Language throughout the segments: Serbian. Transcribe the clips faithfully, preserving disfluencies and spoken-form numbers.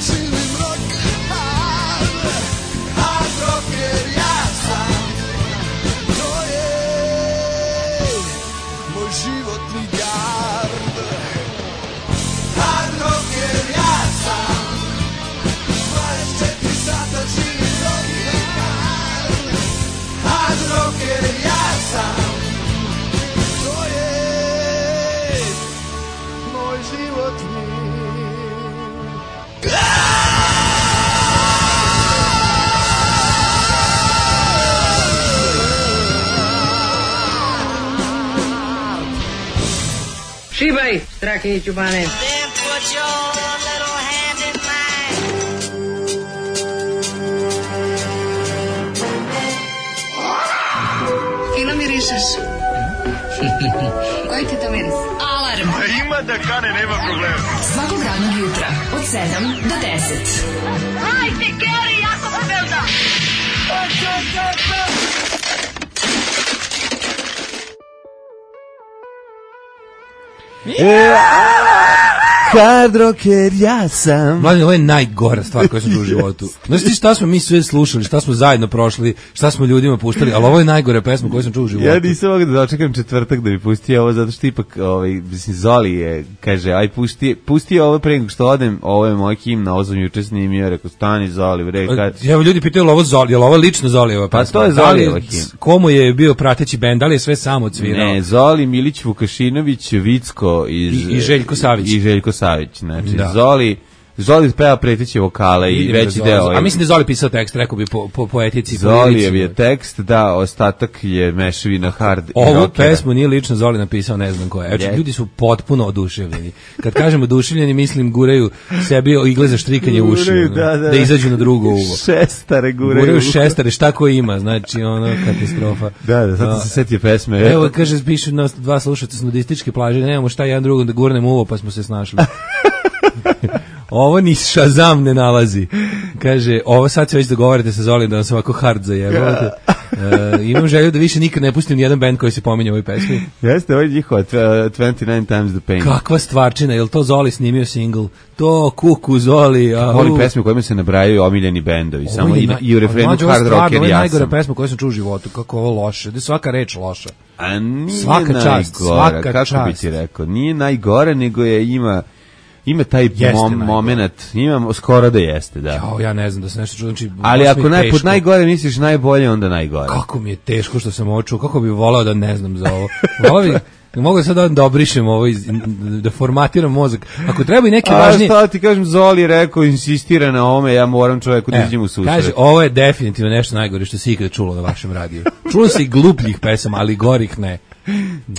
živim rock hard, hard rocker ja sam. To je moj životni gard. Hard rocker ja sam, dvadeset četiri sata živim rock hard, hard rocker ja sam. To je moj životni Šibaj, strake i čubane. Then put your little hand in mine. Fino mirišeš. Koji ti to miris? Alarm. Ima da kane, nema problema. Svakog radnog jutra od sedam do deset. Hajde, Geri, jako se velda. Hard rocker ja sam. Mladen, ovo je najgora stvar koju sam čuo u životu. Znaš ti šta smo mi sve slušali, šta smo zajedno prošli, šta smo ljudima puštali, ali ovo je najgore pesma koju sam čuo u životu. Ja nisam mogu da dočekam četvrtak da mi pusti ovo, zato što ipak, ovaj, mislim, Zoli je, kaže, aj pusti, pusti ovo pre nego što odem, ovo je moj himna, ovo sam juče snimio, rekao, stani Zoli, bre, kad... Evo, ljudi pitaju, je ovo Zoli, je li ovo lično Zolijeva pesma? Pa to je Zolijeva himna. Komu je bio prateći bend, da li je sve samo odsvirao? Ne, Zoli, Milić Vukašinović, Vicko iz, I, i Željko Savić. I Željko Savić, znači, Da. Zoli, Zoli peva preteće vokale i veći Zoli, deo. a mislim da je Zoli pisao tekst, rekao bi po, po, po etici. Zolijev je tekst, da, ostatak je mešavina hard i Ovu rockera. pesmu nije lično Zoli napisao, ne znam ko je. Evo, Je. ljudi su potpuno oduševljeni. Kad kažem oduševljeni, mislim guraju sebi igle za štrikanje uši. Guraju, ono, da, da. da izađu na drugo uvo. Šestare guraju. Guraju šestare, šta ko ima, znači ono, katastrofa. Da, da, sad Da. se setio pesme. Evo, kaže, pišu nas dva slušaca s nudističke plaže, nemamo šta jedan drugom da gurnemo uvo, pa smo se snašli. Ovo ni Shazam ne nalazi. Kaže, ovo sad se već dogovarate sa Zolim da vam se ovako hard zajebavate. E, imam želju da više nikad ne pustim nijedan band koji se pominje u ovoj pesmi. Jeste, ovo je njihova dvadeset devet times the pain. Kakva stvarčina, je li to Zoli snimio single? To kuku Zoli. A, Volim u. pesme u kojima se nabrajaju omiljeni bendovi. Ovo Samo je i, na- i u refrenu Mlađe, hard ovo stvarno, rocker ovo je ja najgora sam. pesma koju sam čuo u životu. Kako je ovo loše. Da je svaka reč loša. A nije Svaka čast, najgora, svaka kako čast. bi ti rekao? Nije najgore, nego je ima ima taj Jeste mom, najgore. moment, ima skoro da jeste, da. Jao, ja ne znam da se nešto čuo. Znači, Ali baš mi ako je naj, pod teško. najgore misliš najbolje, onda najgore. Kako mi je teško što sam ovo čuo, kako bi volao da ne znam za ovo. Volao bi, mogu sad da, da obrišem ovo, iz, da formatiram mozak. Ako treba i neke A važnije... šta ti kažem, Zoli je rekao, insistira na ovome, ja moram čoveku da E, iđem u susret. kaže, ovo je definitivno nešto najgore što se ikada čulo na vašem radiju. Čulo se i glupljih pesama, ali gorih ne.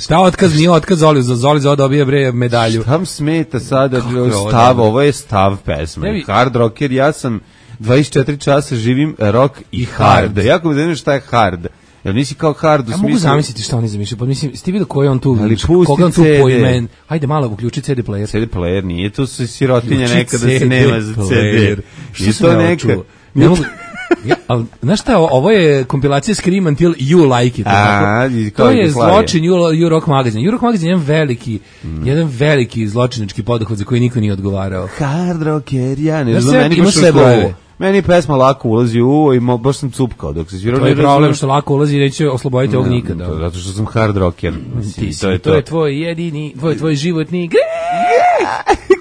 Šta otkaz, nije otkaz Zoli, za Zoli za ovo dobije bre medalju. Šta vam smeta sada Kako je ovo stav, dobro? ovo je stav pesme. Ne bi- Hard rocker, ja sam dvadeset četiri časa živim rock i hard. hard. Jako mi da ne šta je hard. Jel nisi kao hard u Ja smislu... mogu zamisliti šta oni zamišljaju, pa mislim, ste vidio koji je on tu, Ali pusti koga on tu C D. poimen, hajde malo uključi C D player. C D player, nije to su sirotinja Uključi neka da se C D nema za C D. player. Što Nije sam to ja ovo neka... čuo? Ne mogu... Ja, ali, znaš šta, ovo je kompilacija Scream Until You Like It. A, tako? i kao To je Jugoslavija. zločin You, you Rock Magazine. You Rock Magazine je jedan veliki, mm. jedan veliki zločinački poduhvat za koji niko nije odgovarao. Hard rocker, ja ne Ja znam, sve- meni ima baš sve ušlo u brojeve. uvo. Meni je pesma lako ulazi u uvo i mo, baš sam cupkao dok se svirao. To je ne problem razumem. što lako ulazi i neće osloboditi ovog nikada. To, zato što sam hard rocker. Mislim, Ti si, to je to to. je tvoj jedini, tvoj, tvoj životni greh.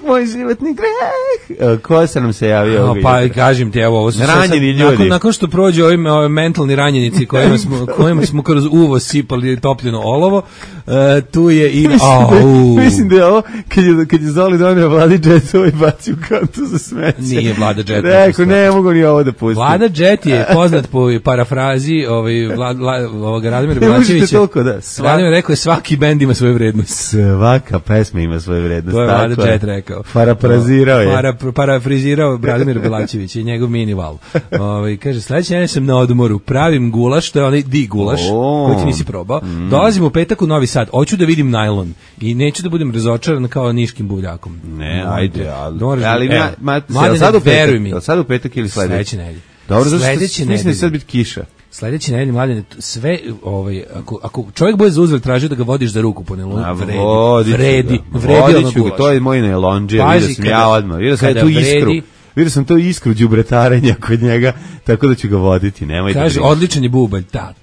Moj životni greh. E, Ko se nam se javio? No, ovdje? pa kažem ti, evo, ovo su sve Ranjeni sad- ljudi. Nakon, nakon što prođe ovi, ovi mentalni ranjenici kojima smo, kojima smo kroz uvo sipali topljeno olovo, e, tu je i... Mislim, da, Au. mislim da je ovo, kad je, kad je Zoli donio Vladi Džetova i bacio kantu za smeće. Nije Vlada Džet Rekao, napisao. ne mogu ni ovo da pustim. Vlada Džet je poznat po parafrazi ovaj, Vla, Vla, ovoga Radomira Ne možete Belačevića. toliko da... Sva, Radomir rekao je svaki bend ima svoju vrednost. svaka pesma ima svoju vrednost. To je tako Vlada Džet rekao. Parafrazirao je. Para, parafrizirao Radomir Belačević i njegov mini val. Ovaj kaže, sledeće nedelje sam na odmoru, pravim gulaš, to je onaj di gulaš, O. koji ti nisi probao. Mm. Dolazim u petak u Novi Sad, hoću da vidim najlon i neću da budem razočaran kao niškim buljakom. Ne, ajde, ali... Da moraš da- ali evo, ma, ma, mladene, sad u veruj petak, mi. jel sad u petak ili sledeće? Sledeće nedelje. Dobro, zato što Sledeće mislim da će nedelje. sad biti kiša. Sledeće nedelje, mladene, sve, ovaj, ako, ako čovjek bude za uzvrat tražio da ga vodiš za ruku po nelonu, A vredi, vodit ću vredi, ga. vredi Vodit ono ću ga, gulaš. to je moj najlonđer, Pazi, vidio sam kada- ja odmah, vidio sam ja kada tu iskru. vredi, vidio sam to iskru đubretarenja kod njega, tako da ću ga voditi, nemojte. Kaže, da odličan je bubanj, tac,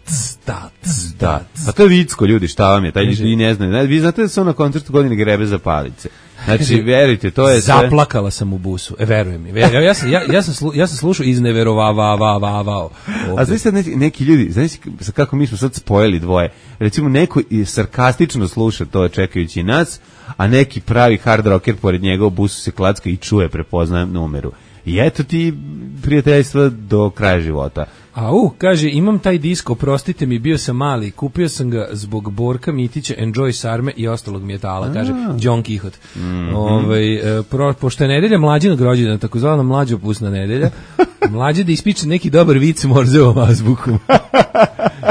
tac, da. tac. Pa to je vicko, ljudi, šta vam je, taj Kaže- ljudi ne znaju. Vi znate da se on na koncertu godine grebe za palice. Znači, verujte, to je sve... Zaplakala sam u busu, e, verujem mi. Verujem. Ja, sam, ja, ja, sam slu, ja sam slušao izneverovavavavao. A znaš sad neki, neki ljudi, znaš kako mi smo sad spojili dvoje, recimo neko i sarkastično sluša to čekajući nas, a neki pravi hard rocker pored njega u busu se klacka i čuje, prepoznaje numeru. I eto ti prijateljstva do kraja života. A u, kaže, imam taj disk, oprostite mi, bio sam mali, kupio sam ga zbog Borka Mitića, Enjoy Sarme i ostalog metala, kaže John Kihot. Mm-hmm. Ovaj, e, pro, pošto je nedelja mlađinog rođena, takozvana mlađopusna nedelja, mlađe da ispiče neki dobar vic Morzevom azbukom.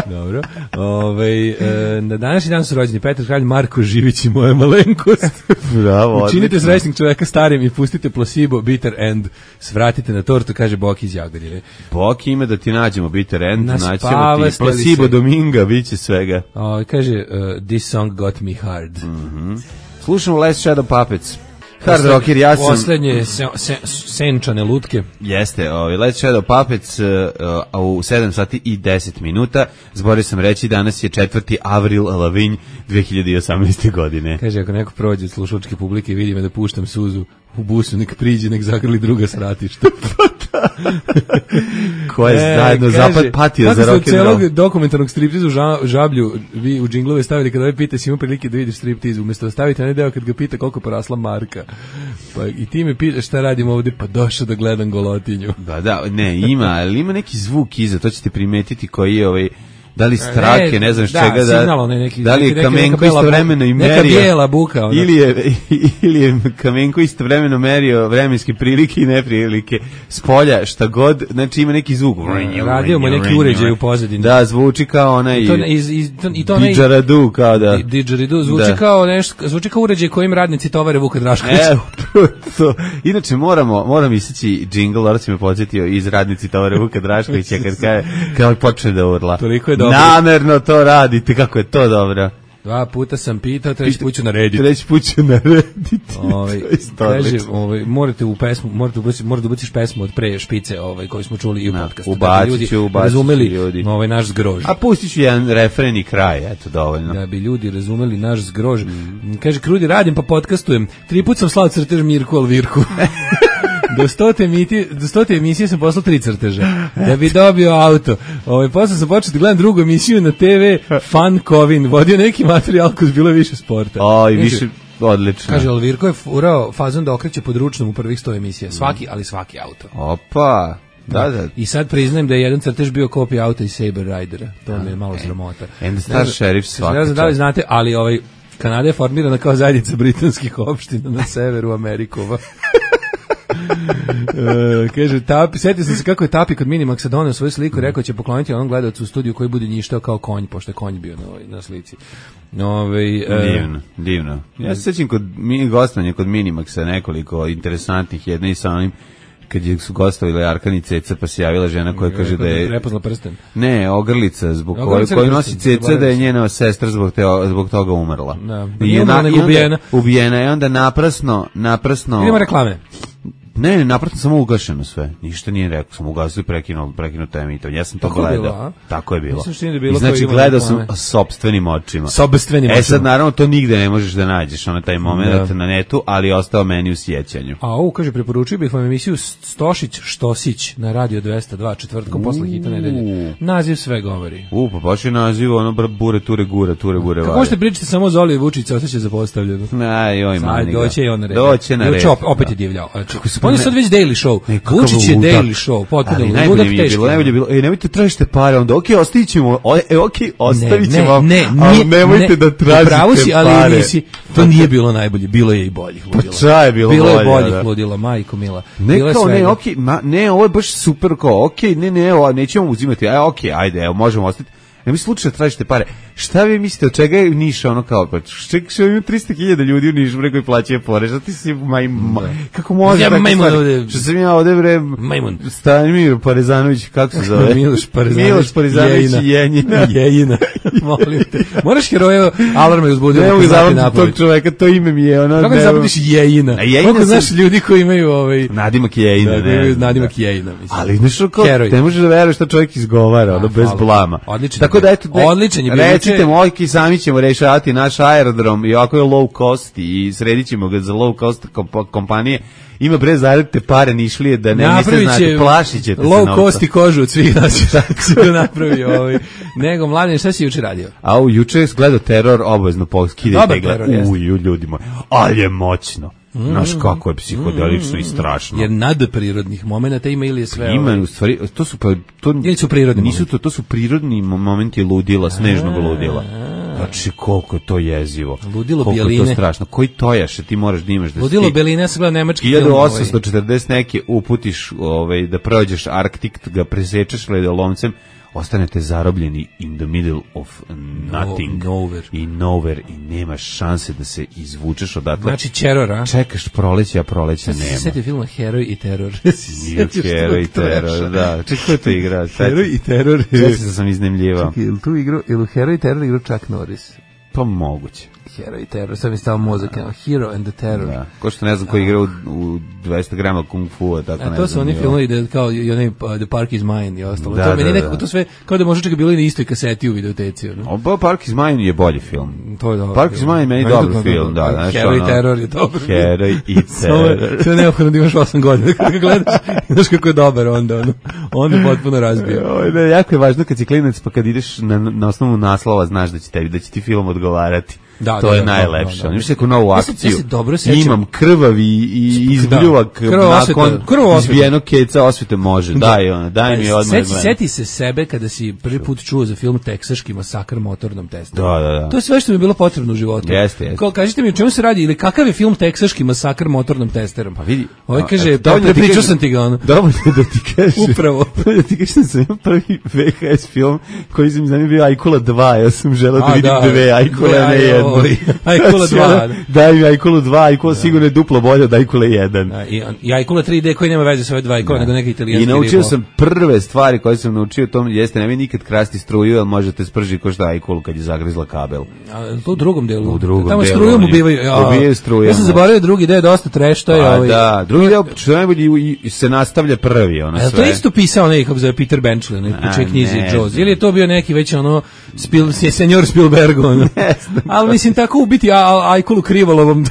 Dobro. Ovaj, e, na današnji dan su rođeni Petar Kralj, Marko Živić i moja malenkost. Bravo, Učinite odlično. srećnog čoveka starim i pustite placebo, bitter end. Svratite na tortu, kaže Boki iz Jagodine. Boki ima da ti nađemo bitter end, naćemo Naspavastili ti placebo se. Dominga, bit će svega. O, kaže, uh, this song got me hard. Slušamo Last Shadow Puppets. Hard rocker, ja sam... Poslednje se, se, senčane lutke. Jeste, ovaj, Last Shadow Puppets uh, uh, u sedam sati i deset minuta. Zborio sam reći, danas je četvrti Avril Lavigne dve hiljade osamnaeste. godine. Kaže, ako neko prođe od slušačke publike i vidi me da puštam suzu u busu, nek priđe, nek zagrli druga sratišta. Ko je zajedno zapad patio za rock and roll. Celog dokumentarnog striptiza u ža, žablju vi u džinglove stavili kada ovaj pita si imao prilike da vidiš striptiz, umjesto da stavite onaj deo kad ga pita koliko porasla marka. Pa i ti me pitaš šta radim ovde, pa došao da gledam golotinju. Da, da, ne, ima, ali ima neki zvuk iza, to ćete primetiti koji je ovaj, da li strake, ne znam da, čega, da, signal, ne, neki, da li je neki, Kamenko neka istovremeno i neka merio, bijela buka, ono. ili je, ili je Kamenko istovremeno merio vremenske prilike i neprilike s polja, šta god, znači ima neki zvuk. Radio mu neki uređaj u pozadini. Da, zvuči kao onaj I to, iz, iz, to, i to onaj- didžaradu, kao da. Di- Didgeridoo zvuči Da. kao nešto, zvuči kao uređaj kojim radnici tovare Vuka Draškovića. E, to. Inače moramo, moram iseći džingl, Lora si me podsjetio iz radnici tovare Vuka Draškovića kad kad, kad počne da urla. Toliko je dobro. Namerno to radite, kako je to dobro. Dva puta sam pitao, treći put ću narediti. Treći put ću narediti. Ovaj, To je isto kaže, odlično. ovaj, morate u pesmu, morate ubaciti, morate ubaciti pesmu od pre špice, ovaj, koju smo čuli i u Da, podcastu. ubacit Da bi ću, ljudi ubacit ću razumeli ljudi. ovaj naš zgrož. A pustit ću jedan refren i kraj, eto, dovoljno. Da bi ljudi razumeli naš zgrož. Kaže, Krudi, radim pa podcastujem. Tri put sam slao crtež Mirku Alvirku. Do stote, emiti, do stote emisije sam poslao tri crteža da bi dobio auto. Ovaj, posle sam počeo da gledam drugu emisiju na te ve, Fan Kovin, vodio neki materijal koji bilo više sporta. O, i Kaže- više, odlično. Kaže, Alvirko je furao fazon da okreće pod ručnom u prvih sto emisija. Svaki, ali svaki auto. Opa, da, da. I sad priznajem da je jedan crtež bio kopija auta iz Saber Ridera. To mi je malo sramota. And the Ne Star znam- Sheriff svaka Ne znam da li čast. znate, ali ovaj, Kanada je formirana kao zajednica britanskih opština na severu Amerikova. Uh, kaže, Tapi, setio sam se kako je Tapi kod Minimaxa doneo svoju sliku i rekao će pokloniti onom gledalcu u studiju koji bude njištao kao konj, pošto je konj bio na, ovoj- na slici. Ove, Divno, divno. Ja se sećam kod mini gostovanja kod Minimaxa nekoliko interesantnih, jedna i sa onim kad je su gostovile Arkan i Ceca, pa se javila žena koja kaže da je Prepoznala prsten. ne, ogrlica zbog koje Ogrlica koju ili nosi prsten, Ceca da je zaboravio sam. njena sestra zbog te, zbog toga umrla. Da. I Nije je umrla, na- nego i onda- ubijena. Ubijena je onda naprasno, naprasno. Idemo reklame. Ne, ne, naprasno samo ugašeno sve. Ništa nije rekao, samo ugasio i prekinuo, prekinuo to emitovanje. Ja sam to Tako je gledao. bilo, a? Tako je bilo. Mislim što nije da je bilo I znači kao ima gledao sam reklame. sopstvenim očima. Sobstvenim E očima. sad naravno to nigde ne možeš da nađeš, ono taj moment Da. na netu, ali je ostao meni u sjećanju. A ovo, kaže, preporučio bih vam emisiju Stošić Štosić na Radio dvesta dva četvrtkom posle hita nedelje. Naziv sve govori. U, pa baš je naziv, ono, br- bure, ture, gura, ture, bure, Kako vare. možete pričati samo o Zoli Vučića, osjeća zapostavljeno. Aj, joj, mani Ajde, ga. doće i on na red. Doće na red. Juče op- opet je divljao. Znači, on je ne- sad već Daily Show. Ne, kakav Vučić je ludak. Daily Show, potpuno Ali ludak, najbolje mi je teški. bilo, najbolje je bilo, ej, nemojte tražite pare, onda, okej, ostavit ćemo, o, e, okej, ostavit ćemo vam, ne, ali nije- nemojte ne, da tražite upravo si, ali pare. nisi, to nije bilo najbolje, bilo je i boljih ludila. Pa ča je bilo Bilo je bolje, boljih da. ludila, majko mila. Ne, Bilo je kao, ne, svega. okej, ma, ne, ovo je baš super, kao, okej, ne, ne, ovo, nećemo uzimati, aj, okej, ajde, evo, možemo ostaviti. Ne mi slučajno tražite pare. Šta vi mislite, od čega je Niš ono kao, pa ček, što ima tristo hiljada ljudi u Nišu, bre, koji plaćaju porez, a ti si, maj, ma, kako može Ja, tako majmun stvari? ovde. Što sam ja ovde, bre, Majmun. Stanimir Parezanović, kako se zove? Miloš Parezanović. Miloš Parezanović i Jenjina. Jenjina. Molim te. Moraš heroje alarma uzbuditi. Ne mogu zapamtiti tog čoveka, to ime mi je ono... Kako ne zapamtiš Jejina? A Jejina Koliko sam- znaš ljudi koji imaju ovaj... Nadimak Jejina, Da, ne imaju znam, nadimak da. Jejina, mislim. Ali znaš kao, Heroj. ne možeš da veruješ šta čovjek izgovara, ono, bez hvala. blama. Odličan Tako je da, bio. eto, ne, Odličan je bio. recite, Juče- mojki, sami ćemo rešavati naš aerodrom i ovako je low cost i sredit ćemo ga za low cost komp- kompanije. Ima bre zaradite pare Nišlije da ne niste znate, plašit ćete se low novca. cost i kožu od svih nas. Tako se to napravio. Ovaj. Nego, Mladen, šta si juče radio? A u juče je gledao teror, obavezno poskidajte Dobar i gleda. teror, jeste. Uju, ljudi moji, ali je moćno. Znaš kako je psihodelično i strašno. Jer nadprirodnih momenata ima ili je sve... Ima ovaj, u stvari, to su pa to Ili su prirodni nisu momenti? to, to su prirodni mo- momenti ludila, snežnog ludila. Znači koliko je to jezivo. Ludilo koliko je to bjeline. strašno. Koji tojaše ti moraš da imaš da Ludilo si ti Beline, ja sam gledao nemački film. ovaj. hiljadu osamsto četrdeset neke uputiš ovaj, da prođeš Arktik, ga presečeš ledolomcem, ostanete zarobljeni in the middle of nothing. No- nowhere. I nowhere i nemaš šanse da se izvučeš odatle. Znači, Čeror, a? Čekaš proleće, a proleća Nema. nema. Setio filma Heroj i teror. Nije Heroj i teror, da. Čekaj, ko je to igra? Heroj i teror. Sve se sam iznemljivao. Čekaj, ili tu igru, ili u Heroj i teror igru Chuck Norris? Pa moguće. Heroj i teror, sad mi stao mozak, no. Hero and the Terror. Da. Ko što ne znam ko igra u, u dvesta grama kung fu, tako A ne to su znam oni ni ovo. filmovi da kao i onaj uh, The Park is Mine i ostalo. Da, to meni da, nekako da. to sve kao da možda čak bilo i na istoj kaseti u videoteci, ono. Oba Park is Mine je bolji film. To je dobro. Park is Mine meni Meni dobar to- film, da. Znaš, Heroj i ono, teror je dobar. film. Heroj i Samo je- teror. Sve je neophodno da imaš osam godina kad ga gledaš. Znaš kako je dobar onda, ono. Onda potpuno razbio. Oj, ne, jako je važno kad si klinac, pa kad ideš na, na osnovu naslova, znaš da će tebi, da će ti film odgovarati. Da, to da, je da, najlepše. da, da. Imaš neku novu Ja se- akciju. ja se dobro sećam. Imam krvavi i izbljuvak Da. Krvava osveta, nakon krvava osveta. izbijenog keca osvete može. Daj, ona, daj mi odmah. Seti, gledam. seti se sebe kada si prvi put čuo za film Teksaški masakr motornom testerom. Da, da, da. To je sve što mi je bilo potrebno u životu. Jeste, jeste. Kao, kažite mi o čemu se radi ili kakav je film Teksaški masakr motornom testerom? Pa vidi. Ovaj A, kaže, eto, pa dovoljno ti prepričao kažem- sam ti ga ono. Dovoljno da ti kažem. Upravo. Dovoljno da ti kažem da sam imao prvi V H S film koji sam znam je bio Ajkula dva. Ja sam želeo da A, vidim da. dve Ajkule, Dve a ne Aj- jednu. ovaj, Ajkula Znači, dva, ono, da. Daj mi Ajkulu dva, Ajkula sigurno je duplo bolje od Ajkule jedan. A, I, i Ajkula tri D koji nema veze sa ove dva Ajkula, nego neka I italijanski naučio ribo. sam prve stvari koje sam naučio, to jeste nemoj nikad krasti struju, jer možete sprži ko šta Ajkulu kad je zagrizla kabel. A, to u drugom delu. U drugom Tamo delu, strujom oni ubivaju. Ja, ubijaju strujom, Ja sam da. zaboravio drugi deo, dosta trash, to je Pa ovaj. da, drugi deo, što je najbolje, i- i se nastavlja prvi, ono A jel sve. to je isto pisao onaj, kako se zove, Peter Benchley, onaj A, u čoj knjizi ne Jaws? znam. Ili je to bio neki već ono, Spil, senjor Spielberg, ono? Ali mislim, tako ubiti a- a- Ajkulu Krivolovom.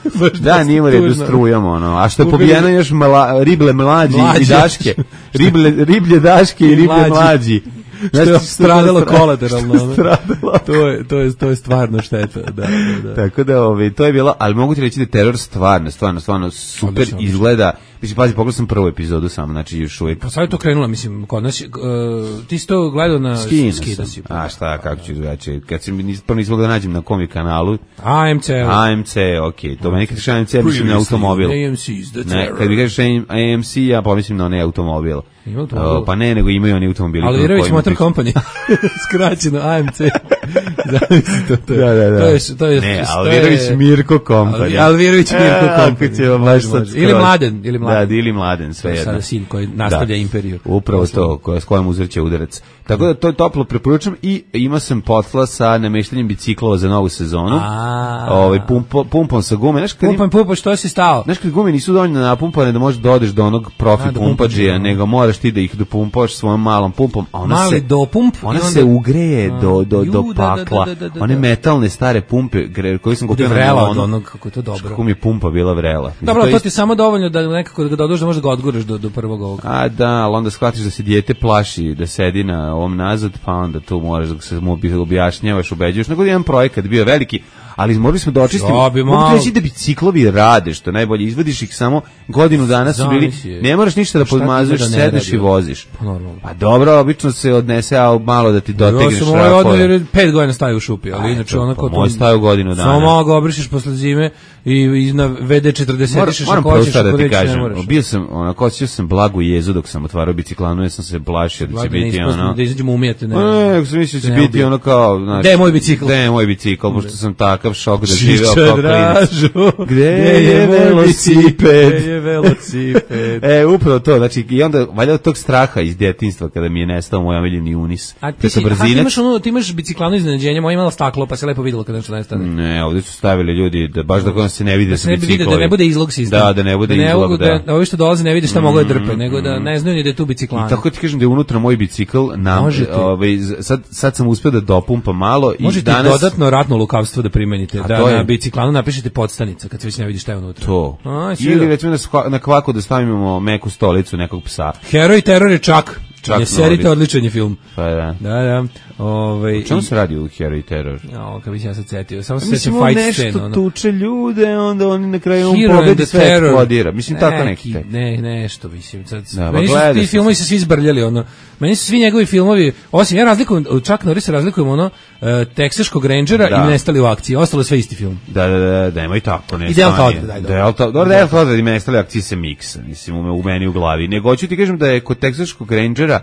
Baš Da, dosta nije u redu tužno. strujom, ono. A što je Ubili- pobijeno još mala, rible mlađi Mlađe. i daške. Rible, riblje daške i riblje Mlađi. mlađi. Što je Znaš, stradalo stra- kolateralno. što ono. je stradalo. To je, to je, to je stvarno šteta, da, da, da. Tako da, ovaj, to je bilo, ali mogu ti reći da je teror stvarno, stvarno, stvarno super Odlično, odlično. izgleda. Mislim, pazi, pogledao sam prvu epizodu samo, znači još uvijek. Pa sad je to krenulo, mislim, kod nas, je, uh, ti si to gledao na... Skino skida sam. si. A šta, kako ću drugačije? Kad sam, nis- prvo nisam mogao da nađem na kom je kanalu. A M C. A M C, okej. To meni kad kažeš A M C, mislim na automobil. A M C is the Ne, terror. kad mi kažeš A M C, ja pomislim na onaj automobil. Ima automobil? O, pa ne, nego imaju oni automobili. Alvirović kojima Motor piše- Company. Skraćeno A M C. Zamisli to, to. je- Da, da, da. To je, to je, ne, to Alvirović je- Mirko Company. Alvi- Alvirović Mirko E, Company. Ako ćemo baš Može, sad može. Ili skroz. Mladen, ili Mladen. Da, ili Mladen, To sve je jedno. sada sin koji nastavlja imperiju. Upravo to, koja, s kojom uzreće udarac. Tako da to je toplo preporučam i ima sam posla sa nameštanjem biciklova za novu sezonu. A. Ovaj pumpo, pumpom sa gume. Znaš kad, Pumpam, pumpam, što si stao? znaš kad gume nisu dovoljno napumpane da možeš da odeš do onog profi A, do pumpađija, pumpađija. nego moraš ti da ih dopumpaš svojom malom pumpom. A ona Mali se, dopump i Ona onda- se ugreje A, do, do, do ju, da, da, da, pakla. da, da, da. One metalne stare pumpe gre- koje sam Bude kupio na vrela od Milonu. onog, kako je to dobro. Kako mi je pumpa bila vrela. Mislim, Dobro, je to isto- ti je samo dovoljno da nekako da ga dodaš da možeš da ga odguraš do, do prvog ovog. A da, ali onda shvatiš da se dijete plaši da sedi na ovom nazad, pa onda tu moraš da se mu obi- objašnjavaš, ubeđuješ. Nego jedan projekat bio veliki, ali morali smo da očistimo. Ja bi Mogu malo- ti reći da biciklovi rade, što je najbolje, izvadiš ih samo godinu dana su bili, Zamisli je. ne moraš ništa da Šta podmazuješ, ima da ne sedneš radi? i voziš. Pa normalno. Pa dobro, obično se odnese, a malo da ti dotegneš Ja sam ovaj odmah šrafove. jer pet godina stavio u šupi, ali A, inače eto, onako... pa moj stavio godinu dana. Samo malo ga obrišeš posle zime i, i na ve de četrdeset Moram, išeš moram ako prvo hoćeš, sad da ako ti nećeš, ne kažem, moraš. bio sam, onako, osjećao sam blagu jezu dok sam otvarao biciklanu, jer sam se plašio da će Blago biti ne ispostimo, ono... da izađemo umijete. Ne, Ne, ako sam mislio da će ne biti ubije. ono kao... Znaš, Gde je moj bicikl? Gde je moj bicikl, pošto sam takav šok da živeo Čiča kao klinac. Dražu, Gde je velosiped? Gde je velosiped? E, upravo to, znači, i onda, valjda od tog straha iz djetinjstva, kada mi je nestao moj omiljeni Unis. A ti, Preko si, a ti brzinac. imaš, ono, ti imaš biciklano iznenađenje, moja imala staklo, pa se lepo videlo kada nešto nestane. Ne, ovdje su stavili ljudi, da baš da se ne vidi da Da su se ne bi vidio, biciklovi. da ne bude izlog sistem. Da, da ne bude ne izlog, mogu da. da ovi što dolaze ne vide šta mogu da drpe, nego da ne znaju ni da je tu biciklana. I tako ti kažem da je unutra moj bicikl, na, Možete. ovaj, z- sad, sad sam uspio da dopumpam malo i Možete danas... dodatno ratno lukavstvo da primenite, A da to je- na biciklanu napišete podstanica kad se već ne vidi šta je unutra. To. A, sve Ili da. recimo na, skva- na kvaku da stavimo meku stolicu nekog psa. Heroj teror je čak. Čak Ne serite, Nordic. odličan je film. Pa da. Da, da. Ovaj O čemu se radi u Hero i Terror? Ja, kad bi se ja sad setio. Samo se Mislim, sećam on fight nešto scene. ono. tuče ljude, onda oni na kraju on Hero and pobedi the sve Terror. eksplodira. Mislim, tako neki. taj. Ne, nešto, mislim. Sad, Da, meni pa su gledao ti sam filmovi se svi zbrljali, ono. Meni su svi njegovi filmovi, osim, ja razlikujem, čak Norris razlikujem, ono, uh, Teksaškog Rangera Da. i Nestali u akciji. Ostalo je sve isti film. Da, da, da, da, nemoj tako, ne. I Delta stani. Odred, daj, dobro. Delta, dobro, Delta Odred i nestale akcije se miksa, mislim, u, me- u meni u glavi. Nego hoću ti kažem da je kod Teksaškog Rangera,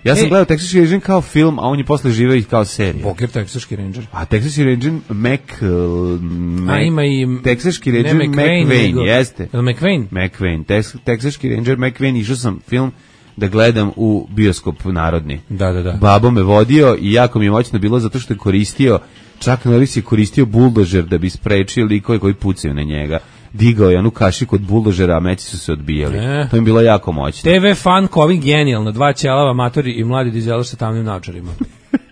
ja sam E. gledao Teksaški Ranger kao film, a on je posle živeo i kao serija. Boker, Teksaški Ranger. A Teksaški Ranger Mac... uh, Mac A ima i... Teksaški ne Ranger McVeigh, McVeigh, nego- jeste. Je li McVeigh? McVeigh, Tex- Teksaški Ranger McVeigh, išao sam film da gledam u bioskop narodni. Da, da, da. Babo me vodio i jako mi je moćno bilo zato što je koristio, čak Norris je koristio buldožer da bi sprečio likove koji pucaju na njega. Digao je onu kašiku od buldožera, a meci su se odbijali. E. To mi je bilo jako moćno. T V fan Kovin genijalno, dva ćelava, amatori i mladi dizelaš sa tamnim naočarima.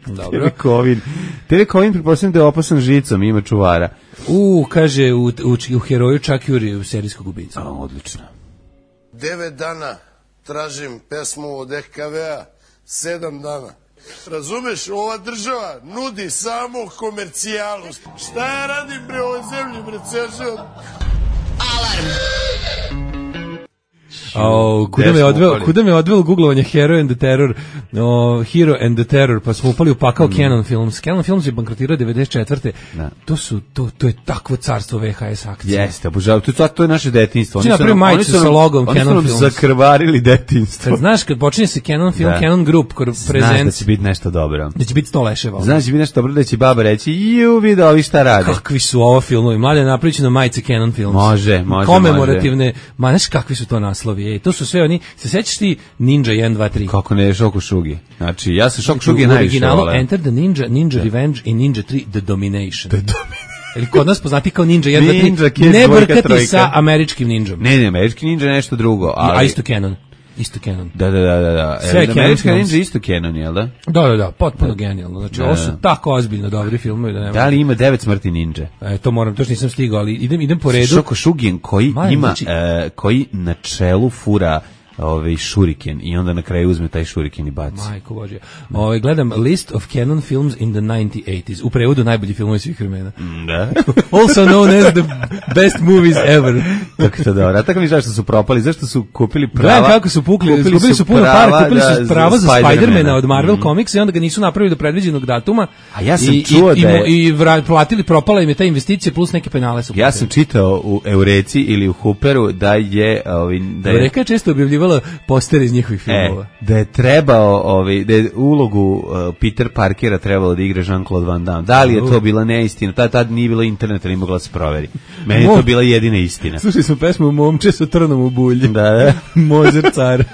Dobro. T V Kovin. T V Kovin, pretpostavljam da je opasan žicom, ima čuvara. U, kaže, u, u, u heroju Chuck Yuri u serijskog ubica. A, odlično. Devet dana tražim pesmu od E K V-a, sedam dana. Razumeš, ova država nudi samo komercijalu. Šta ja radim bre ovoj zemlji, bre, ceo život? O, kuda Gde me smo odveo, upali? kuda me odveo googlovanje Hero and the Terror, o, Hero and the Terror, pa smo upali u pakao Mm. Canon Films. Canon Films je bankrotirao devedeset četvrte. Da. To su to to je takvo carstvo V H S akcija. Jeste, obožavam. To, to je naše detinjstvo. Ti Oni su napravi nam- oni majicu su nam- sa logom oni su Canon nam Films. zakrvarili detinjstvo. Kad znaš, kad počinje se Canon Film, Da. Canon Group, kor- Znaš da prezent, će biti nešto dobro. da će biti sto leševa. Znaš da će biti nešto dobro da će baba reći, ju, vidi ovi šta rade. Kakvi su ovo filmovi? Mlade, napravit ću na majice Canon Films. Može, može, Komemorativne, ma znaš kakvi su to naslovi? Ej, to su sve oni, se sećaš ti Ninja jedan, dva, tri? Kako ne, Šoko Šugi. Znači, ja sam Šoko U Šugi najviše originalu voleo. Enter the Ninja, Ninja Revenge i Ninja tri The Domination. The Ili kod nas poznati kao Ninja jedan, dva, tri. Ninja Kids, Ne dvojka, brkati trojka. sa američkim ninjom. Ne, ne, američki ninja je nešto drugo, ali... A isto Canon. Isto Canon. Da, da, da, da. da. Sve E, Canon američki films. ninja je isto Canon, jel da? Da, da, da, potpuno genijalno. Znači, Da, ovo su da. tako ozbiljno dobri filmovi da nema. Da li ima devet smrti ninja? E, to moram, to što nisam stigao, ali idem, idem po redu. Šoko Šugin koji Majan, ima, znači- e, koji na čelu fura ovaj šuriken i onda na kraju uzme taj šuriken i baci. Majko Božja. Ovaj gledam List of Canon Films in the nineteen eighties. U prevodu najbolji filmovi svih vremena. Da. Also known as the best movies ever. Tako to dobro. A tako mi zašto su propali? Zašto su kupili prava? Gledam kako su pukli, kupili su puno para, kupili da, su prava za Spidermana. Spidermana od Marvel Mhm. Comics i onda ga nisu napravili do predviđenog datuma. A ja sam I, čuo i, da i, je- i vra- platili, propala im je ta investicija plus neke penale su. Ja sam čitao u Eureci ili u Hooperu da je ovaj da je Eureka je često objavljivala postere iz njihovih filmova. E, da je trebao, ovaj, da je ulogu uh, Peter Parkera trebalo da igra Jean-Claude Van Damme. Da li je to bila neistina? Tad, tad nije bilo interneta, nije mogla da se proveri. Meni je to Mo- bila jedina istina. Slušali smo pesmu Momče sa trnom u bulji. Da, da. Mozer car.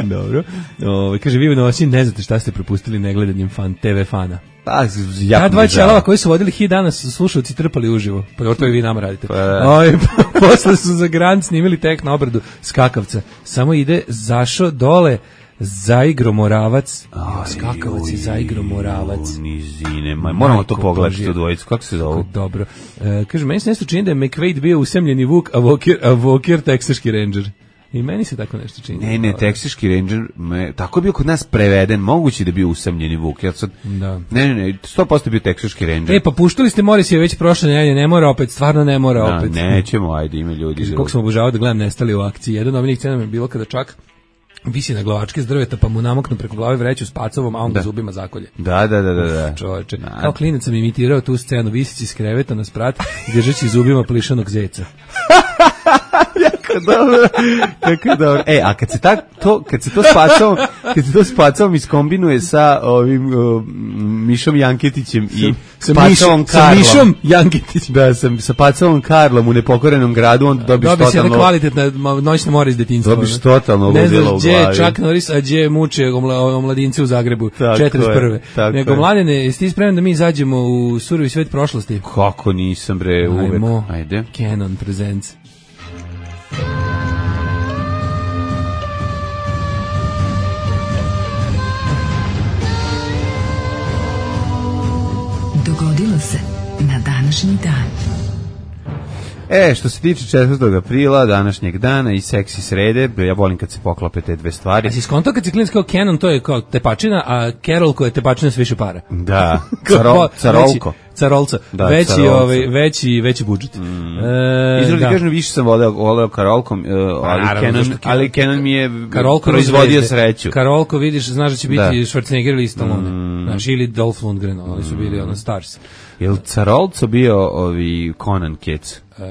Dobro. Ove, kaže, vi u noći ne znate šta ste propustili negledanjem fan, T V fana. Pa, Ja jako dva mi je žao. ćelava koji su vodili hit danas su slušalci trpali uživo. Pa to i vi nama radite. Pa da. Oj, posle su za Grand snimili tek na obradu skakavca. Samo ide zašo dole zaigro Moravac. Jo, skakavac i zaigro Moravac. U, nizine, ma, moramo to Majko pogledati Božja. tu dvojicu. Kako se zovu? Dobro. E, kaže, meni se nešto čini da je McVeigh bio usemljeni vuk, a Walker, a Walker teksaški ranger. I meni se tako nešto čini. Ne, ne, Teksaški Ranger, me, tako je bio kod nas preveden, moguće da je bio usamljeni Vuk. Ja sad, Da. Ne, ne, ne, sto posto bio Teksaški Ranger. E, pa puštali ste Morrissey već prošle nedelje, ne mora opet, stvarno ne mora Da, opet. nećemo, ajde, ima ljudi. Kako sam obožavao da gledam Nestali u akciji. Jedan od onih scena mi je bilo kada čak visi na glavačke s drveta, pa mu namaknu preko glave vreću s pacovom, a on ga zubima zakolje. Da, da, da, da. da. Čoveče, kao klinac sam imitirao tu scenu, visići s kreveta na sprat, držeći zubima plišanog zeca. Jako dobro, jako dobro. E, a kad se, tak, to, kad se to s pacom, kad se to s pacom iskombinuje sa ovim uh, Mišom Janketićem i sa pacovom Karlom. Sa Mišom Janketićem. Da, sam sa pacovom Karlom u nepokorenom gradu, onda dobiš Dobi totalno... Dobi se kvalitetna noćna mora iz detinjstva. Dobiš totalno ne ludilo znaš u gdje glavi. je Chuck Norris, a gdje muče omla, omladince u Zagrebu, četrdeset prve. Nego, je. Mladene, jesi ti spreman da mi izađemo u surovi svet prošlosti? Kako nisam, bre, uvek. Ajmo, Ajde. Canon Presents. Dogodilo se na današnji dan. E, što se tiče četvrtog aprila, današnjeg dana i seksi srede, ja volim kad se poklope te dve stvari. A si skonto kad si klinac kao Canon, to je kao tepačina, a Carol koja je tepačina s više para. Da, caro, carolko. Veći, carolca, Da, veći, carolca. ovaj, veći, veći budžet. Mm. E, Izradi da. kažem, više sam voleo, voleo Karolkom, uh, ali, naravno, Canon, zašto Canon- ali Canon mi je Karolko proizvodio zvezde. sreću. Karolko, vidiš, znaš da će biti Da. Schwarzenegger ili Stallone. Mm. Znaš, ili Dolph Lundgren, oni su bili ono Stars. Je li Carolco bio ovi Conan Kec? E,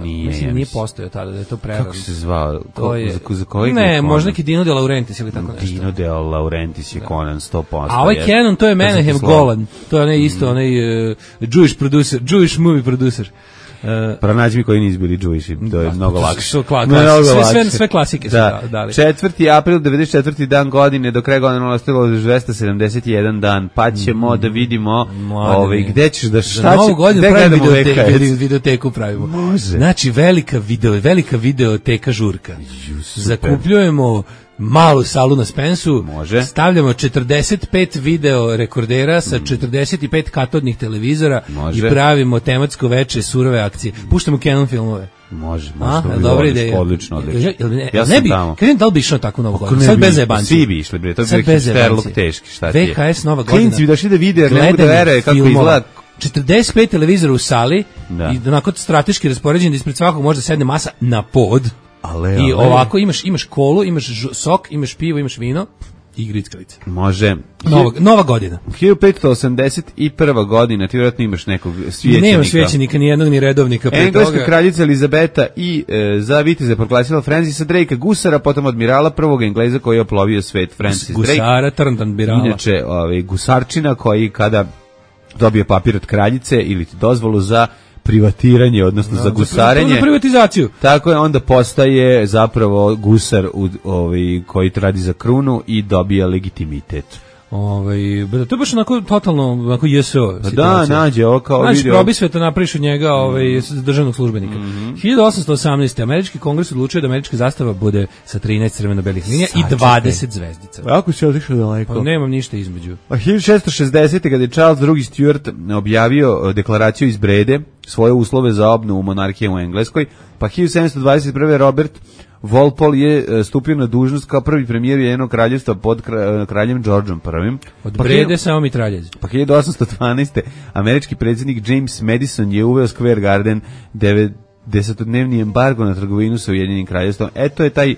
Nije, mislim, ja nije mislim. postojao tada, da je to prerano. Kako se zvao? To Ko, je, za, za kojeg je ne, Conan? možda neki Dino de Laurentiis ili tako nešto. Dino de Laurentiis je Conan sto posto. A ovaj Canon, to je Menahem slovo. Golan. To je onaj isto, onaj uh, Jewish producer, Jewish movie producer. Uh, Pronađi mi koji nisu bili Jewishi, to je Da, mnogo to su- lakše. su kla- Mnogo klasi- sve- lakše. sve- sve klasike su da. da- dali. četvrti april, devedeset četvrti dan godine, do kraja godine ostalo dvesta sedamdeset jedan dan, pa ćemo da vidimo Mladene. ovaj, gde ćeš da Za šta novu će, godinu gde pravimo gledamo videote, V K S. vide- videoteku pravimo. Može. Znači, velika video, velika videoteka žurka. Ju, super. Zakupljujemo malu salu na Spensu, Može. stavljamo četrdeset pet video rekordera sa četrdeset pet katodnih televizora Može. i pravimo tematsko veče surove akcije. Puštamo Canon filmove. Može, A, može, to bi dobra odlično, ideja. odlično, odlično. Jel- jel ne, Ja ne sam bi, tamo. kažem, da li bi išao tako novu Kako godinu? ne Sad bi, bez zajebancije. Svi bi išli, bre, to bi Sad bio bez hipsterluk zajebancije. teški, šta ti je? V K S nova godina. Klinci bi došli da vide, jer ne mogu da Gledanje veruje kako filmova. izgleda. četrdeset pet televizora u sali Da. i onako strateški raspoređen da ispred svakog može da sedne masa na pod. Ale, I ale. ovako imaš imaš kolu, imaš ž- sok, imaš pivo, imaš vino i grickalice. Može. Nova, nova godina. hiljadu petsto osamdeset prva godina, ti vjerojatno imaš nekog svećenika. Nema svećenika, ni jednog, ni redovnika. Pre Engleska toga. kraljica Elizabeta i e, za viteze proglasila Francisa Drakea Gusara, potom admirala prvog Engleza koji je oplovio svet, Francis Drake. Gusara, Trndan, Birala. Inače, ovaj, gusarčina koji kada dobije papir od kraljice ili ti dozvolu za privatiranje, odnosno za gusarenje, Za privatizaciju. tako je, onda postaje zapravo gusar u, ovaj, koji radi za krunu i dobija legitimitet. Ovaj, to je baš onako totalno onako J S O Pa situacija. da, nađe ovo kao Znači, video. probi sveta napraviš od njega ovaj, državnog službenika. Mhm. hiljadu osamsto osamnaeste. Američki kongres odlučio da američka zastava bude sa trinaest crveno-belih linija i Sačekaj. dvadeset zvezdica. Ako si otišao daleko. Pa nemam ništa između. A hiljadu šessto šezdesete. kada je Charles drugi. Stuart objavio deklaraciju iz Brede, svoje uslove za obnovu monarhije u Engleskoj, pa hiljadu sedamsto dvadeset prve. Robert Walpole je e, stupio na dužnost kao prvi premijer Ujedinjenog kraljevstva pod kra- kraljem Georgeom prvim. Od Pa Brede hilju- samo mitraljez. Pa hiljadu osamsto dvanaeste. američki predsjednik James Madison je uveo Square Garden devetdesetodnevni embargo na trgovinu sa Ujedinjenim kraljevstvom. Eto je taj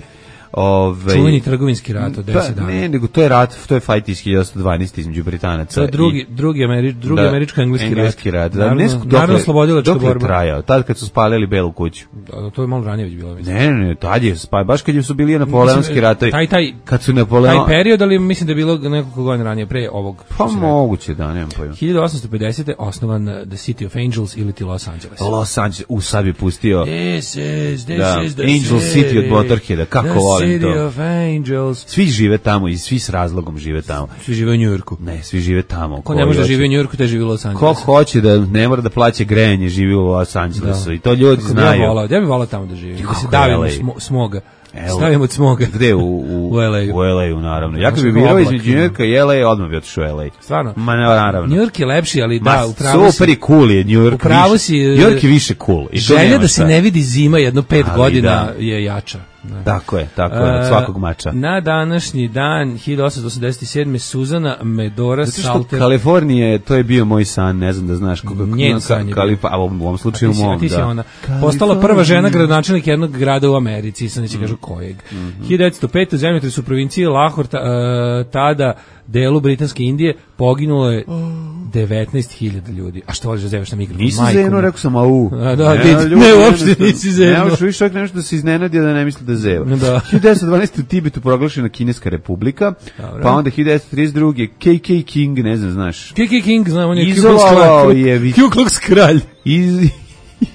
ovaj Čuveni trgovinski rat od deset Pa, dana. ne, nego to je rat, to je fight iz hiljadu osamsto dvanaeste između Britanaca. To je drugi, i- drugi, ameri, drugi Da, američko-engleski rat. engleski rat. Da, Narodno, ne znam narodno dokle- slobodilačka dokle je borba. trajao, tad kad su spalili Belu kuću. Da, to je malo ranije već bilo. Mislim. Ne, ne, ne, tad je, pa, baš kad su bili napoleonski Mislim, ratovi. taj- taj- kad su Napoleon... Taj period, ali mislim da je bilo nekoliko godina ranije, pre ovog. Pa što si rekao. moguće, da, nemam pojma. hiljadu osamsto pedesete. osnovan uh, The City of Angels ili ti Los Angeles. Los Angeles, u sad bi pustio This is, this Da, is the Angel City od Motorheada, kako the volim City to. of Angels. Svi žive tamo i svi s razlogom žive tamo. Svi žive u Njujorku. Ne, svi žive tamo. Ko ne može da živi u Njujorku, te živi u Los Ko Angelesu. hoće da ne mora da plaća grejanje, živi u Los Angelesu. I to ljudi Kako bi ja znaju. volao, ja bih volao tamo da živim. Da Kako se je davim L A? od smo, smoga. Evo. Stavim od smoga. Gde? U, u, U L A-u. U L A-u, naravno. Ja kad Možda bi kao birao oblak između ima. Njujorka i L A, odmah bi otišao u L A. Stvarno? Ma ne, naravno. Njujork je lepši, ali Ma, da, upravo super i cool je New York. U pravu više. si, New York je više cool. I to Želja nema da se šta. ne vidi zima jedno pet Ali godina da. je jača. Tako je, tako je, od svakog mača. Na današnji dan hiljadu osamsto osamdeset sedme Suzana Medora Zato što Salter. Kalifornije, to je bio moj san, ne znam da znaš kako. Njen san je Kalifa, a u ovom slučaju A ti si- mom, a ti si da. ona. Postala prva žena gradonačelnik jednog grada u Americi, sad neće kažu kojeg. hiljadu devetsto pete u zemljotresu u provinciji Lahore, ta- e, tada delu Britanske Indije, poginulo je devetnaest hiljada ljudi. A što voliš da zevaš na mikrofon? Nisi Majko zenuo, moja. rekao sam, au. A, da, Ne, vidi, ljudi, ne, nešto- uopšte nisi zenuo. Ne, uopšte, viš čovjek nešto da se iznenadio da ne misli da zeva. Da. hiljadu devetsto dvanaeste u Tibetu proglašena Kineska republika, Dobro. pa onda hiljadu devetsto trideset druge K K King, ne znam, znaš, K K King, znam, on je Ku Klux Izolovao Klan- je vi- Ku Klux kralj. iz,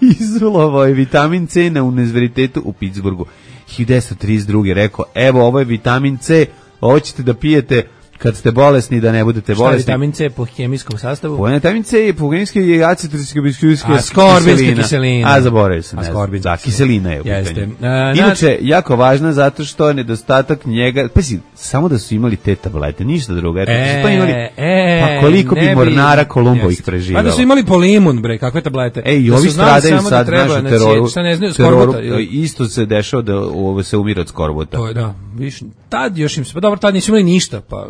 izolovao je vitamin C na univerzitetu u Pittsburghu. hiljadu devetsto trideset druge rekao, evo, ovo je vitamin C, ovo ćete da pijete kad ste bolesni, da ne budete Šta je bolesni. vitamin C po hemijskom sastavu? Po vitamin C je po genetski je acetilciklobiskuljska A, skorbinska kiselina. A, zaboravio sam. A, ne znam. skorbinska Da, kiselina je u Jeste. pitanju. A, Inače, jako važna zato što je nedostatak njega, pa si, samo da su imali te tablete, ništa drugo. Eto, E, su to imali, e, pa koliko ne bi bi- mornara Kolumbo ih Jeste. preživalo. Pa da su imali polimun, bre, kakve tablete. E, i Da ovi su znali stradaju samo da sad, treba, znaš, u znači, teroru. šta ne znaju, teroru, skorbota, ili- isto se dešava da ovo se umire od skorbota. To je, da, više, tad još im se, pa dobro, tad nisu imali ništa, pa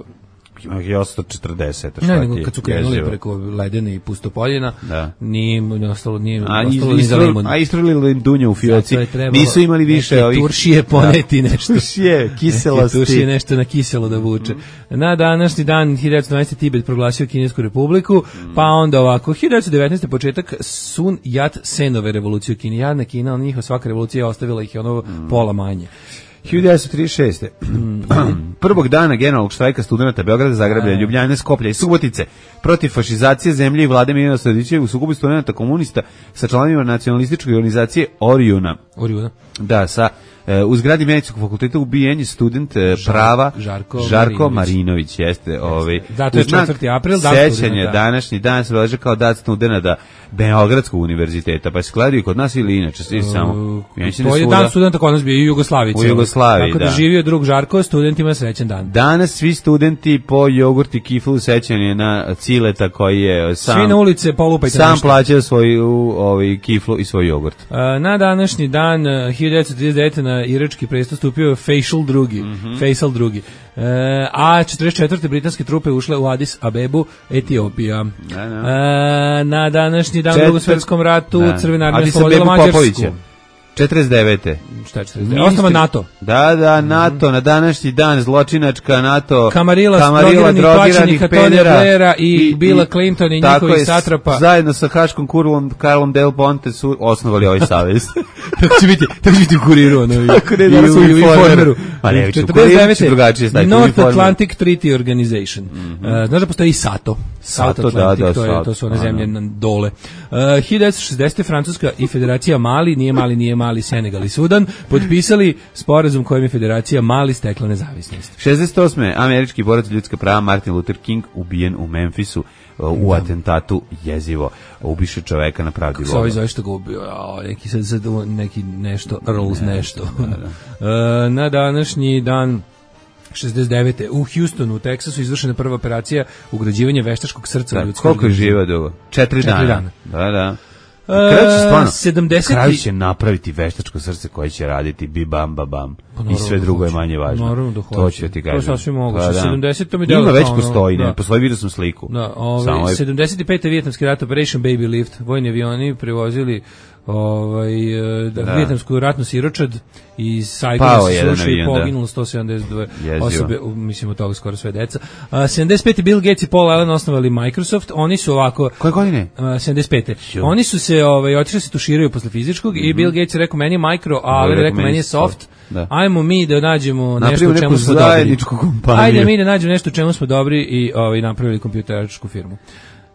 Ima ih osamsto četrdeset. ne, nego kad su krenuli preko ledene i pustopoljina, Da. nije im ostalo, nije im A, ostalo iz, ni za limun. a istrulili im dunje u fioci. Zato je trebalo Nisu imali više neke ovih... turšije poneti nešto. Turšije, kiselosti. Turšije nešto na kiselo da vuče. Na današnji dan hiljadu devetsto dvanaeste Tibet proglasio Kinesku republiku, pa onda ovako, hiljadu devetsto devetnaeste početak Sun Yat-senove revolucije u Kini. Jadna Kina, on njihova svaka revolucija ostavila ih je ono pola manje. hiljadu devetsto trideset šeste. Prvog dana generalnog štrajka studenata Beograda, Zagreba, Ljubljane, Skoplja i Subotice protiv fašizacije zemlje i vlade Miljana Sredića u sukobu studenata komunista sa članovima nacionalističke organizacije Orijuna. Orijuna. Da, sa e, u zgradi Medicinskog fakulteta ubijen je student e, prava Žarko Žarko Marinović. Marinović, jeste, ovaj. Zato je u znak četvrti april, dan sećanje, studenata. današnji dan se obeležava kao dan studenata Beogradskog univerziteta, pa se gledaju kod nas ili inače, svi samo. Ja mislim da To je svuda. dan studenta kod nas bio i u Jugoslaviji. U cijelo. Jugoslaviji, Tako da, da. živio drug Žarko, studentima srećan dan. Danas svi studenti po jogurt i kiflu sećanje na Cileta koji je sam Svi na ulice polupajte sam nešto. plaćao svoju ovaj kiflu i svoj jogurt. A, na današnji dan e, hiljadu devetsto trideset devete na irački presto stupio je Faisal drugi, Mhm. Faisal drugi. E, a četrdeset četvrte britanske trupe ušle u Addis Abebu, Etiopija. Da, da. E, na današnji dan u Četvrt- drugom svetskom ratu Da. Crvena armija Addis oslobodila Abebu Mađarsku. Popovića. četrdeset devete. Šta je četrdeset devete? Osnova NATO. Da, da, NATO, na današnji dan zločinačka NATO. Kamarila, drogiranih, plaćenih Tony Blaira i Billa Clinton i tako njihovih je, satrapa. Zajedno sa Haškom kurlom Karlom Del Ponte su osnovali ovaj savez. Tako će biti, tako će biti u kuriru, ono, i, Tako ne, i danas u, u i u Informeru. Informeru. Pa ne, u četrdeset Kuriru će devete drugačije staviti, u North Informeru. Atlantic Treaty Organization. Uh, znaš da postoji i SATO? SATO, South da, Atlantic, da, to, je, SATO, to su one da, zemlje da. na dole. Uh, hiljadu devetsto šezdesete Francuska i Federacija Mali, nije Mali, nije Mali, Senegal i Sudan, potpisali sporazum kojim je Federacija Mali stekla nezavisnost. šezdeset osme američki borac za ljudska prava Martin Luther King ubijen u Memphisu uh, u atentatu jezivo. Ubiše čoveka na pravdi Sa ovaj Boga. zove što ga ubio, a, neki, sad, sad, neki nešto, Earls nešto. Uh, na današnji dan šezdeset devete u Houstonu, u Teksasu, izvršena prva operacija ugrađivanja veštačkog srca u Da, ljudski koliko je organizam. živeo dugo? Četiri, Četiri dana. dana. Da, da. E, Kraju će stvarno, sedamdeset kraju će napraviti veštačko srce koje će raditi bi bam ba bam. Pa I naravno sve da drugo je hoće. manje važno. Naravno da To hoće. ću ti To kažem. sasvim moguće. Pa da. sedamdeset to mi Ima deluje već kao ono, postoji, da. ne, postoji, vidio sam sliku. Da, ovaj, Samo je- sedamdeset pete vijetnamski rat Operation Baby Lift, vojni avioni prevozili ovaj e, da. vijetnamsku ratnu siročad i Saigona Pao se jedan srušio i avion, da. poginulo sto sedamdeset dve Jezivo. osobe, u- mislim od toga skoro sve deca. A, sedamdeset pete Bill Gates i Paul Allen osnovali Microsoft, oni su ovako Koje godine? a, sedamdeset pete Jo. Oni su se ovaj otišli se tuširaju posle fizičkog i Bill Gates je rekao meni je micro, a Allen je rekao meni je soft. Da. Ajmo mi da nađemo nešto Napravimo u čemu neku smo dobri. zajedničku kompaniju. Ajde mi da nađemo nešto u čemu smo dobri i ovaj napravili kompjuteračku firmu.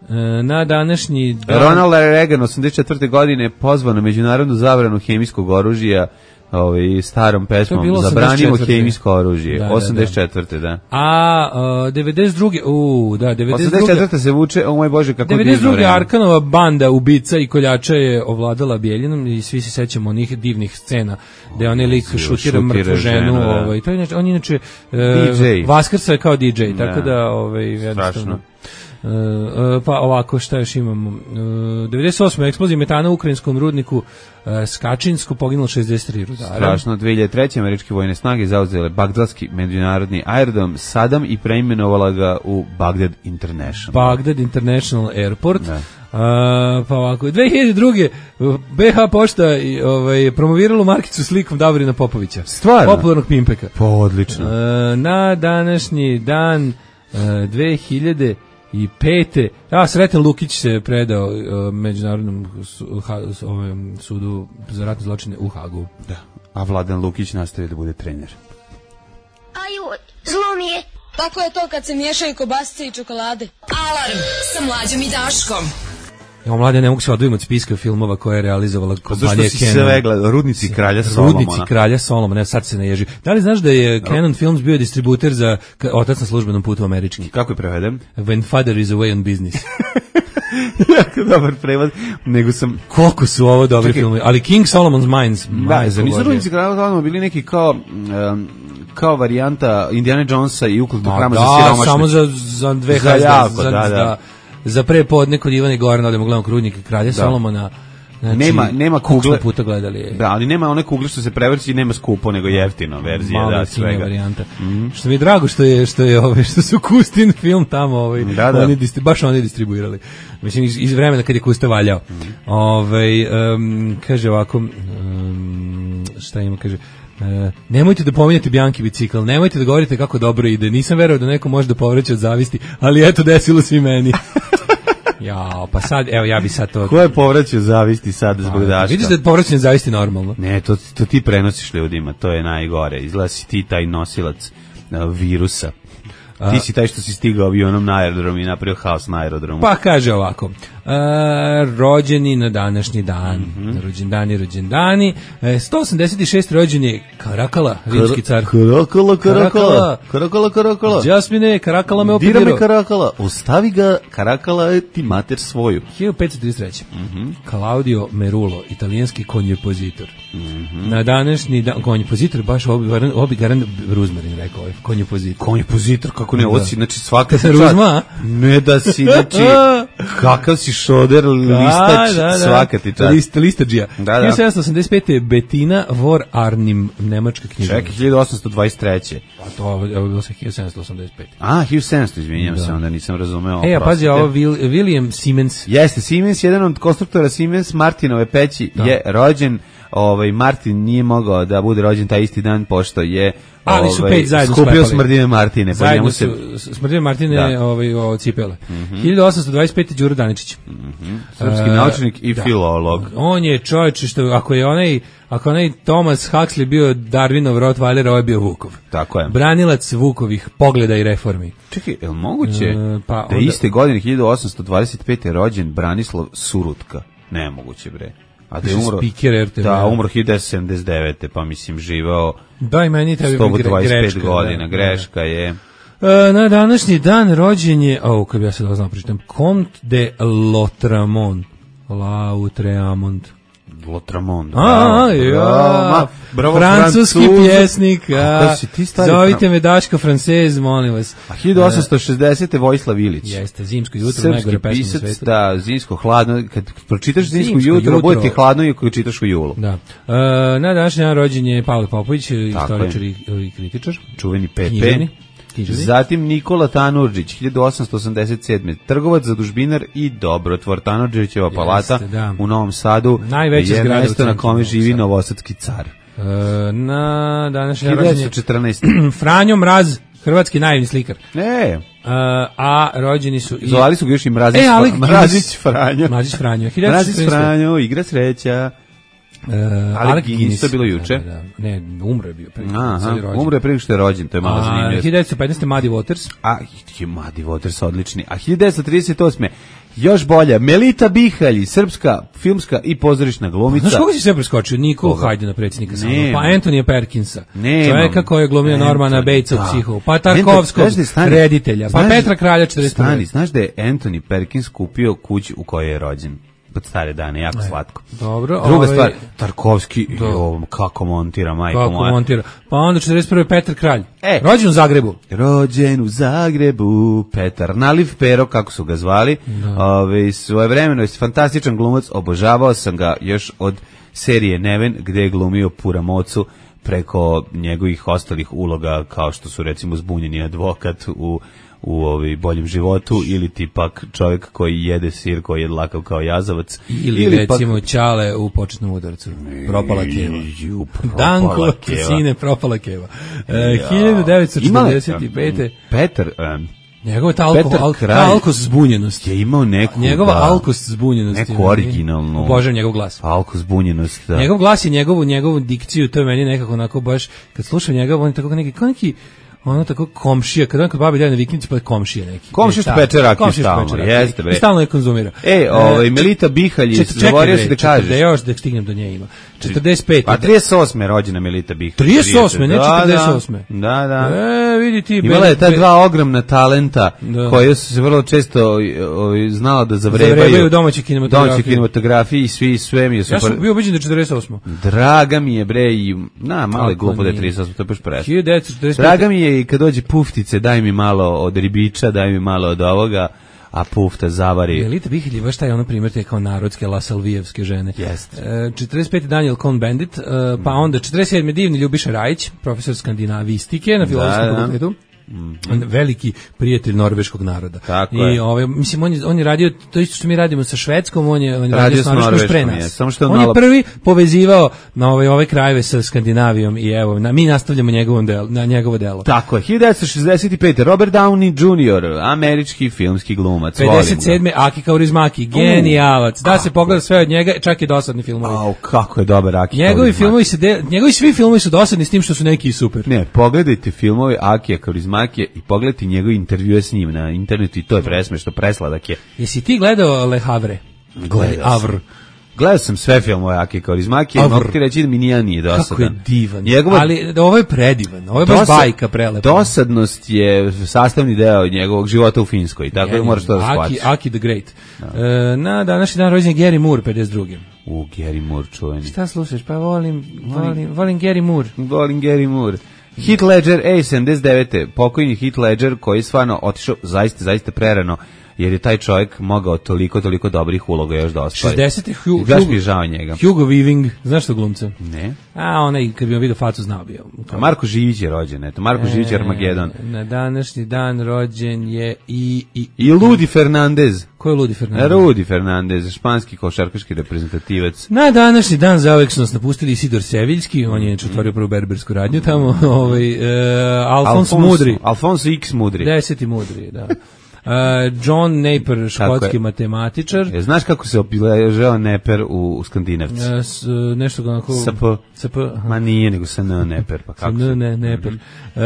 E, na današnji dan... Ronald Reagan osamdeset četvrte godine pozvao na međunarodnu zabranu hemijskog oružja ovaj starom To je pesmom bilo Zabranimo osamdeset četvrte. hemijsko oružje. Da, da, osamdeset četvrte da. A uh, devedeset druge u da devedeset osamdeset druge četvrte se vuče, o moj Bože, kako devedeset divno druge vreme. Arkanova banda ubica i koljača je ovladala Bjeljinom i svi se sećamo onih divnih scena gde onaj lik šutira šutira mrtvu ženu, ženu, da. ovaj to je inače, on je inače uh, D J. Vaskrsa je kao D J, tako Da. da ovaj jednostavno. Strašno. uh, pa ovako, šta još imamo? Uh, devedeset osme eksplozija metana u ukrajinskom rudniku uh, Skačinsko, poginulo šezdeset tri rudara. Strašno, dve hiljade treće. američke vojne snage zauzele bagdadski međunarodni aerodrom Sadam i preimenovala ga u Bagdad International. Bagdad International Airport. Da. Uh, pa ovako, dve hiljade druge. be ha Pošta i, ovaj, promoviralo markicu slikom Davorina Popovića. Stvarno? Popularnog pimpeka. Pa odlično. Uh, na današnji dan uh, dve hiljade pete. A, Sreten Lukić se predao uh, Međunarodnom su, ha, ovom, sudu za ratne zločine u Hagu. Da. A Vladan Lukić nastavio da bude trener. Aju, zlo mi je. Tako je to kad se miješaju kobasice i čokolade. Alarm sa Mlađom i Daškom. Ja, mlade, ne mogu se odvojiti od spiska filmova koje je realizovala kompanija Canon. Zašto si sve gledao? Rudnici kralja Solomona. Rudnici kralja Solomona, sad se ne ježi. Da li znaš da je Canon Films bio distributer za Otac na službenom putu američki? Kako je preveden? When Father is away on business. Jako dobar prevod, nego sam... Koliko su ovo dobri filmovi, ali King Solomon's Mines. Da, za nisu Rudnici kralja Solomona bili neki kao... Um, kao varijanta Indiana Jonesa i ukultog hrama za siromašne. Da, samo za, za dve za hazde, jako, za, da, da. za, za prepodne kod Ivana Gorana, odemo gledamo Rudnike kralja da. Solomona. Znači, nema nema kugle puta gledali. Da, ali nema one kugle što se prevrći i nema skupo nego jeftino verzija Mala da svega varijanta. Mm. Što mi je drago što je što je ove što su Kustin film tamo ovaj da, da. oni distri, baš oni distribuirali. Mislim iz, iz vremena kad je Kusta valjao. Mm. Ovaj um, kaže ovako um, šta ima kaže Uh, nemojte da pominjete Bianchi bicikl, nemojte da govorite kako dobro ide. Nisam verovao da neko može da povreće od zavisti, ali eto desilo se i meni. Ja, pa sad, evo ja bi sad to... Ko je povraćao zavisti sad zbog Daška? Vidiš da je povraćanje zavisti normalno? Ne, to, to ti prenosiš ljudima, to je najgore. Izgleda si ti taj nosilac uh, virusa. Ti si taj što si stigao avionom na aerodrom i napravio haos na aerodromu. Pa kaže ovako, uh, rođeni na današnji dan, mm-hmm. rođendani, rođendani, e, sto osamdeset šest rođeni Karakala, rimski car. Karakala, Karakala, Karakala, Karakala. Jasmine, Karakala me opedirao. Dira me Karakala, ostavi ga, Karakala ti mater svoju. hiljadu petsto trideset treće. Mm-hmm. Claudio Merulo, italijanski konjepozitor. Mm-hmm. Na današnji dan, konjepozitor, baš obi, obi garan Ruzmarin rekao, konjepozitor. Konjepozitor, kako ne, ovo si, znači svaka se Ruzma, ne da si, znači, kakav si šoder, listač, da, da, da. Svaka ti čast. List, listađija. Da, da. hiljadu sedamsto osamdeset pete. Bettina vor Arnim, nemačka književnica. Čekaj, hiljadu osamsto dvadeset treće. Pa to je bilo sa hiljadu sedamsto osamdeset pete. A, hiljadu sedamsto, izvinjam da. se, onda nisam razumeo. E, a pazi, ovo William Siemens. Jeste, Siemens, jedan od konstruktora Siemens Martinove peći da. je rođen. Ovaj Martin nije mogao da bude rođen taj isti dan pošto je ali su ovaj, pet zajedno skupio Smrdine Martine, pa njemu se Smrdine Martine da. ovaj o cipele. Mm-hmm. hiljadu osamsto dvadeset pete. Đuro Daničić. Mm-hmm. Srpski uh, naučnik i da. filolog. On je čovjek što ako je onaj ako onaj Thomas Huxley bio Darwinov Rottweiler, ovaj bio Vukov. Tako je. Branilac Vukovih pogleda i reformi. Čekaj, je li moguće uh, pa da onda... iste godine hiljadu osamsto dvadeset pete. rođen Branislav Surutka? Nemoguće bre. A da je umro, da, umro hiljadu devetsto sedamdeset devete. pa mislim živao da, i meni tebi sto dvadeset pet greška, godina, da, greška da. je. E, na današnji dan rođen je, o, kad bi ja se da znam pročitam, Comte de Lautréamont. Lautréamont. Lautréamont. A, ja, bravo, francuski Francuz. Pjesnik. A, zovite me Daško Francez, molim vas. A hiljadu osamsto šezdesete. Vojislav Ilić. Jeste, Zimsko jutro, najgore pesma na svetu. Da, zimsko hladno, kad pročitaš Zimsko, zimsko jutro, jutro, bude ti hladno i kad čitaš u julu. Da. E, na današnji dan rođen je Pavle Popović, istoričar i, i kritičar. Čuveni P P. Zatim Nikola Tanurdžić, hiljadu osamsto osamdeset sedme. trgovac, zadužbinar i dobrotvor. Tanurdžićeva palata Jeste, da. u Novom Sadu najveća je mesto na kome živi Sad. novosadski car. E, na današnji hiljadu devetsto četrnaeste. Franjo Mraz, hrvatski naivni slikar. Ne. Uh, a rođeni su i... Zvali su ga još i Mrazić, e, ali, Mrazić Franjo. Mrazić Franjo. Mrazić Franjo, igra sreća. Uh, ali Guinness, to je bilo juče. Da, da, ne, umro je bio. Pre, Aha, umro je prije što je rođen, to je malo zanimljivo. hiljadu devetsto petnaeste. Muddy Waters. A, Muddy Waters, odlični. A hiljadu devetsto trideset osme. još bolja, Melita Bihalj, srpska filmska i pozorišna glumica. Znaš koga si sve preskočio? Niko Hajdina, predsjednika sama. Pa Antonija Perkinsa. Ne, čovjeka koji je glumio Normana Batesa u Psihu. Pa Tarkovskog, reditelja. Pa Petra Kralja četrdeset prve. Stani, znaš da je Anthony Perkins kupio kuću u kojoj je rođen? pod stare dane, jako E, slatko. Dobro. Druga ovaj, stvar, Tarkovski, Do. jo, kako montira, majko Kako moja. montira. Pa onda četrdeset prve Petar Kralj. E. Rođen u Zagrebu. Rođen u Zagrebu, Petar Naliv Pero, kako su ga zvali. Ove, svojevremeno je fantastičan glumac, obožavao sam ga još od serije Neven, gde je glumio Puramocu preko njegovih ostalih uloga, kao što su recimo Zbunjeni advokat u u ovi boljem životu, ili tipak čovjek koji jede sir, koji je lakav kao jazavac, Ili, ili recimo pak... Ćale u početnom udarcu. Propala keva. Ju, propala Danko, keva. sine, propala keva. E, hiljadu devetsto četrdeset pete. Petar... Um, Njegova ta, alko, Petar al, Kralj ta alkost zbunjenost. je imao neku... Njegova da, alkost zbunjenost. neku originalnu... Obožavam njegov glas. Alkost zbunjenost, da. Njegov glas i njegovu, njegovu dikciju, to je meni nekako onako baš, kad slušam njega, on je tako neki, kao neki, ono tako komšija, kad on kod babi daje na vikendici, pa je komšija neki. Komšija što peče rakiju stalno, jeste bre. I stalno je konzumira. E, ovaj, Melita Bihalj, zaboravio si da kažeš. Da još da stignem do nje ima. četrdeset pete. Pa trideset osme rođena Melita Bihalj. trideset osme, ne četrdeset osme. Da, da. E, vidi ti. Imala je ta dva ogromna talenta, da, koje su se vrlo često ovaj, znala da zavrebaju. Zavrebaju domaći kinematografiji. Domaći kinematografiji i svi, sve mi je super. Ja sam bio ubeđen da je četrdeset osme. Draga mi je, bre, i, na, malo je glupo da je trideset osme, to je baš presno. hiljadu devetsto četrdeset pete. Draga mi je i kad dođe puftice, daj mi malo od ribiča, daj mi malo od ovoga, a pufta zavari. Melita Bihalj je baš taj ono primjer te kao narodske lasalvijevske žene. Jeste. E, četrdeset pete Daniel Cohn-Bendit, e, pa onda četrdeset sedme divni Ljubiša Rajić, profesor skandinavistike na Filozofskom da, da. fakultetu. Mm-hmm. Veliki prijatelj norveškog naroda. Tako I je. ovaj mislim on je, on je radio to isto što mi radimo sa Švedskom, on je on je radio, radio s Norveškom pre nas. Je, samo što on malo... je prvi povezivao na ove ove krajeve sa Skandinavijom i evo na, mi nastavljamo njegovom del, na njegovo delo. Tako je. hiljadu devetsto šezdeset pete Robert Downey junior, američki filmski glumac. pedeset sedme Aki Kaurismäki, genijalac. Da se pogleda sve od njega, čak i dosadni filmovi. Au, kako je dobar Aki Kaurismäki. Njegovi filmovi se de, njegovi svi filmovi su dosadni s tim što su neki super. Ne, pogledajte filmove Akija Kaurismäkija i pogledajte njegove intervjue s njim na internetu i to je presmešno, presladak je. Jesi ti gledao Le Havre? Gledao sam. Gledao sam sve filmove Akija Kaurismäkija i mogu ti reći da mi nijedan nije dosadan. Kako je divan. Njegova... Ali ovo je predivan. Ovo je baš Dosad... bajka prelepa. Dosadnost je sastavni deo njegovog života u Finskoj, tako da moraš to da shvatiš. Aki, Aki the Great. No. E, na današnji dan rođen Gary Moore, pedeset drugi. U, Gary Moore, čuveni. Šta slušaš? Pa volim, volim, volim Gary Moore. Volim Gary Moore. Heath Ledger, ej, sedamdeset devete pokojni Heath Ledger koji je stvarno otišao zaista, zaista prerano, jer je taj čovjek mogao toliko, toliko dobrih uloga još da ostvari. šezdesete Hugh, Gaš mi žao njega. Hugo Weaving, znaš što glumca? Ne. A, onaj, kad bi on vidio facu, znao bio. A Marko Živić je rođen, eto, Marko e, Živić je Armagedon. Na današnji dan rođen je i... I, I Ludi Fernandez. Ko je Ludi Fernandez? Rudi Fernandez, španski košarkaški reprezentativac. Na današnji dan zauvek su nas napustili Isidor Seviljski, on je otvorio prvu berbersku radnju tamo, ovaj, e, Alfons Mudri. Alfonso X Mudri. Deseti Mudri, da. Uh, John Napier, škotski matematičar. Je, znaš kako se obiležava Napier u, u Skandinavci? Uh, s, nešto onako... S P. S P. Ma nije, nego sa N Napier. Pa kako N, ne, Napier. Uh,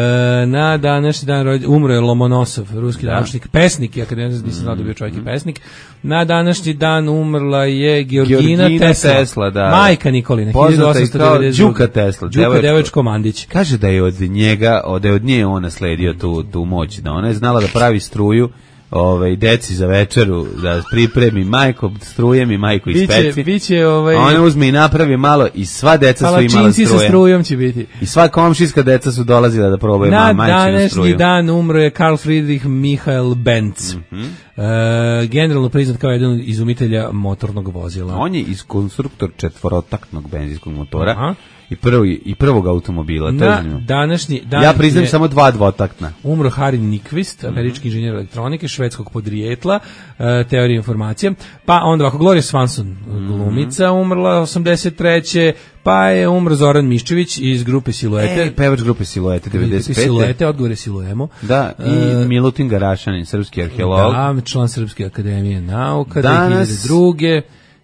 na današnji dan rođen, umro je Lomonosov, ruski naučnik, pesnik, ja kad ne znam, nisam znao da bio čovjek i pesnik. Na današnji dan umrla je Georgina, Georgina Tesla, Tesla da, majka Nikolina, poznata i kao Đuka Tesla. Đuka Devojčko Mandić. Kaže da je od njega, da je od nje on nasledio tu, tu moć, da ona je znala da pravi struju, ovaj deci za večeru, da pripremi majko strujem i majko ispeci. Biće, biće ovaj ona uzme i napravi malo i sva deca su imala struje. Sa strujom će biti. I sva komšijska deca su dolazila da probaju majčinu struju. Na današnji dan umro je Karl Friedrich Michael Benz. Mm -hmm. Uh, generalno priznat kao jedan od izumitelja motornog vozila. On je iz konstruktor četvorotaktnog benzinskog motora. Aha. I prvi i prvog automobila. Na današnji dan ja priznajem samo dva dvotaktna. Umro Harry Nyquist, američki inženjer elektronike, švedskog podrijetla, uh, teorije informacije. Pa onda ovako Gloria Swanson, glumica, umrla osamdeset treće Pa je umro Zoran Miščević iz grupe Siluete. E, pevač grupe Siluete, devedeset pete Siluete, odgovore Siluemo. Da, i uh, Milutin Garašanin, srpski arheolog. Da, član Srpske akademije nauka, dve hiljade druge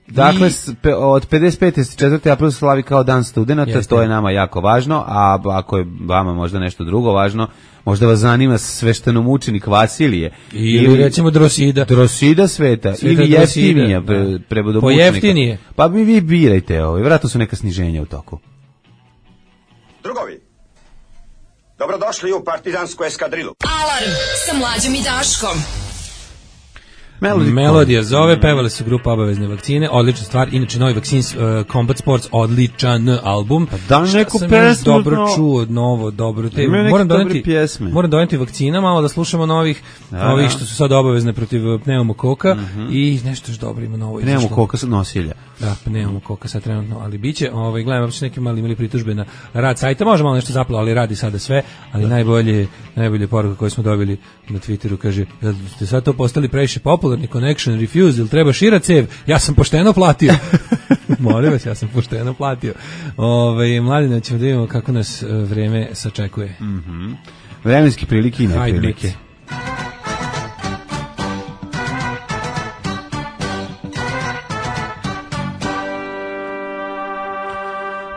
Dakle, I... od pedeset pete četvrti april slavi kao dan studenata, Jeste. To je nama jako važno, a ako je vama možda nešto drugo važno, možda vas zanima sveštenomučenik Vasilije. Ili, ili recimo Drosida. Drosida sveta, sveta ili jeftinija pre, prebodomučnika. Pojeftinije. Pa mi vi birajte ovo, vjerojatno su neka sniženja u toku. Drugovi, dobrodošli u partizansku eskadrilu. Alarm sa Mlađom i Daškom. Melody Melodija zove, pevale su grupa Obavezne vakcine, odlična stvar, inače novi Vaccines uh, Combat Sports, odličan album. Pa da Šta neku sam pesmu, još dobro no. čuo, novo, dobro. Te, Imaju neke moram dobre doneti, pjesme. moram doneti vakcina, malo da slušamo novih, Da, ovih da. što su sad obavezne protiv pneumokoka i nešto još dobro ima novo. Nemamo izašlo. koka nosilja. Da, pneumokoka sad trenutno, ali biće, ovaj, gledam, uopšte neki mali imali pritužbe na rad sajta, može malo nešto zapalo, ali radi sada sve, ali najbolje, najbolje poruka koju smo dobili na Twitteru, kaže, jel ste sad to postali previše popularni, connection, refuse, ili treba šira cev, ja sam pošteno platio. Molim vas, ja sam pošteno platio. Ove, Mladine, ćemo da vidimo kako nas e, vreme sačekuje. Mhm. Vremenske prilike i Hajde, neprilike. brate.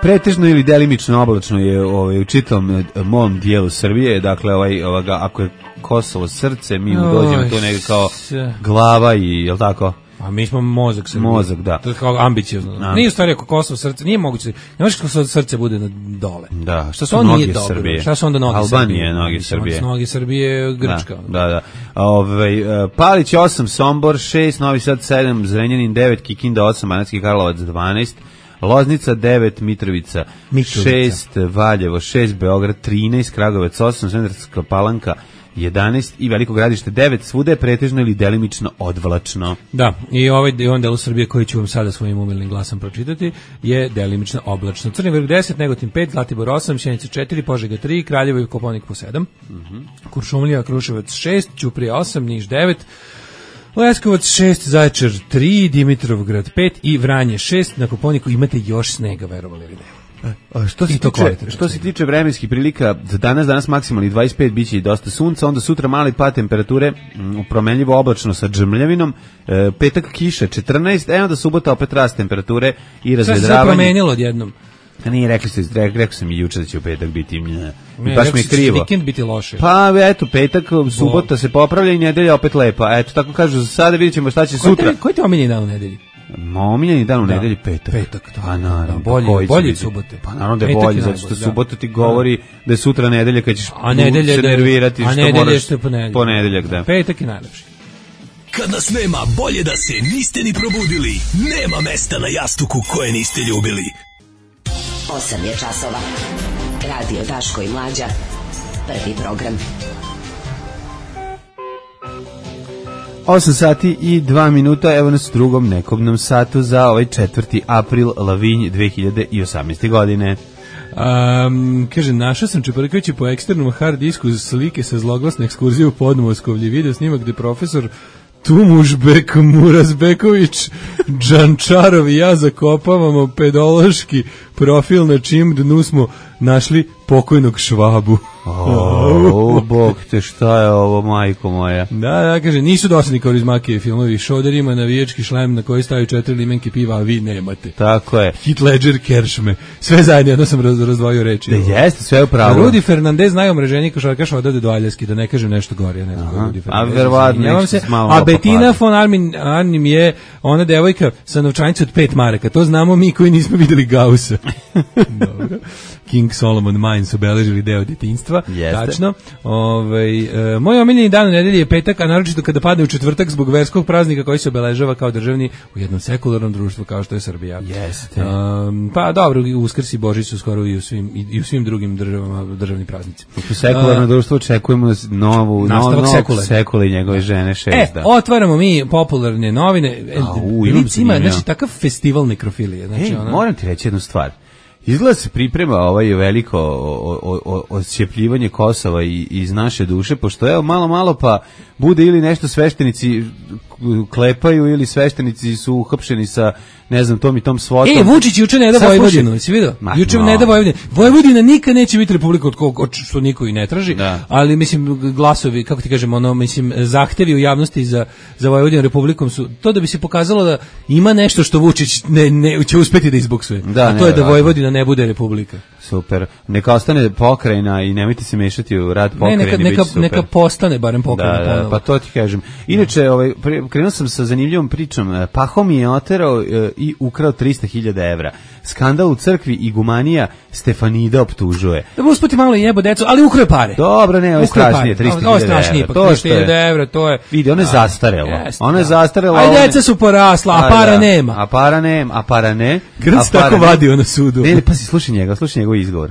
Pretežno ili delimično oblačno je ovaj, u čitavom mom dijelu Srbije, dakle ovaj, ovoga, ako je Kosovo srce, mi mu dođemo Oj, tu negdje kao se. glava i, jel tako? A mi smo mozak Srbije. Mozak, da. To je kao ambiciozno. A. Nije u stvari ako Kosovo srce, nije moguće. Ne možeš kako srce bude na dole. Da, šta su To noge nije dobro. Srbije? Šta su onda noge Albanije, Srbije? noge Mislim, Srbije. Noge Srbije, Grčka. Da, da, da. Ove, Palić osam, Sombor šest, Novi Sad sedam, Zrenjanin devet, Kikinda osam, Banatski Karlovac dvanaest, Loznica devet, Mitrovica Mitrovica. šest, Valjevo šest, Beograd trinaest, Kragujevac osam, Smederevska Palanka jedanaest i Veliko Gradište devet, svuda je pretežno ili delimično odvlačno. Da, i ovaj i on delu Srbije koji ću vam sada svojim umilnim glasom pročitati je delimično oblačno. Crni vrh deset, Negotin pet, Zlatibor osam, Sjenica četiri, Požega tri, Kraljevo i Kopaonik po sedam, Mm-hmm. Kuršumlija, Kruševac šest, Ćuprija osam, Niš devet, Leskovac šest, Zaječar tri, Dimitrovgrad pet i Vranje šest. Na Kopaoniku imate još snega, verovali ili ne. A što se I to tiče, kvalitetno. što se tiče vremenskih prilika, za danas danas maksimalni dvadeset pet, biće i dosta sunca, onda sutra mali pad temperature, m, promenljivo oblačno sa džmljavinom, e, petak kiša četrnaest, e onda subota opet rast temperature i Sve se sad razvedravanje. promenilo odjednom. A nije, rekli ste, rekao, rekao sam i juče da će u petak biti, nje, Ne, i baš rekao mi je si da će krivo. vikend biti loše. Pa eto, petak, subota se popravlja i nedelja opet lepa. Eto, tako kažu za sada, vidjet ćemo šta će Koji sutra. te- Koji ti je omiljeni dan u nedelji? Omiljeni dan u Da. nedelji petak. Petak, da. Pa naravno. Da, bolji- pa koji će bolji od biti? subote. Pa naravno da je Petak je bolji, zato najbolji, što da. subota ti govori da je sutra nedelja kad ćeš A nedelja se da je- nervirati a što nedelja moraš što je ponedeljak. ponedeljak, da. Petak je najlepši. Kad nas nema, bolje da se niste ni probudili. Nema mesta na jastuku koje niste ljubili. osam je časova. Radio Daško i Mlađa. Prvi program. osam sati i dva minuta, evo nas u drugom nekobnom satu za ovaj četvrti april Lavinj dve hiljade osamnaeste. godine. Um, kaže, našao sam čeprkajući po eksternom hard disku slike sa zloglasne ekskurzije u Podmoskovlje, video snimak gde profesor Tumužbek Murazbeković Džančarov i ja zakopavamo pedološki profil na čim dnu smo našli pokojnog Švabu. O, bog te, šta je ovo, majko moja? Da, da, kaže, nisu dosadni Kaurismakijevi filmovi, Šoder ima navijački šlem na koji stavaju četiri limenke piva, a vi nemate. Tako je. Hit Ledger, Keršme, sve zajedno, jedno sam raz, razdvojio reči. Da jeste, sve u pravu. Rudi Fernandez, najomraženiji košarkaš odavde do Aljaski, da ne kažem nešto gore, ja ne znam ko je Rudi A Fernandez. verovatno izvinjavam nešto se. s malo A Betina opakla. von Armin, Arnim je ona devojka sa novčanicom od pet maraka, to znamo mi koji nismo videli Gaussa. Dobro. King Solomon Mines obeležili deo detinjstva. Jeste. Tačno. Ovaj e, moj omiljeni dan u nedelji je petak, a naročito kada padne u četvrtak zbog verskog praznika koji se obeležava kao državni u jednom sekularnom društvu kao što je Srbija. Jeste. Um, pa dobro, Uskrs i Božić su skoro i u svim i, i u svim drugim državama državni praznici. U sekularno društvo očekujemo novu Nastavak novog sekule. sekule i njegove žene šest. E, da. otvaramo mi popularne novine. E, A, u, imam Blic ima, zanimljivo. znači, takav festival nekrofilije. Znači, Ej, ona... moram ti reći jednu stvar. Izgleda se priprema ovaj veliko o- o- o- oscijepljivanje Kosova i, iz naše duše, pošto evo malo malo pa bude ili nešto sveštenici klepaju ili sveštenici su uhapšeni sa ne znam tom i tom svotom. E, Vučić juče ne da Sad Vojvodinu, slušaj- si vidio? Ma, Juče no. ne da Vojvodinu. Vojvodina nikad neće biti republika od kog od što niko i ne traži, Da. ali mislim glasovi, kako ti kažemo, ono, mislim zahtevi u javnosti za za Vojvodinu republikom su to da bi se pokazalo da ima nešto što Vučić ne, ne će uspeti da izboksuje. Da, a to je da nevjerojatno. Vojvodina ne bude republika. Super. Neka ostane pokrajina i nemojte se mešati u rad Ne, pokrajine. neka bit će neka super. neka postane barem pokrajina Da, da, ponovo. pa to ti kažem. Inače, ovaj, pre- krenuo sam sa zanimljivom pričom. Pahom je oterao e, i ukrao trista hiljada evra. Skandal u crkvi i gumanija Stefanida optužuje. Da usputi malo jebo decu, ali ukrao pare. Dobro, ne, ovo je strašnije, trista hiljada evra. To je trista hiljada evra, to je... Vidi, ono je zastarelo. Ono je zastarelo. Aj, deca su porasla, a para nema. A para nema, a para ne. Grc tako vadio na sudu. Ne, ne, pa si slušaj njega, slušaj njegov izgovor.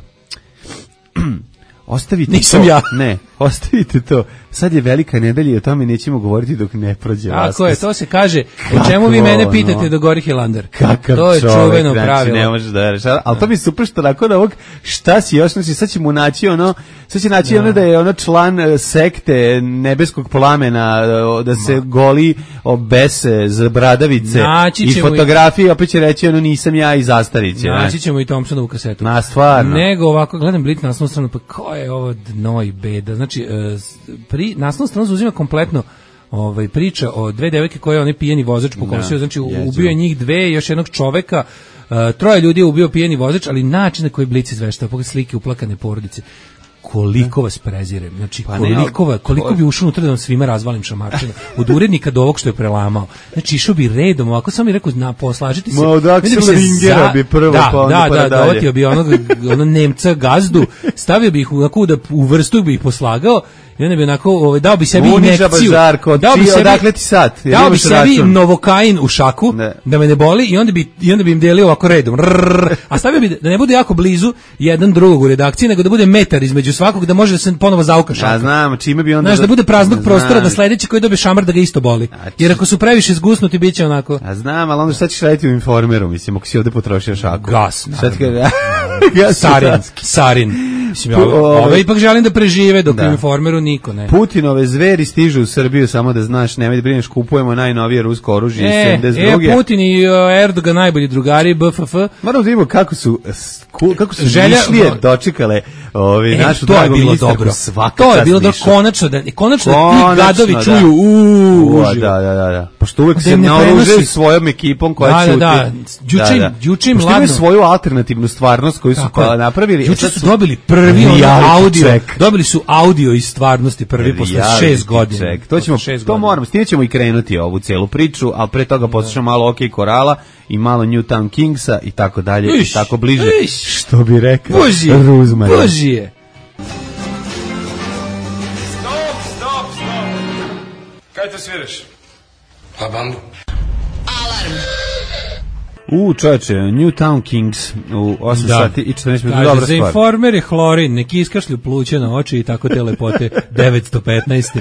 Ostavite Nisam to. ja. Ne, ostavite to. Sad je velika nedelja i o tome nećemo govoriti dok ne prođe vas. Tako je, to se kaže. O čemu vi mene pitate do Gori Hilander? Kakav to je čovek, čuveno znači, pravilo. Ne možeš da veriš. Ali to mi je super što nakon ovog šta si još, znači sad će mu naći ono, sad će naći da. ono da je ono član sekte nebeskog plamena, da se Ma. goli obese za bradavice i fotografije, opet će reći ono nisam ja i zastariće. Naći ćemo i Thompsonovu kasetu. Na, stvarno. Nego ovako, gledam Blit naslovnu stranu, pa ko je ovo dno i beda. Znači, pri naslovnu stranu zauzima kompletno ovaj priča o dve devojke koje on je pijeni vozač pokosio, znači ubio je njih dve, još jednog čoveka, uh, troje ljudi je ubio pijeni vozač, ali način na koji Blic izveštava, pogledaj slike uplakane porodice. Koliko vas prezirem, znači pa koliko, ne, koliko bi ušao unutra da vam svima razvalim šamarčinu, od urednika do ovog što je prelamao. Znači išao bi redom, ovako sam mi rekao, na, poslažiti se. Ma od Aksela Ringera bi prvo, da, pa onda da, pa da, dalje. dovatio bi onog, onog Nemca gazdu, stavio bi ih u, da, u vrstu bi ih poslagao, i onda bi onako, ovaj, dao bi sebi Uniža injekciju. Bažarko, dao bi ti, sebi, odakle ti sad? Dao bi sebi račun. Novokain u šaku, ne. da me ne boli, i onda bi, i onda bi im delio ovako redom. Rrr, a stavio bi da ne bude jako blizu jedan drugog u redakciji, nego da bude metar između svakog, da može da se ponovo zauka šaka. Ja znam, čime bi onda... Znaš, da bude praznog znam. prostora, da sledeći koji dobije šamar da ga isto boli. Jer ako su previše zgusnuti, bit će onako... A znam, ali onda šta ćeš raditi u Informeru, mislim, ako si ovde potrošio šaku? Gas, naravno. Sarinski, sarin. Mislim, ove, ove ipak želim da prežive, dok da. u Informeru niko ne. Putinove zveri stižu u Srbiju, samo da znaš, nemoj da brineš, kupujemo najnovije rusko oružje iz sedamdeset druge. E, Putin i uh, Erdogan najbolji drugari, B F F. Moramo da vidimo kako su, kako su Želja, mišlije no, dočekale ovi, e, našu to je bilo dobro. To je bilo dobro, konačno da, konačno da ti gadovi da. čuju, uuu, da, da, da, da. Pošto uvek se naoružaju svojom ekipom koja da, ćuti. Da, da, juče im, juče im ladno. Pošto svoju alternativnu stvarnost koju su pa napravili. Juče su dobili prvi audio, check. dobili su audio iz stvarnosti prvi posle šest godina. Check. To ćemo, to moramo, s time ćemo i krenuti ovu celu priču, ali pre toga poslušamo malo OK Korala i malo Newtown Kingsa i tako dalje i tako bliže. Iš, što bi rekao Ruzmar. Božije. Stop, stop, stop. Kaj te sviraš? Pa bandu. Alarm. U, čoveče, Newtown Kings u osam da. sati i četrnaest minuta, dobra za stvar. Za Informer je hlorin, neki iskašlju pluće na oči i tako te lepote devetsto petnaest.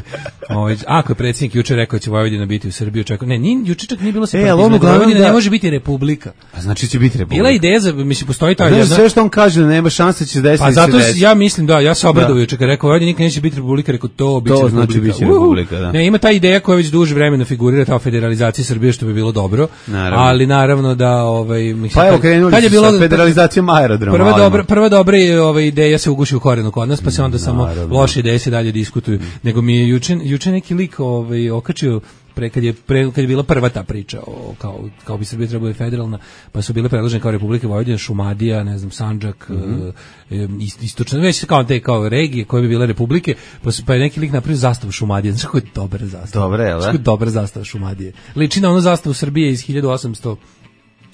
Ovaj, ako je predsjednik juče rekao će Vojvodina biti u Srbiji, očekao. Ne, ni juče čak nije bilo separatizma, e, Vojvodina da... ne može biti republika. A znači će biti republika. Bila ideja za, mislim, postoji ta jedna. Sve što on kaže da nema šanse će se desiti. Pa zato ja mislim da, ja se obradovao juče kad rekao Vojvodina nikad neće biti republika, rekao to biće to republika. Znači biće republika, da. Ne, ima ta ideja koja već duže vremena figurira, ta federalizacija Srbije, što bi bilo dobro. Naravno. Ali naravno da ovaj mislim, pa evo krenuli su sa federalizacijom aerodroma. Prva dobra, prva dobra ova ideja se uguši u korenu kod nas, pa se onda samo loše ideje se dalje diskutuju. Nego mi je juče, juče neki lik ovaj, okačio pre kad je pre kad je bila prva ta priča o kao kao bi Srbija trebala biti federalna, pa su bile predložene kao Republika Vojvodina, Šumadija, ne znam, Sandžak, mm-hmm. e, istočno, već kao te kao regije koje bi bile republike, pa su pa je neki lik napravio zastavu Šumadije. Znači kako je dobra zastava. Dobre, je, znači, dobra zastava Šumadije. Liči na onu zastavu Srbije iz hiljadu osamsto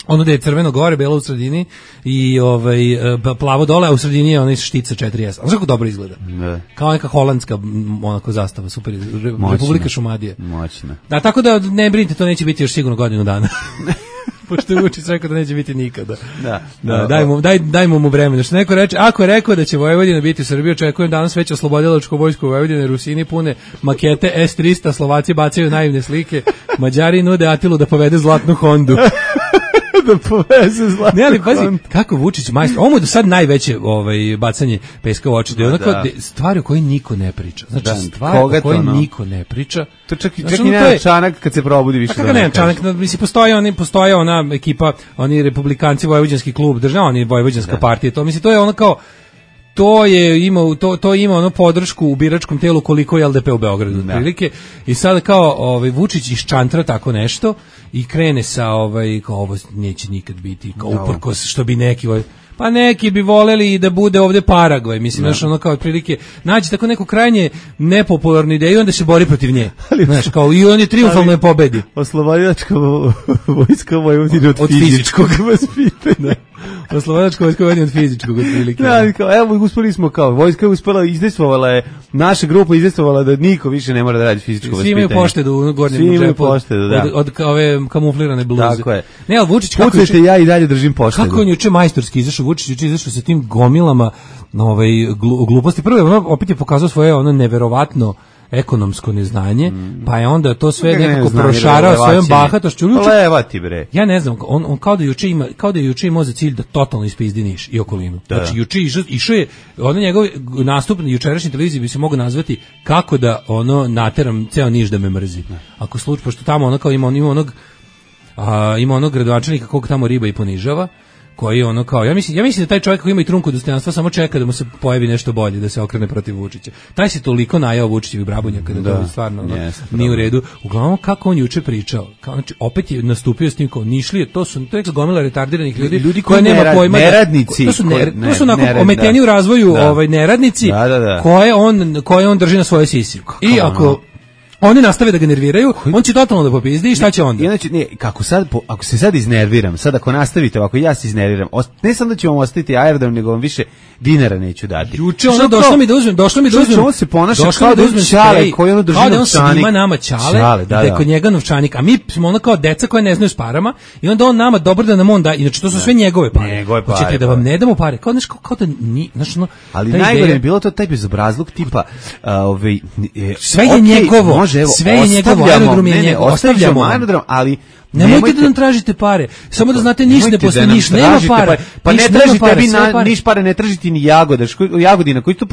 ono da je crveno gore, belo u sredini i ovaj plavo dole, a u sredini je onaj štica četiri S. Znaš kako dobro izgleda? Ne. Kao neka holandska onako zastava, super. Re, Republika Šumadije. Moćna. Da, tako da ne brinite, to neće biti još sigurno godinu dana. Pošto je Vučić rekao da neće biti nikada. Da. Da, dajmo, daj, dajmo mu vremena. Što neko reče, ako je rekao da će Vojvodina biti u Srbiji, očekujem danas već oslobodilačko vojsko u Vojvodine, Rusini pune makete S trista, Slovaci bacaju naivne slike, Mađari nude Atilu da povede zlatnu Hondu. Da poveze zlatnu. Ne, ali pazi, kako Vučić majstor. Ovo je do sad najveće ovaj, bacanje peska u oči. Da je onako da. stvari o kojoj niko ne priča. Znači, da, stvari o kojoj no? niko ne priča. To čak, znači, čak i nema je... Čanak kad se probudi više. Kako nema Čanak? Mislim, postoji, oni, postoji ona ekipa, oni republikanci, Vojvođanski klub, država, oni Vojvođanska da. partija. To, mislim, to je ono kao, to je ima to to ima ono podršku u biračkom telu koliko je L D P u Beogradu otprilike i sad kao ovaj Vučić iščantra tako nešto i krene sa ovaj kao ovo neće nikad biti kao uprkos što bi neki ovaj Pa neki bi voleli i da bude ovde Paragvaj, mislim, znaš, ono kao otprilike, naći tako neku krajnje nepopularnu ideju i onda se bori protiv nje. Znaš, kao i on je triumfalno je pobedi. Oslobodilačka vojska Vojvodine od, od fizičkog vaspitanja. Oslobodilačka vojska Vojvodine od fizičkog otprilike. Da, kao, evo, uspeli smo kao, vojska je uspela, izdejstvovala je, naša grupa izdejstvovala da niko više ne mora da radi fizičko vaspitanje. Svi imaju poštedu u gornjem džepu poštedu, da. od, od ove kamuflirane bluze. Tako je. Ne, ali Vučić, kako Pucajte, ja i dalje držim poštedu. Kako on juče majstorski izašao, Vučić juče izašao sa tim gomilama ovaj, glu, gluposti. Prvo, ono, opet je pokazao svoje ono neverovatno ekonomsko neznanje, mm. pa je onda to sve nekako ne znam, prošarao svojom bahatošću. Levati bre. Ja ne znam, on, on kao da juče ima, kao da je juče imao za cilj da totalno ispizdi Niš i okolinu. Da. Znači juče išao, išao je, ono njegov nastup na jučerašnjoj televiziji bi se mogao nazvati kako da ono nateram ceo Niš da me mrzi. Ne. Ako slučaj, pošto tamo ono kao ima, on, ima onog a, ima onog gradonačelnika kog tamo riba i ponižava, koji ono kao, ja mislim, ja mislim da taj čovjek koji ima i trunku dostojanstva samo čeka da mu se pojavi nešto bolje, da se okrene protiv Vučića. Taj se toliko najao Vučićevih brabunjaka da, da to stvarno ono, yes, nije u redu. Uglavnom, kako on juče pričao, kao, znači, opet je nastupio s tim kao Nišlije, to su, to je gomila retardiranih ljudi, ljudi koji nema nerad, pojma. Neradnici. Da, to su, ne, koje, ne, to su onako nerad, ometeni da. u razvoju da. ovaj, neradnici da, da, da. koje on, koje on drži na svojoj sisi. I ako oni nastave da ga nerviraju, on će totalno da popizdi i šta će onda? Inače, ne, kako sad, po, ako se sad iznerviram, sad ako nastavite ovako, ja se iznerviram, ost, ne samo da ću vam ostaviti aerodrom, nego vam više dinara neću dati. Juče ono došlo mi da uzmem, došlo mi da uzmem. On se ponaša kao da uzmem čale, koji ono drži novčanik. Kao da on snima nama čale, čale da, da je kod njega novčanik, a mi smo ono kao deca koje ne znaju s parama i onda on nama dobro da nam on da, inače to su sve njegove pare. Njegove pare. Hoćete da vam ne damo pare? Kao, znaš, kao, kao da ni, znaš, ono, ali najgore je bilo to taj bezobrazluk tipa, uh, ovaj, sve je njegovo, sve je njegovo. Aerodrom je njegov, ostavljamo aerodrom, ali nemojte, nemojte da nam tražite pare. Samo da znate, Niš ne postoji, Niš nema para. Pa ne tražite vi na Niš pare, ne tražite ni Jagoda, Jagodina, koji to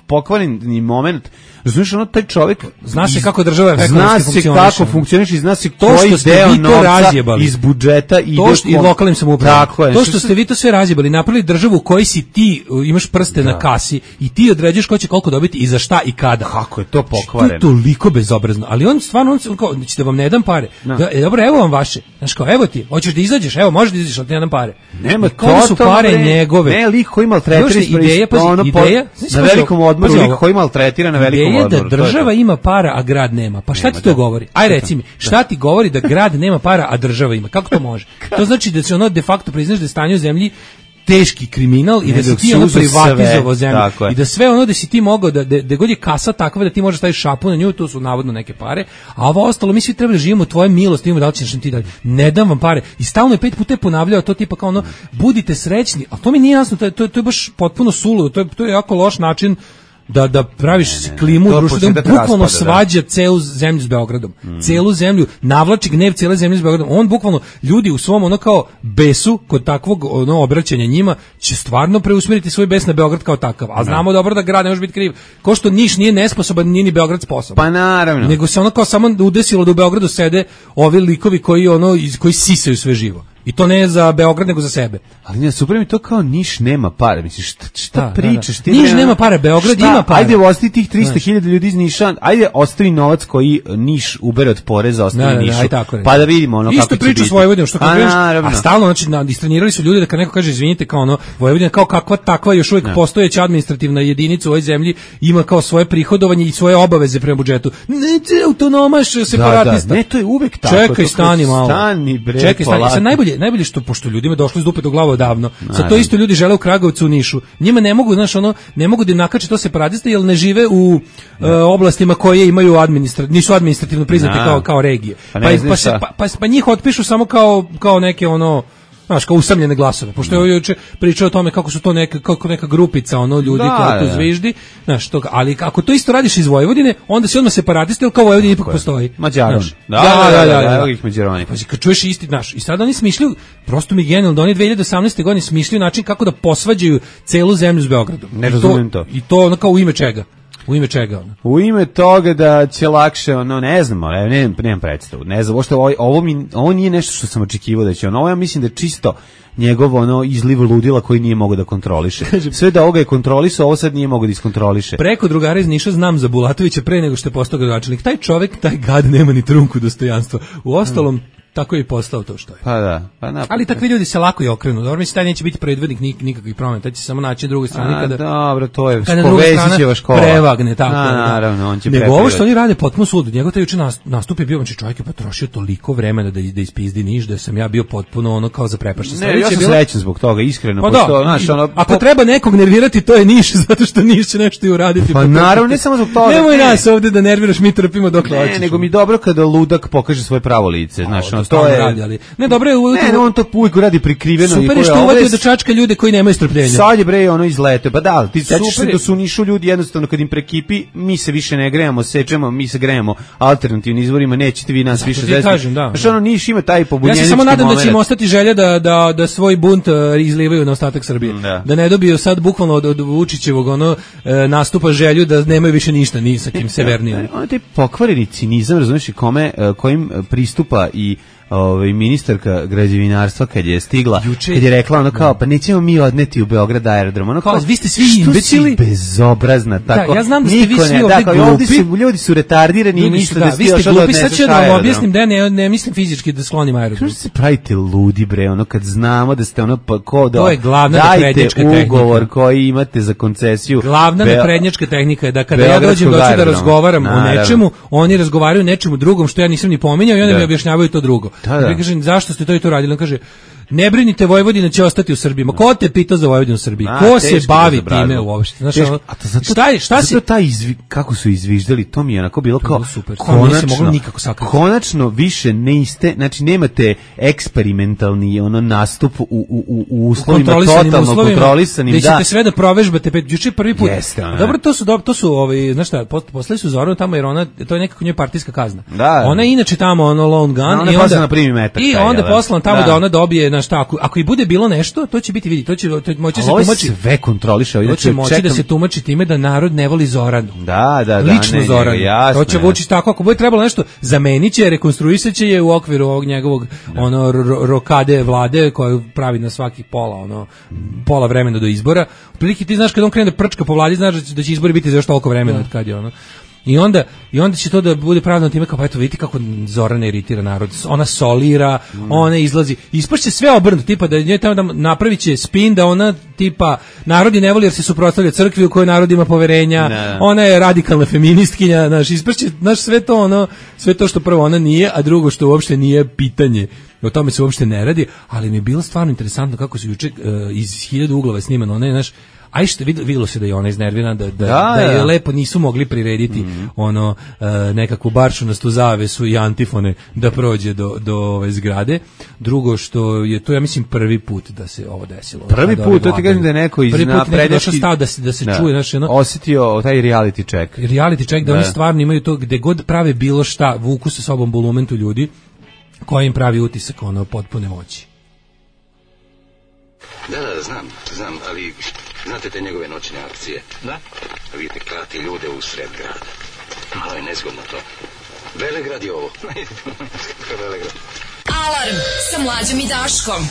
pokvareni moment. Znaš, ono, taj čovjek zna se kako država ekonomski funkcioniše. Zna se kako funkcioniše i zna se to koji deo novca iz budžeta ide i lokalnim samoupravama. To što ste vi to sve razjebali, napravili državu u kojoj si ti, imaš prste da. na kasi i ti određuješ ko će koliko dobiti i za šta i kada. Kako je to pokvareno? To je toliko bezobrazno. Ali on stvarno, on, on kao, da vam ne dam pare. No. Da, dobro, evo vam vaše. Znaš kao, evo ti, hoćeš da izađeš, evo, možeš da izađeš, ali ti ne dam pare. Nema to su pare ne, njegove. Ne, lik koji maltretira ideja, pa ono ideja, na velikom odmoru, lik koji maltretira na velikom odmoru. Ideja da država ima para, a grad nema. Pa šta nema, ti to da. govori? Aj reci mi, šta ti govori da grad nema para, a država ima? Kako to može? To znači da se ono de facto priznaš da je stanje u zemlji teški kriminal i ne, da si ti ono privatizovao zemlju i da sve ono da si ti mogao da, da, da god je kasa takva da ti možeš staviti šapu na nju, to su navodno neke pare, a ovo ostalo mi svi treba da živimo tvoje milosti, imamo da li ćeš nam ti dalje, ne dam vam pare. I stalno je pet puta ponavljao to tipa kao ono, budite srećni, a to mi nije jasno, to je, to je, to je baš potpuno suludo, to je, to je jako loš način da da praviš ne, ne, klimu u društvu, da bukvalno svađa da. celu zemlju s Beogradom. Mm. Celu zemlju, navlači gnev cele zemlje s Beogradom. On bukvalno, ljudi u svom ono kao besu, kod takvog ono obraćanja njima, će stvarno preusmeriti svoj bes na Beograd kao takav. A znamo ne. dobro da grad ne može biti kriv. Ko što Niš nije nesposoban, nije ni Beograd sposoban. Pa naravno. Nego se ono kao samo udesilo da u Beogradu sede ovi likovi koji, ono, koji sisaju sve živo. I to ne za Beograd, nego za sebe. Ali ne, super mi to kao Niš nema pare. Misliš, šta, šta da, pričaš? Da, da. Niš nema pare, Beograd šta? ima pare. Ajde, ostavi tih trista hiljada ljudi iz Niša, ajde, ostavi novac koji Niš ubere od poreza, ostavi da, Nišu. Da, tako, pa da vidimo ono isto kako će biti. Isto priča s Vojvodinom, što kako vidiš, a stalno, znači, na, istrenirali su ljudi da kad neko kaže, izvinite, kao ono, Vojvodina kao kakva takva još uvijek da. postojeća administrativna jedinica u ovoj zemlji, ima kao svoje prihodovanje i svoje obaveze prema budžetu. Ne, autonomaš, separatista. Da, da. Ne, to je uvek tako. Čekaj, stani malo. Stani, bre, čekaj, stani. Sad najbolje, najbolje što pošto ljudima došlo iz dupe do glave odavno. Sad to isto ljudi žele u Kragovcu, u Nišu. Njima ne mogu, znaš, ono, ne mogu da nakače to separatiste jer ne žive u uh, oblastima koje imaju administra, nisu administrativno priznate kao kao regije. Pa, pa, pa, se, pa, pa, pa njih otpišu samo kao kao neke ono znaš, kao usamljene glasove, pošto je juče pričao o tome kako su to neka, kako neka grupica ono ljudi da, koja tu da. zviždi, znaš, to, ali ako to isto radiš iz Vojvodine, onda si odmah separatista, jer kao Vojvodina ipak postoji. Mađaron. Da, da, da, da, da, evo ih Mađaroni. Pa kad čuješ isti, znaš, i sad oni smišljaju, prosto mi genijalno, da oni dve hiljade osamnaeste. godine smišljaju način kako da posvađaju celu zemlju s Beogradom. Ne razumijem to. I to ono kao u ime čega? U ime čega ono? U ime toga da će lakše, ono, ne znamo, ne, ne, nemam predstavu, ne znam, ovo, ovo, mi, ovo nije nešto što sam očekivao da će ono, ovo ja mislim da je čisto njegov ono izliv ludila koji nije mogao da kontroliše. Sve da ovoga je kontrolisao, ovo sad nije mogao da iskontroliše. Preko drugara iz Niša znam za Bulatovića pre nego što je postao gradonačelnik. Taj čovek, taj gad nema ni trunku dostojanstva. U ostalom, tako je i postao to što je. Pa da, pa na. Ali takvi ljudi se lako i okrenu. Dobro, mislim taj neće biti predvodnik nik, nikakvih promjena, taj će samo naći na drugoj strani kada. Dobro, to je Povesićeva škola. Prevagne tako. Na, naravno, on će nego ovo što oni rade potpuno suludo. Njegov taj juče nastup je bio, znači čovjek je potrošio toliko vremena da da ispizdi Niš, da sam ja bio potpuno ono kao zaprepašten. Ne, ja sam bilo... srećan zbog toga, iskreno. Pa pošto, da, znaš, ono, ako po... treba nekog nervirati, to je Niš, zato što Niš će nešto i uraditi. Pa naravno, ne samo zbog toga. Nemoj ne. nas ovde da nerviraš, mi trpimo dokle hoćeš. Ne, nego mi dobro kada ludak pokaže svoje pravo lice, znaš, ono, to je radi, ali ne, dobro je uvijek. Ne, on to uvijek radi prikriveno. Super je što uvatio da čačka ljude koji nemaju strpljenja. Sad je bre ono izlete. Pa da, ti sećaš se da su u Nišu ljudi jednostavno kad im prekipi, mi se više ne grejemo, sečemo, mi se grejemo alternativnim izvorima, nećete vi nas zato više zezati. Znaš, ono Niš ima taj pobunjenički Ja se samo nadam moment. Da će im ostati želja da, da, da svoj bunt uh, izlivaju na ostatak Srbije. Da. da ne dobiju sad bukvalno od, od Vučićevog ono, uh, nastupa želju da nemaju više ništa ni sa kim severnijim. Ono taj pokvareni cinizam, razumiješ, kome, uh, kojim pristupa i ovaj ministarka građevinarstva kad je stigla, Juče, kad je rekla ono kao, pa nećemo mi odneti u Beograd aerodrom. Ono kao, vi ste svi imbecili, bezobrazna, tako. Da, ja znam da ste vi svi ne, ovdje da, glupi. Su, ljudi su retardirani i misle da, da vi ste glupi, sad ću da vam objasnim da ne, ne mislim fizički da sklonim aerodrom. Kako se pravite ludi, bre, ono kad znamo da ste ono pa ko da, to je glavna naprednjačka tehnika. Ugovor koji imate za koncesiju. Glavna naprednjačka tehnika je da kada ja dođem doći da razgovaram o nečemu, oni razgovaraju o nečemu drugom što ja nisam ni pominjao i oni mi objašnjavaju to drugo. Ja kažem, zašto ste to i to radili? On kaže, ne brinite, Vojvodina će ostati u Srbiji. Ma ko te pitao za Vojvodinu u Srbiji? A, ko se bavi time uopšte? Znaš, ono, a to zato, šta je, šta zato si... taj izvi, kako su izviždali, to mi je onako bilo kao, super, konačno, nikako sakriti. Konačno više ne iste, znači nemate eksperimentalni ono nastup u, u, u uslovima totalno uslovima, kontrolisanim. Da ćete sve da provežbate, pet, juče prvi put. Jeste, ona. Dobro, to su, dobro, to su ovi, znaš šta, poslali su Zoranu tamo jer ona, to je nekako njoj partijska kazna. Da. Ona je inače tamo ono lone gun. Ona i onda, na primi metak. I onda poslan tamo da. da ona dobije, na šta, ako, ako i bude bilo nešto, to će biti vidi, to će to moći se tumači. Sve kontroliše, to će moći čekam... da se tumači time da narod ne voli Zoranu. Da, da, da. Lično ne, Zoranu. Ne, jasno, to će Vučić tako, ako bude trebalo nešto, zameniće, rekonstruisaće je u okviru ovog njegovog da. ono ro, rokade vlade koju pravi na svaki pola, ono pola vremena do izbora. Otprilike ti znaš kad on krene da prčka po vladi, znaš da će izbori biti za još toliko vremena od kad je ono. I onda, I onda će to da bude pravno time kao, pa eto vidite kako Zorana iritira narod, ona solira, mm. ona izlazi, ispašće sve obrnuto, tipa da nje tamo da napravit će spin, da ona tipa, narodi ne voli jer se suprotstavlja crkvi u kojoj narod ima poverenja, ne. Ona je radikalna feministkinja, znaš, ispašće, znaš, sve to ono, sve to što prvo ona nije, a drugo što uopšte nije pitanje. O tome se uopšte ne radi, ali mi je bilo stvarno interesantno kako se juče uh, iz hiljadu uglova snimano, ona je, znaš, aj što videlo se da je ona iznervirana, da, da, da, da je ja. lepo nisu mogli prirediti mm-hmm. ono uh, nekakvu baršunastu zavesu i antifone da prođe do, do ove zgrade. Drugo što je to, ja mislim, prvi put da se ovo desilo. Prvi put, to ti kažem da je neko iz naprednjački stav da se, da se da. čuje. Znaš, ono, osjetio taj reality check. Reality check, da, da oni stvarno imaju to gde god prave bilo šta, vuku sa sobom bulumentu ljudi koji im pravi utisak ono potpune moći. Da, da, znam, znam, ali znate te njegove noćne akcije? Da. Vidite, klati ljude u sred grada. Malo je nezgodno to. Velegrad je ovo. Velegrad. Alarm sa Mlađom i Daškom.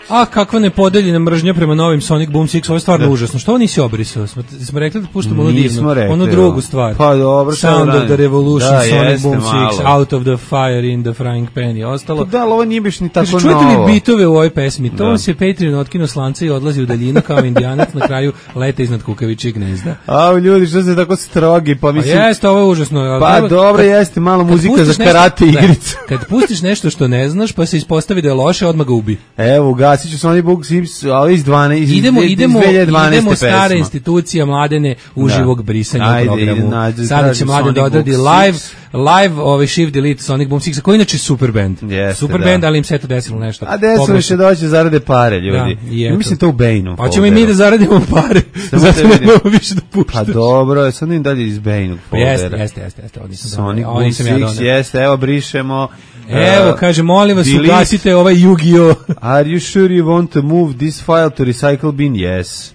A kakva nepodeljena mržnja prema novim Sonic Boom Six, ovo je stvarno da. užasno. Što ovo nisi obrisao? Smo, smo rekli da puštamo ono divno, onu drugu stvar. Pa dobro, Sound of the Revolution, da, Sonic Boom Six, Out of the Fire in the Frying Pan i ostalo. Pa da, ali ovo nije biš ni tako Kaži, novo. Čujete li bitove u ovoj pesmi? To vam se Patreon otkino slance i odlazi u daljinu kao indijanac, na kraju leta iznad kukavičijeg gnezda. A ljudi, što ste tako strogi? Pa, mislim... pa jeste, ovo je užasno. Pa treba, dobro, kad, jeste, malo muzika za karate nešto, igricu. Da, kad pustiš nešto što ne znaš, pa se ispostavi da je loše, odmah ga ubi. Evo, gasit ću Sonic Boom Six, ali iz dvanaeste iz, idemo, iz idemo, dvije hiljade dvanaeste idemo stare pesma. institucija Mladene uživog brisanja Ajde, u programu. Nađe, Sada će Mladen da odradi live, live ovaj Shift Delete Sonic Boom Six, koji inače super band. Jeste, super da. band, ali im se to desilo nešto. A desilo će doći zarade pare, ljudi. Da, mislim to u Bejnu. Pa ćemo i mi da zaradimo pare. Zato ne možemo više da puštamo. Pa dobro, sad im dalje iz Bejnu. Jeste, jeste, jeste, jeste. Sonic Boom Six, jeste, evo brišemo. Evo, kaže, molim vas, ugasite ovaj Yu-Gi-Oh! Are you sure you want to move this file to recycle bin? Yes.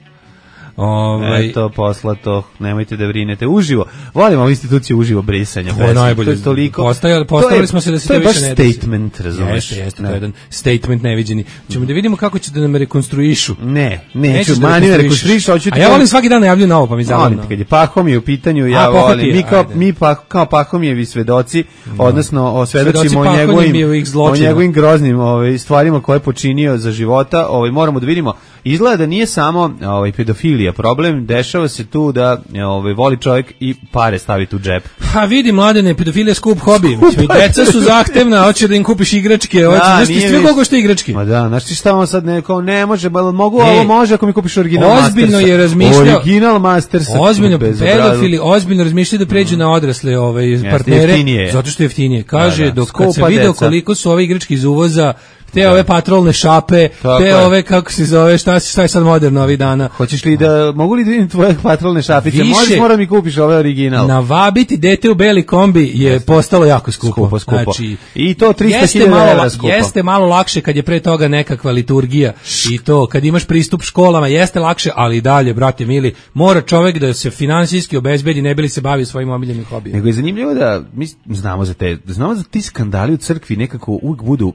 Ovaj Eto, poslato, nemojte da brinete. Uživo, volimo ovu instituciju uživo brisanja. To je najbolje. To je toliko... Postavili, postavili smo se da se to, to više ne desi. To je baš statement, razumeš? Jeste, jeste, to je jedan statement neviđeni. Ćemo da vidimo kako će da nam rekonstruišu. Ne, neću, Nećeš da mani me rekonstruišeš. rekonstruišu, hoću ti... A ja volim svaki dan najavljuju novo, pa mi zabavno. Kad je Pahomije u pitanju, ja A, volim. Pohotije, Mi kao, ajde. mi pa, kao Pahomijevi svedoci, No. odnosno osvedočimo Svedoci o njegovim, Pahomijevih o zločina. njegovim groznim ovaj, stvarima koje je počinio za života. Ovaj, moramo da vidimo. Izgleda da nije samo ovaj, pedofilija problem, dešava se tu da ovaj, voli čovjek i pare staviti u džep. Ha, vidi, mladene, pedofilija skup hobi. Mislim, deca su zahtevna, hoće da im kupiš igračke, hoće, znaš ti sve koliko što igračke. Ma da, znaš ti šta on sad ne, kao ne može, ba, mogu, Ej, ovo može ako mi kupiš original Mastersa. Ozbiljno je razmišljao. Original Mastersa. Ozbiljno, pedofili, ozbiljno razmišljaju da pređu na odrasle ovaj, partnere, jeftinije. Zato što je jeftinije. Kaže, Da, da, dok skupa kad se video deca. koliko su ove igračke iz uvoza, te ove patrolne šape, Tako te je. ove, kako se zove, šta, šta je sad moderno ovih dana. Hoćeš li da, mogu li da vidim tvoje patrolne šapice? Više- Možeš, moram mi kupiš ovaj original. Navabiti dete u beli kombi je postalo jako skupo. Skupo, skupo. Znači, I to trista jeste hiljada malo, evra skupo. jeste malo lakše kad je pre toga nekakva liturgija i to, kad imaš pristup školama, jeste lakše, ali i dalje, brate mili, mora čovek da se finansijski obezbedi, ne bi li se bavio svojim omiljenim hobijima. Nego je zanimljivo da mi znamo za te, znamo za ti skandali u crkvi nekako uvijek budu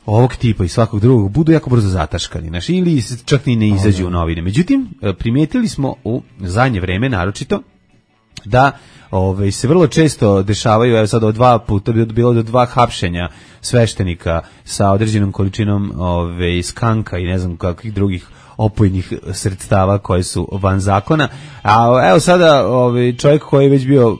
ovog tipa i svakog drugog budu jako brzo zataškani, znaš, ili se čak ni ne izađu u novine. Međutim, primijetili smo u zadnje vreme naročito da ovaj se vrlo često dešavaju, evo sad od dva puta bilo do dva hapšenja sveštenika sa određenom količinom ovaj skanka i ne znam kakvih drugih opojnih sredstava koje su van zakona. A evo sada ovaj čovjek koji je već bio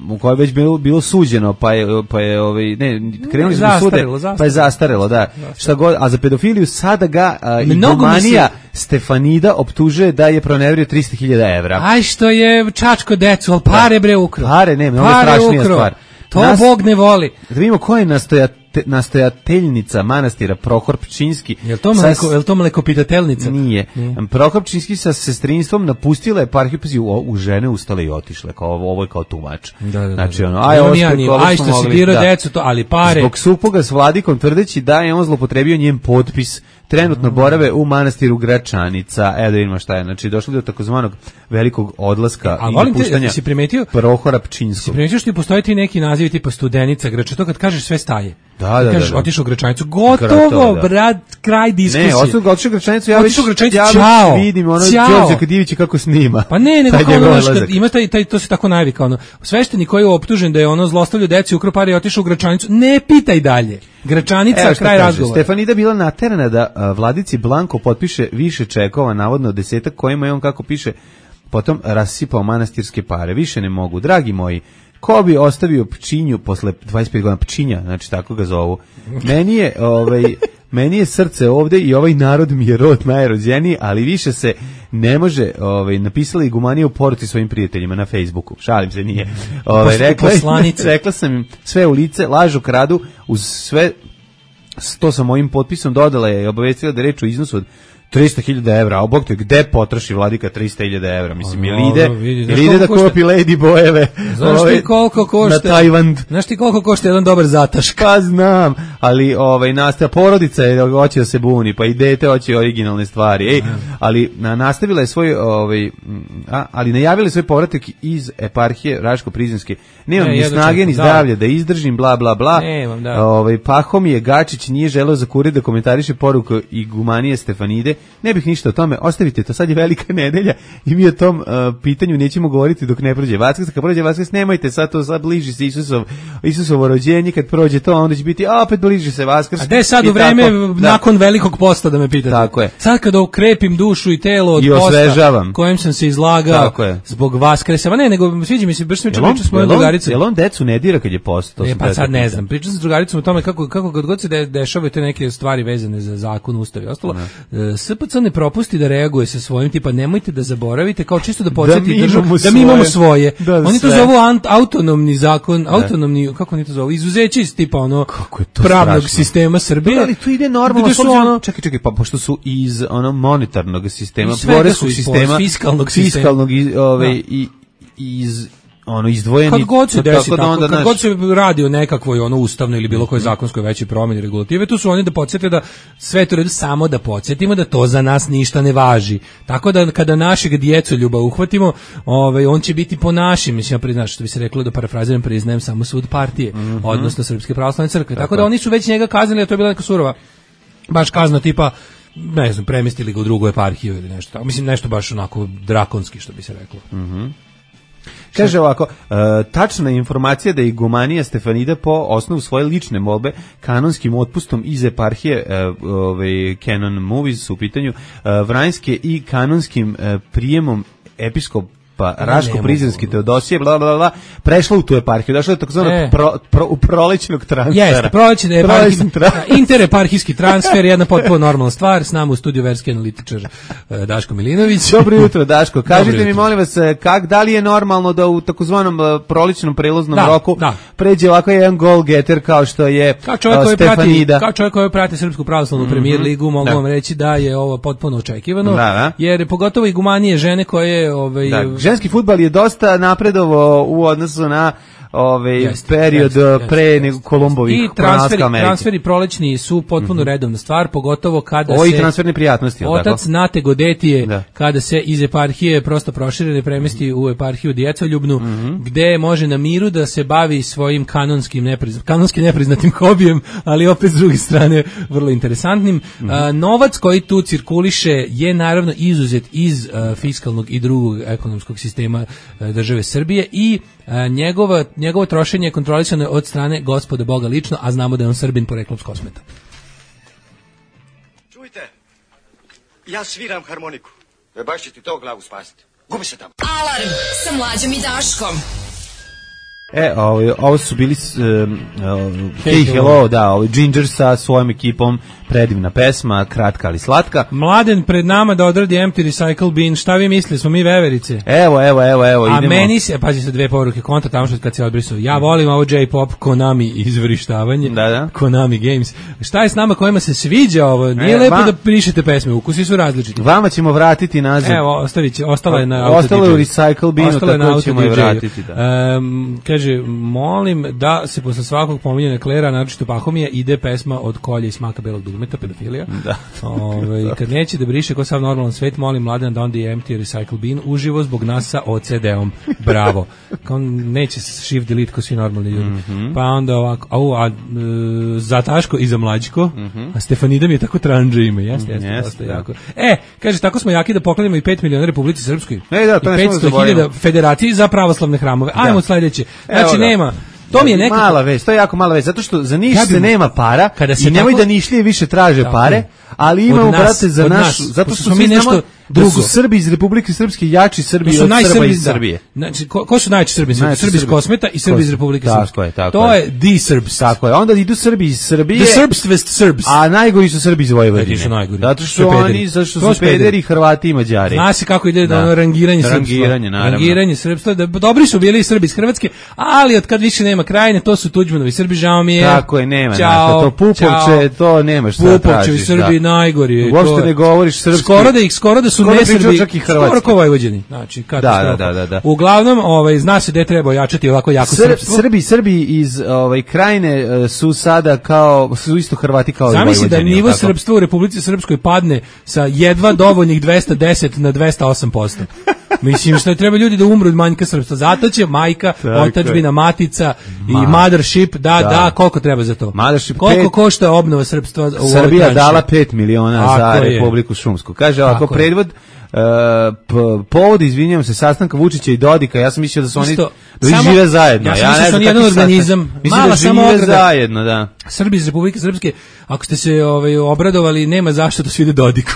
u koji je već bilo bilo suđeno, pa je pa je ovaj ne krenuli smo sude, pa je zastarelo, da. Šta god, a za pedofiliju sada ga uh, idomanija Stefanida optužuje da je pronevrio trista hiljada evra. Aj što je čačko decu, al pare bre ukro. Pare ne, mnogo strašnija stvar. To Nas, Bog ne voli. Da vidimo ko je nastojate, nastojateljnica manastira Prohor Pčinski. Je li to, mleko, je li to mlekopitateljnica? Nije. nije. Prohor Pčinski sa sestrinstvom napustila je eparhiju, pazi, u, u žene ustale i otišle. Kao, ovo je kao tumač. Da, da, da. Znači, ono, aj, ovo aj što si dirao decu, to, ali pare. Zbog supruga s vladikom tvrdeći da je on zlopotrebio njen potpis, trenutno borave u manastiru Gračanica. Evo da vidimo šta je. Znači, došli do takozvanog velikog odlaska a, i volim napuštanja te, si primetio, Prohora Pčinskog. Si primetio što ti postoje ti neki nazivi tipa Studenica, Grača, to kad kažeš sve staje. Da, da, kažeš, da, da. otišao u Gračanicu, gotovo, da. Brat, kraj diskusije. Ne, otišao otišao u Gračanicu, ja već, Gračanicu, ja čao, vidim ono čao. Đorđe Kadijevića kako snima. Pa ne, nego kao ono, kad ima taj, taj, to se tako navika, ono, sveštenik koji je optužen da je ono zlostavljao decu, ukro pare i otišao u Gračanicu, ne pitaj dalje. Gračanica, Evo, kraj razgovora. Stefanida bila naterana da a, vladici Blanko potpiše više čekova, navodno desetak, kojima je on, kako piše, potom rasipao manastirske pare. Više ne mogu. Dragi moji, ko bi ostavio Pčinju posle dvadeset pet godina, Pčinja, znači tako ga zovu. Meni je, ovaj, meni je srce ovde i ovaj narod mi je rod najrođeniji, ali više se ne može, ovaj, napisala igumanija u poruci svojim prijateljima na Facebooku. Šalim se, nije. Ovaj, rekla, rekla sam im sve u lice, lažu, kradu, uz sve to sa mojim potpisom dodala je i obavestila da je reč o iznosu od trista hiljada evra, a bog te gde potroši vladika trista hiljada evra, mislim, ili ide, ili ide da kupi Lady Bojeve znaš ti koliko košta, na Tajvand. Znaš ti koliko košta jedan dobar zatašk? Pa znam, ali ovaj, nastavila, porodica je hoće da se buni, pa i dete hoće originalne stvari, ej, ali na, nastavila je svoj, ovaj, a, ali najavila je svoj povratak iz eparhije Raško-Prizinske. Nemam ne, ni snage, ni zdravlja da izdržim, bla, bla, bla. Nemam, da. Ovaj, Pahomije Gačić nije želeo za kurir da komentariše poruku igumanije Stefanide. Ne bih ništa o tome, ostavite to, sad je velika nedelja i mi o tom uh, pitanju nećemo govoriti dok ne prođe Vaskrs. Kad prođe Vaskrs, nemojte, sad to sad bliži se Isusov, Isusovo rođenje, kad prođe to, onda će biti, a opet bliži se Vaskrs. A gde sad u vreme tako, nakon da. velikog posta da me pitate? Tako je. Sad kada okrepim dušu i telo od I posta kojem sam se izlagao zbog Vaskresa, ma ne, nego sviđa mi se, baš sam pričao s mojom drugaricom. Jel on decu ne dira kad je post? E, pa sad ne znam, pričao sam s drugaricom o tome kako, kako god, god se de, dešavaju te neke stvari vezane za zakon, ustav i ostalo. S P C ne propusti da reaguje sa svojim, tipa nemojte da zaboravite, kao čisto da podsjeti da, državu, da mi imamo svoje. Da, oni to zovu ant, autonomni zakon, ne. autonomni, kako oni to zovu, izuzeće iz tipa ono pravnog strašno. sistema Srbije. Da, ali tu ide normalno, su ono, čekaj, čekaj, pa pošto su iz ono monetarnog sistema, poreskog sistema, fiskalnog sistema, fiskalnog i, ove, i iz ono izdvojeni. Kad god se desi tako, da onda, kad naš... god se radi o nekakvoj ono ustavnoj ili bilo kojoj zakonskoj većoj promjeni regulative, tu su oni da podsjete da sve to redu, samo da podsjetimo da to za nas ništa ne važi. Tako da kada našeg djecoljuba uhvatimo, ovaj on će biti po našim, mislim ja priznaš što bi se reklo da parafraziram, priznajem samo sud partije, mm-hmm. odnosno Srpske pravoslavne crkve. Tako, tako da oni su već njega kaznili, a to je bila neka surova baš kazna tipa ne znam, premestili ga u drugu eparhiju ili nešto tako. Mislim, nešto baš onako drakonski, što bi se reklo. Mhm. Kaže ovako, uh, tačna informacija da je igumanija Stefanida po osnovu svoje lične molbe kanonskim otpustom iz eparhije uh, ovaj, Canon Movies u pitanju uh, Vranjske i kanonskim uh, prijemom episkop pa Raško-Prizrenski Teodosije, bla, bla, bla, prešla u tu eparhiju, došla je takozvano e. pro, pro, u prolećnog transfera. Jeste, prolećni eparhijski, intereparhijski transfer, jedna potpuno normalna stvar, s nama u studiju verski analitičar Daško Milinović. Dobro jutro, Daško, kažite mi, molim vas, kak, da li je normalno da u takozvanom prolećnom prelaznom da, roku da. pređe ovako jedan gol getter kao što je kao čovjek koji Stefanida? Prati, kao čovjek koji prati Srpsku pravoslavnu mm-hmm. Premier ligu, mogu da. vam reći da je ovo potpuno očekivano, da, da. jer pogotovo igumanije žene koje ovaj, da. Ženski fudbal je dosta napredovao u odnosu na ovaj jest, period jest, pre jest, nego Kolumbovih i transferi, transferi prolećni su potpuno mm-hmm. redovna stvar, pogotovo kada Ovi se transferne prijatnosti, otac tako? Nate Godetije da. kada se iz eparhije prosto proširene premesti u eparhiju Djecoljubnu, mm-hmm. gde može na miru da se bavi svojim kanonskim neprizna, kanonski nepriznatim hobijem, ali opet s druge strane vrlo interesantnim. Mm-hmm. A, novac koji tu cirkuliše je naravno izuzet iz a, fiskalnog i drugog ekonomskog sistema a, države Srbije i a, njegova njegovo trošenje je kontrolisano od strane Gospoda Boga lično, a znamo da je on Srbin poreklom s Kosmeta. Čujte, ja sviram harmoniku. E baš će ti to glavu spasiti. Gubi se tamo. Alarm sa Mlađom i Daškom. E, ovo, ovo su bili um, uh, Hey Hello, da, ovo Ginger sa svojom ekipom, predivna pesma, kratka ali slatka. Mladen pred nama da odradi Empty Recycle Bin, šta vi mislite, smo mi veverice? Evo, evo, evo, evo, a idemo. A meni se, pazi se dve poruke, kontra tamo što kad se odbrisao, ja volim ovo J-pop, Konami izvrištavanje, da, da. Konami Games. Šta je s nama kojima se sviđa ovo? Nije e, lepo va... da pišete pesme, ukusi su različiti. Vama ćemo vratiti nazad. Evo, ostavit će, ostala je na Ostalo je u Recycle Binu, tako ćemo je vratiti. Da. Um, kaže, molim da se posle svakog pominjanja Klera, naročito Pahomija, ide pesma od Kolja i smaka belog dugmeta, pedofilija. Da. Ove, kad neće da briše ko sav normalan svet, molim Mladen da onda je Empty Recycle Bin uživo zbog nas sa O C D-om. Bravo. Kao neće shift delete ko svi normalni ljudi. Mm-hmm. Pa onda ovako, au, a, e, za Taško i za Mlađko, mm-hmm. a Stefanida mi je tako tranđe ime. Jeste, jeste, yes, dosta da. jako. E, kaže, tako smo jaki da poklanjamo i pet miliona Republici Srpskoj. E, da, to i petsto hiljada federaciji za pravoslavne hramove. Ajmo sledeće. Znači, nema... To mi je nekako mala vest, to je jako mala vest, zato što za Niš se nema para i nemoj tako... da Nišlije više traže tako, pare, ali imamo, nas, brate, za naš, zato što smo mi nešto drugo. Da su Srbi iz Republike Srpske jači Srbi od Srba iz Srbije. Znači, ko, ko su najjači Srbi? Znači, Srbi iz Kosmeta i Srbi iz Republike Srpske. Tako je, tako to je the Serbs. Tako je, onda idu Srbi iz Srbije. The Serbs west Serbs. A najgori su Srbi iz Vojvodine. Su najgori. Zato što su oni, zato što su pederi, Hrvati i Mađari. Zna se kako ide da ono rangiranje srpstva. Rangiranje, naravno. Rangiranje srpstva. Da, dobri su bili i Srbi iz Hrvatske, ali od kad više nema Krajine, to su Tuđmanovi Srbi, žao mi je. Tako je, nema. Čao, to Pupovče, to nemaš šta tražiš. Pupovčevi Srbi najgori. Uopšte ne govoriš srpski. Skoro da ih, skoro da su ne Srbi. Skoro ko Vojvođani. Znači, katastrofa. Da, da, da, da. Uglavnom, ovaj, zna se da treba ojačati ovako jako Srb, srpstvo. Srbi, Srbi iz ovaj, Krajine su sada kao, su isto Hrvati kao i Vojvođani. Zamisli da nivo srpstva u Republici Srpskoj padne sa jedva dovoljnih dvesta deset na dvesta osam posto. Mislim što treba ljudi da umru od manjka srpstva. Zato će majka, otadžbina, matica Ma. i mothership, da, da, da, koliko treba za to? Mothership koliko pet, košta obnova srpstva? U Srbija dala pet miliona Ako za Republiku je. Šumsku. Kaže ovako, predvod Uh, p- povod, izvinjavam se, sastanka Vučića i Dodika, ja sam mislio da su oni Isto, da samo, žive zajedno. Ja sam mislio da su oni jedan organizam. Mala da samo žive zajedno, da. Srbi iz Republike Srpske, ako ste se ovaj, obradovali, nema zašto da se ide Dodiku.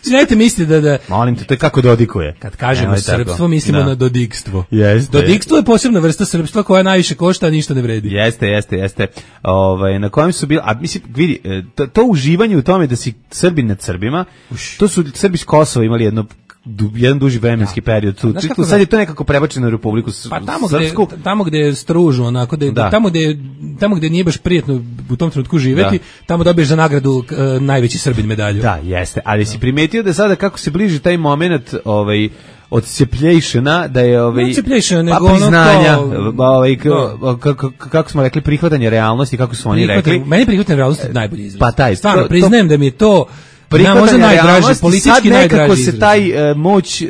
Znate, mislite da, da... Molim te, to je kako dodikuje. Kad kažemo srpstvo, mislimo da. na dodikstvo. Jeste. Dodikstvo je posebna vrsta srpstva koja najviše košta, a ništa ne vredi. Jeste, jeste, jeste. Ovaj, na kojem su bili, a mislim, vidi, to, to uživanje u tome da si Srbin nad Srbima, Uš. to su Srbi iz Kosova imali jedno Du, jedan duži vremenski da. period. Tu, tu, sad je to nekako prebačeno u Republiku Srpsku. Pa tamo gde, tamo gde je stružno, onako, gde, da. tamo, gde, tamo gde nije baš prijetno u tom trenutku živeti, da. tamo dobiješ za nagradu uh, najveći Srbin medalju. Da, jeste. Ali da. si primetio da sada kako se bliži taj moment ovaj, odcepljejšena, da je ovaj odcepljejšena, pa nego ono priznanja, kao- ovaj k- kako kako smo rekli, prihvatanje realnosti, kako su oni rekli. Meni prihvatanje realnosti je najbolji izraz. Pa taj, stvarno to- priznajem da mi je to na možda prihvatanje najdraži, realnosti, politički sad nekako najdraži se izraz. taj e, moć, e,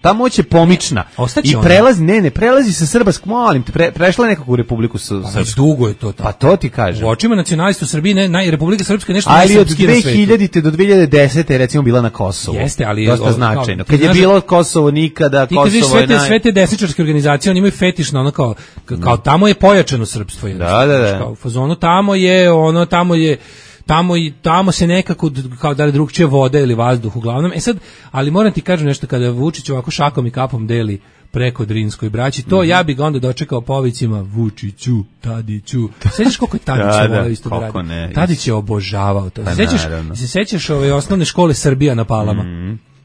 ta moć je pomična ostaće i ona. prelazi, ne, ne, prelazi sa Srbask, molim te, pre, prešla je nekako u Republiku S- Pa već Srpsku. dugo je to tako. Pa to ti kažem. U očima nacionalista u Srbiji ne, naj, Republika Srpska je nešto Ali od najsrpskije na svetu. dve hiljadite do dve hiljade desete je recimo bila na Kosovu. Jeste, ali- dosta o, kao, značajno. ti Kad je znaš- bilo Kosovo nikada, Ti kad vidiš Kosovo sve je te, naj... sve te desničarske organizacije, oni imaju fetiš na ono kao, kao tamo je pojačano srpstvo. jednostavno. Da, da, da. Znaš, Kao, u fazonu tamo je, ono, tamo je, tamo i tamo se nekako d- kao da li drugčije voda ili vazduh uglavnom. E sad, ali moram ti kažem nešto, kada Vučić ovako šakom i kapom deli preko Drinskoj braći, to ja bih ga onda dočekao povicima Vučiću, Tadiću. Sećaš koliko je Tadić Da, da, voleo isto da koliko radi? ne. Tadić je obožavao to. Pa Se sećaš, naravno. se sećaš ove osnovne škole Srbija na Palama?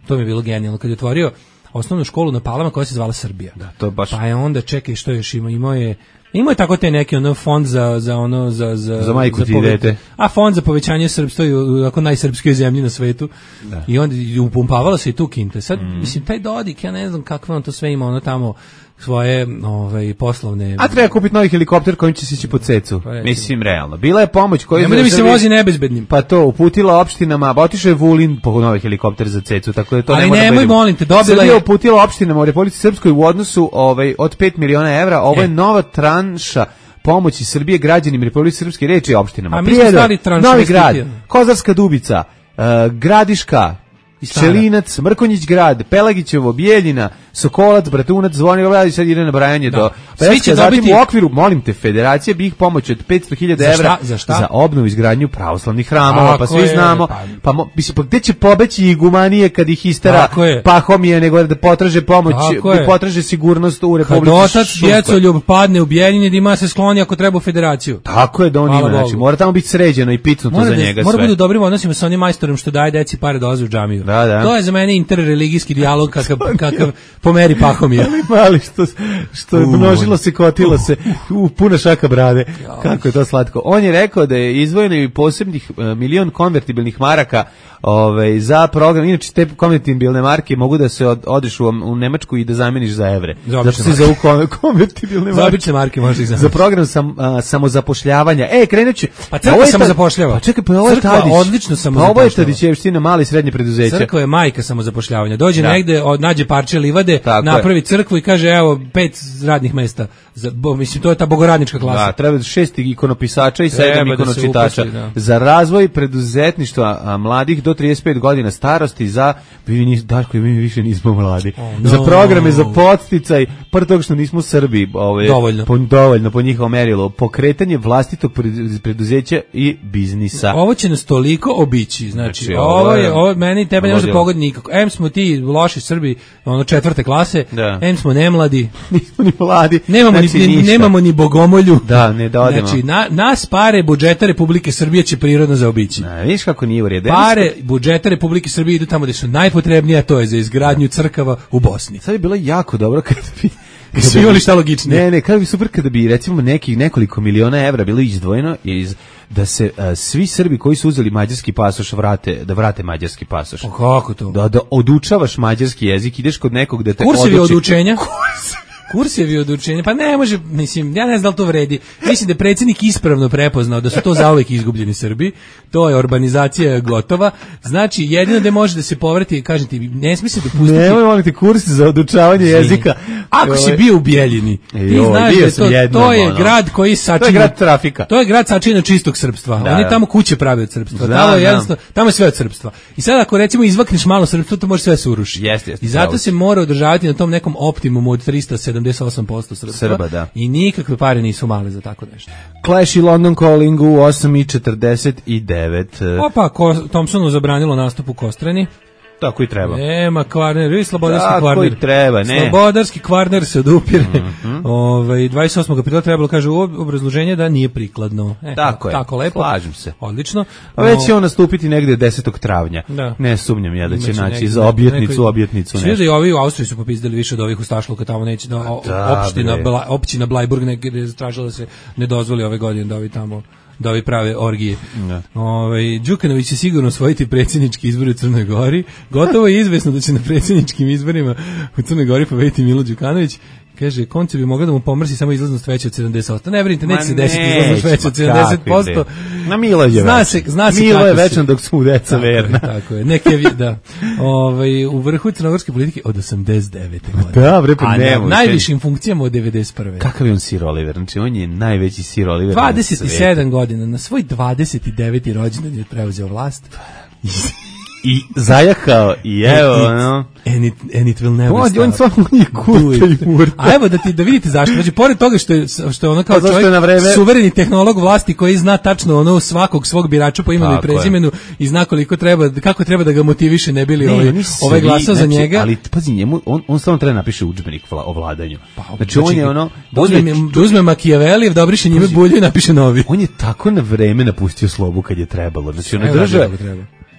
To mi je bilo genijalno kad je otvorio osnovnu školu na Palama koja se zvala Srbija. Da, to baš... Pa je onda, čekaj, što još ima, imao je imao je tako te neki ono fond za za ono za za Za majku ti pove- dete. A fond za povećanje srpstva i u ako najsrpskoj zemlji na svetu. Da. I onda i upumpavalo se i tu kinte. Sad mislim taj Dodik, ja ne znam kakve on to sve ima, ono tamo svoje ovaj poslovne. A treba kupiti novi helikopter kojim će se ići po cecu. Pa recimo. Mislim, realno. Bila je pomoć koju... Nemoj da mi se Srbiji- vozi nebezbednim. Pa to, uputila opštinama, ba otišao je Vulin po novi helikopter za cecu, tako da to Ali ne mora da nemoj, bude- molim te, dobila Srbija je- uputila opštinama u Republici Srpskoj u odnosu ovaj, od pet miliona evra, ovo je E. nova tranša pomoći Srbije građanima Republike Srpske, reči o opštinama. A mi smo Prijedor, stali tranšu Novi Grad, investicije. Kozarska Dubica, uh, Gradiška, Stara. Čelinac, Mrkonjić grad, Pelagićevo, Bijeljina, Sokolac, Bratunac, Zvonimir Vladić, sad ide nabrajanje Da. do... Svi će Zatim dobiti- u okviru, molim te, federacija bi ih pomoć od petsto hiljada Za evra šta? Za šta? za obnovu i izgradnju pravoslavnih hramova, Tako pa svi je, znamo, pa- pa, mo, mislim, pa gde će pobeći igumanije kad ih istera Tako je. Pahomije, nego da potraže pomoć, Tako je. da potraže sigurnost u Kad Republici otac Srpskoj. djecoljub padne u Bijeljini, da ima se skloni ako treba u federaciju. Tako je da on Hvala ima, znači, Bogu. mora tamo biti sređeno i picnuto Mora za da, njega mora sve. bude u dobrim odnosima sa onim majstorom što daje deci pare da dolaze u džamiju. Da, da. To je za mene interreligijski dijalog kakav, kakav po meri Pahomija. Mali što, što je U. množilo se, kotilo se, u, puna šaka brade. Kako je to slatko. On je rekao da je izdvojeno i posebnih e, milion konvertibilnih maraka ovaj, za program. Inače, te konvertibilne marke mogu da se od, odeš u, u Nemačku i da zameniš za evre. Za Zato obične se zovu kon- konvertibilne Za marke. obične marke možeš ih Za zamisliti. program sam, a, samozapošljavanja. E, krenut će. Pa crkva Ovo je ta- samozapošljava. Pa čekaj, pa ovo je Crkva Tadić. odlično Pa ovo je samozapošljava. Tadićevština, mali i srednje preduzeće. Crkva je majka samozapošljavanja. Dođe Da. negde, od, nađe parče livade, Tako napravi crkvu i kaže evo pet radnih mesta. Za, bo, mislim, to je ta bogoradnička klasa. Da, treba šest ikonopisača i sedam Treba da se ikonočitača uposli, da. za razvoj preduzetništva a, mladih do trideset pet godina starosti za vi nis, Daško i mi više nismo mladi. no. Za programe za podsticaj prvo toga što nismo Srbi, ovaj Dovoljno. po, dovoljno po njihovom merilu, pokretanje vlastitog predu- preduzeća i biznisa. Ovo će nas toliko obići, znači, Znači, ovo, ovo je, je- ovo meni i tebe ne može ludilo. pogoditi nikako. Em smo ti loši Srbi, ono četvrte klase, Da. em smo nemladi, Nismo ni mladi. nemamo, znači, ni, ni- ništa. nemamo ni bogomolju. Da, ne da odemo. Znači, na, nas pare budžeta Republike Srbije će prirodno zaobići. Ne, vidiš kako nije u redu. Pare budžeta Republike Srbije idu tamo gde su najpotrebnije, a to je za izgradnju crkava u Bosni. Sad bi bilo jako dobro kada bi Kad su imali šta logičnije. Ne, ne, kada bi super kada bi recimo nekih nekoliko miliona evra bilo izdvojeno iz da se a, svi Srbi koji su uzeli mađarski pasoš vrate, da vrate mađarski pasoš. Pa kako to? Da, da odučavaš mađarski jezik, ideš kod nekog da te Kursevi oduči. od učenja? Kursevi od učenja, pa ne može, mislim, ja ne znam da li to vredi. Mislim da je predsjednik ispravno prepoznao da su to zauvek izgubljeni Srbi, to je urbanizacija gotova, znači jedino da može da se povrati, kažem ti, ne smije se dopustiti... Nemoj moliti kurs za odučavanje jezika. Ako si Ovaj, bio u Bijeljini, ti Joj, znaš bio da je sam to, jednom, to je ono. grad koji To je sačina... grad trafika. To je grad sačina čistog srpstva. Da, Oni da. tamo kuće prave od srpstva. Znam, Tamo je znam. jednostavno, tamo je sve od srpstva. I sad ako recimo izvakneš malo srpstvo, to može sve se uruši. Jeste, jeste, I zato pravo se si. mora održavati na tom nekom optimumu od trista sedamdeset osam posto srpstva. Srba, da. I nikakve pare nisu male za tako nešto. Clash i London Calling u osam i četrdeset devet. Opa, ko, Thompsonu zabranilo nastup u Kostrani. Tako i treba. Nema Kvarner, vi slobodarski Tako Kvarner. i treba, ne. Slobodarski Kvarner se odupire. Mhm. Ovaj dvadeset osmog aprila trebalo kaže u obrazloženje da nije prikladno. E, Tako je. Tako lepo. Slažem se. Odlično. Pa već No, će on nastupiti negde desetog travnja. Da. Ne sumnjam ja da će imaće naći negdje za neko- objetnicu, neko- objetnicu Svi nešto. da i ovi u Austriji su popizdali više od ovih u Stašluka, tamo neće da, o- Da, opština, bre. Bla, općina Blajburg negdje je tražila da se ne dozvoli ove godine da ovi tamo da ovi prave orgije. Da. Ovaj Đukanović će sigurno osvojiti predsjednički izbori u Crnoj Gori. Gotovo je izvesno da će na predsjedničkim izborima u Crnoj Gori pobediti Milo Đukanović. Kaže, konce bi mogla da mu pomrsi samo izlaznost veća od sedamdeset posto. Ne vrinite, neće se desiti izlaznost veća od sedamdeset posto. Na Milo je zna se, zna se Milo je kako večno dok su mu deca tako verna. Je, tako je, neke, da. Ovaj u vrhu crnogorske politike od osamdeset devete godine. Da, bre, pa a nemo. na najvišim funkcijama od devedeset prve. Kakav je on Sir Oliver? Znači, on je najveći Sir Oliver dvadeset sedam godina, na svoj dvadeset deveti rođendan je preuzeo vlast. I zajahao i evo, and it, ono. And it, and it will never on, stop. On samo nije kurta i murta. A evo da ti da vidite zašto. Znači, pored toga što je, što je ono kao pa čovjek, vreme... suvereni tehnolog vlasti koji zna tačno ono svakog svog birača po imenu i prezimenu je. I zna koliko treba, kako treba da ga motiviše ne bili ne, ovaj, ovaj glasao znači, za njega. Ali pazi, njemu, on, on samo treba napiše udžbenik o vladanju. Pa, znači, znači, on je ono... Da uzme, da uzme Makijavelijev, da obriše njime bulju i napiše novi. On je tako na vreme napustio slobu kad je trebalo. Znači, ono drža...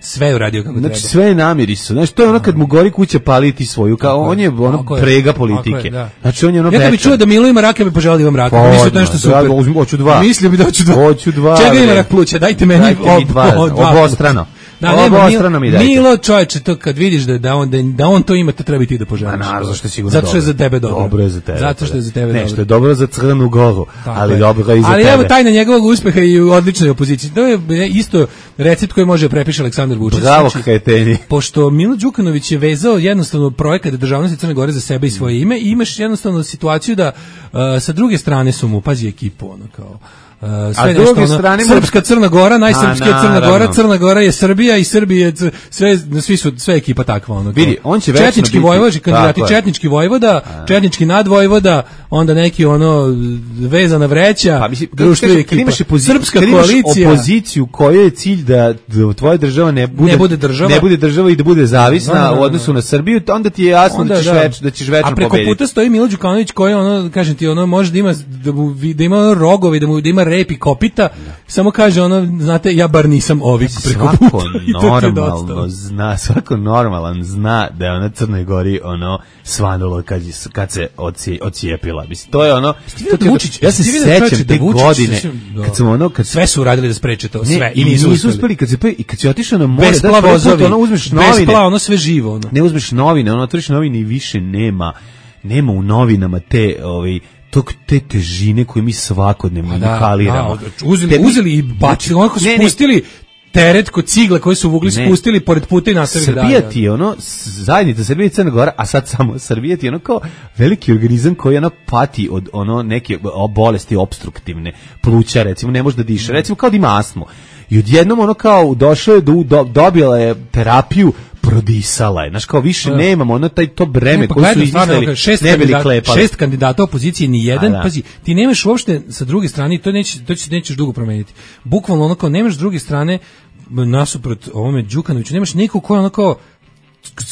Sve je uradio kako znači, treba. Sve je namiriso. Znači, to je ono kad mu gori kuća paliti svoju, kao on je ono tako prega je, politike. je, da. Znači, on je ono ja kad bi čuo da Milo ima rak, ja bi poželao da imam rak. Pa, mislim da je nešto super. Ja uzmi, hoću dva. Mislio bi da hoću dva. Hoću dva. Čega ima rak pluća? Dajte meni Dajte mi dva. Obostrano. Da, nema, Milo, mi Milo čovječe, to kad vidiš da, da, on, da, da on to ima, to treba i ti da poželiš. Naravno, zašto je sigurno zato što je za tebe dobro. Dobro je za tebe. Zato što je za tebe ne, dobro. Ne, što je dobro za Crnu Goru, tako ali je. Dobro je i za ali tebe. Ali evo tajna njegovog uspeha i u odličnoj opoziciji. To je isto recept koji može prepiše Aleksandar Vučić. Bravo, Kajteni. Pošto Milo Đukanović je vezao jednostavno projekat državnosti Crne Gore za sebe i svoje ime i imaš jednostavno situaciju da uh, sa druge strane su mu, pazi ekipu, ono kao... Uh, sve nešto, ono, strane srpska Crna Gora, najsrpskija Crna Gora, Crna Gora je Srbija i Srbija je sve, svi su sve ekipa takva, ono. Vidi, on će četnički biti, vojvođi, kandidati četnički vojvoda, a. četnički nadvojvoda, onda neki ono vezana vreća, pa, mislim, društvo i ekipa, opozi, srpska koalicija, opoziciju kojoj je cilj da, da tvoja država ne bude, ne bude država, ne bude država i da bude zavisna no, no, no, u odnosu na Srbiju, onda ti je jasno onda, da ćeš da. Več, da ćeš večno pobediti. A preko puta stoji Milo Đukanović koji ono, kažem ti, ono može da ima da, mu, da ima ono rogovi, da mu da ima rep i kopita. Da. Samo kaže ono, znate, ja bar nisam ovik preko svako normalno zna, svako normalan zna da je ona Crnoj Gori ono svanulo kad, kad se oci, ocijepila. Mislim, to je ono, to da Vučić, ja se sećam te godine kad smo ono, kad sve su uradili da spreče to, sve ne, i nisu uspeli. uspeli. Kad se pa i kad se otišao na more, da vozovi, ono uzmeš novine, bespla, ono sve živo, ono. Ne uzmeš novine, ono otvoriš novine i više nema, nema u novinama te, ovaj tog te težine koje mi svakodnevno da, inhaliramo. Da, uzeli, Tebi, uzeli i bacili, onako spustili ne, teret kod cigle koje su vugli spustili pored puta i nastavili dalje. Srbija ti je ono, zajednica Srbija i Crna Gora, a sad samo Srbija ti je ono kao veliki organizam koji ono pati od ono neke bolesti obstruktivne, pluća recimo, ne može da diše, recimo kao da ima astmu. I odjednom ono kao došao je, do, do, dobila je terapiju, prodisala je. Znaš, kao više da. Nemamo ono taj to breme ne, pa koje su izmislili, ne bili klepali. Šest kandidata opozicije, ni jedan, da. Pazi, ti nemaš uopšte sa druge strane, to, neće, to će, nećeš dugo promeniti. Bukvalno ono kao, nemaš s druge strane, nasuprot ovome Đukanoviću, nemaš nikog ko je ono kao,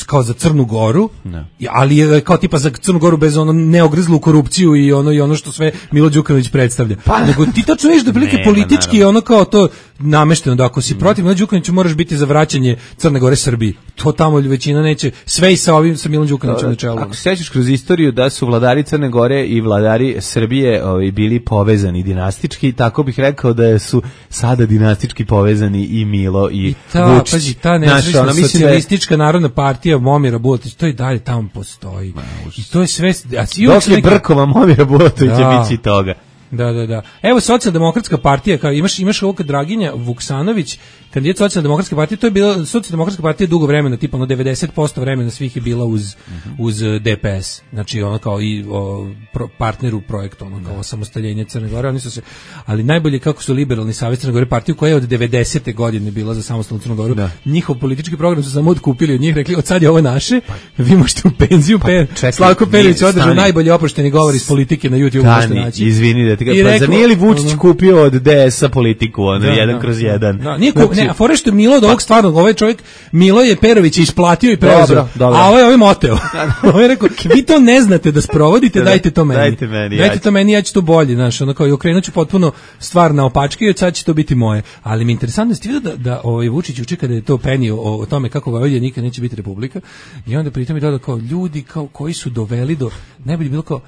kao za Crnu Goru, no. ali je kao tipa za Crnu Goru bez ono neogrzlu korupciju i ono i ono što sve Milo Đukanović predstavlja. Pa, nego ti tačno vidiš da prilike politički ono kao to namešteno da ako si mm. protiv Milo Đukanovića moraš biti za vraćanje Crne Gore Srbiji. To tamo većina neće, sve i sa ovim sa Milom Đukanovićem na čelu. Ako se sećaš kroz istoriju da su vladari Crne Gore i vladari Srbije ovaj, bili povezani dinastički, tako bih rekao da su sada dinastički povezani i Milo i, I ta, Vučić. Pazi, ta nesrećna socijalistička narodna partija Momira Bulatovića, to i dalje tamo postoji. Ma, I to je sve... A dok je neka... Brkova Momira Bulatovića da. Bići toga. Da, da, da. Evo Socijaldemokratska partija, kao imaš imaš ovog Draginja Vuksanović, kandidat Socijaldemokratske partije, to je bila Socijaldemokratska partija dugo vremena, tipa ono devedeset posto vremena svih je bila uz uh-huh. uz D P S. Znači ono kao i o, pro, partner u projektu, ono kao osamostaljenje Crne Gore, oni su se, ali najbolje kako su Liberalni savez Crne Gore, partiju koja je od devedesete godine bila za samostalnu Crnu Goru. Da. Njihov politički program su samo otkupili od njih, rekli od sad je ovo naše, vi možete u penziju, pa, pe, Slavko Perović održao najbolje oprošteni govor iz politike na YouTube, možete naći. Izvini da ti ga, pa zar nije li Vučić ono, kupio od D S-a politiku, ono, da, jedan da, kroz jedan? Da, nije znači, ne, a fore što je Milo od ovog stvarnog, ovaj čovjek, Milo je Perović isplatio i preuzeo, dobro, dobro. A ovaj ovaj moteo. Ovaj je rekao, vi to ne znate da sprovodite, dajte to meni. Dajte meni, dajte to meni, ja ću to bolje, znaš, ono kao i okrenuću potpuno stvar na opačke i od sad će to biti moje. Ali mi je interesantno ste vidio da, da ovaj Vučić uče kada je to penio o, o tome kako Vojvodina nikad neće biti republika i onda pritom je dodao kao ljudi kao koji su doveli do, ne bi bilo kao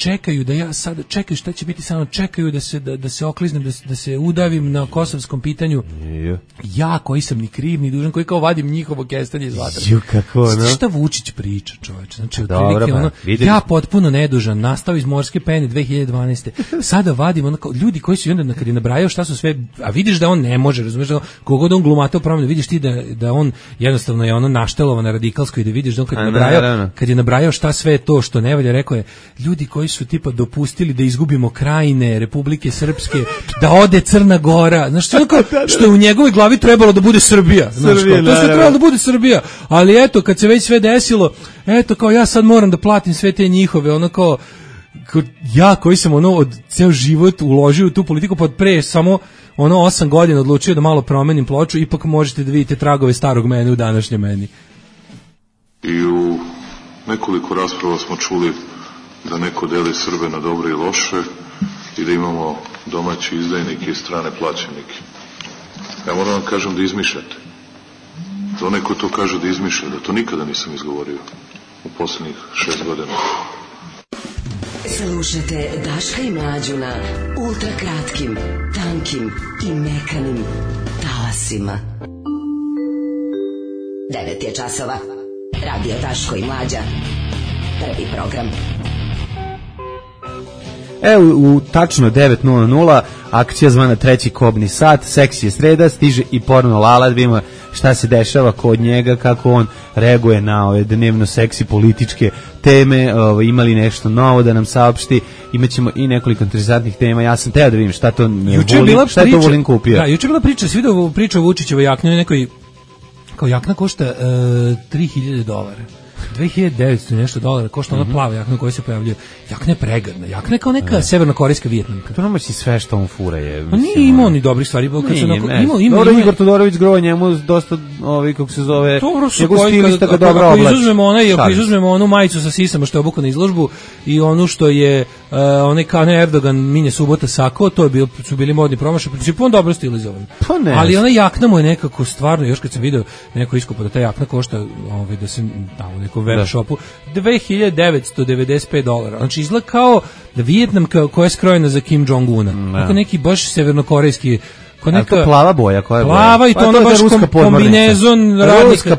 čekaju da ja sad čekaju šta će biti samo čekaju da se da, da se okliznem da, da se udavim na kosovskom pitanju. Ja koji sam ni kriv ni dužan, koji kao vadim njihovo kestenje iz vatre. Ju kako ono. Šta Vučić priča, čoveče? Znači otprilike ono ja potpuno nedužan, nastao iz morske pene dve hiljade dvanaeste. Sada vadim ono kao ljudi koji su onda na kad je nabrajao šta su sve, a vidiš da on ne može, razumeš da kogod on glumatao promenu, vidiš ti da da on jednostavno je ono naštelovan na radikalsko i da vidiš da on kad je nabrajao kad je nabrajao šta sve je to što ne valja, rekao je ljudi koji su tipa dopustili da izgubimo Krajine, Republike Srpske, da ode Crna Gora, znaš što, što je u njegovoj glavi trebalo da bude Srbija, znaš, Srbija, kao, to sve trebalo da bude Srbija, ali eto kad se već sve desilo, eto kao ja sad moram da platim sve te njihove, ono kao, kao ja koji sam ono od ceo život uložio u tu politiku, pod pre samo ono osam godina odlučio da malo promenim ploču, ipak možete da vidite tragove starog mene u današnjem meni. I u nekoliko rasprava smo čuli da neko deli Srbe na dobre i loše i da imamo domaći izdajnike i strane plaćenike. Ja moram vam kažem da izmišljate. Da neko to kaže da izmišlja, da to nikada nisam izgovorio u posljednjih šest godina. Slušajte Daška i Mlađu na ultrakratkim, tankim i mekanim talasima. Devet je časova. Radio Daško i Mlađa. Prvi program. Evo u tačno devet nula nula akcija zvana treći kobni sat, seksi je sreda, stiže i porno Lala, da vidimo šta se dešava kod njega, kako on reaguje na ove dnevno seksi političke teme, ove, imali nešto novo da nam saopšti, imaćemo i nekoliko interesantnih tema. Ja sam teo da vidim šta to Vulin, šta je to Vulin kupio. Da, juče je bila priča, svi da priča o Vučićevoj jakni, nekoj kao jakna košta uh, tri hiljade dolara. dve hiljade devetsto nešto dolara košta ona plava jakna koja se pojavljuje. Jakna je pregadna. Jakna je kao neka severnokorejska Vijetnamka. To nomaći sve što on fura je. Pa nije imao ni dobrih stvari. Kad se onako, imao, imao, dobro, Igor Todorović grovo njemu dosta, ovi, kako se zove, njegov stilista ga dobro oblači. Ako izuzmemo, onaj, ako izuzmemo onu majicu sa sisama što je obuka na izložbu i onu što je uh, onaj Kane Erdogan minje subota sako, to je bio, su bili modni promašaj. Principu on dobro stilizovan. Pa ne. Ali ona jakna mu je nekako stvarno, još kad sam video neko iskopa da ta jakna košta, ovaj, da se tamo u nekom web shopu, dve hiljade devetsto devedeset pet dolara. Znači izgleda kao da Vijetnam koja je skrojena za Kim Jong-una. Kako neki baš severnokorejski, kao neka to plava boja, koja je plava boja? I to pa, ono baš kom, kombinezon radnika,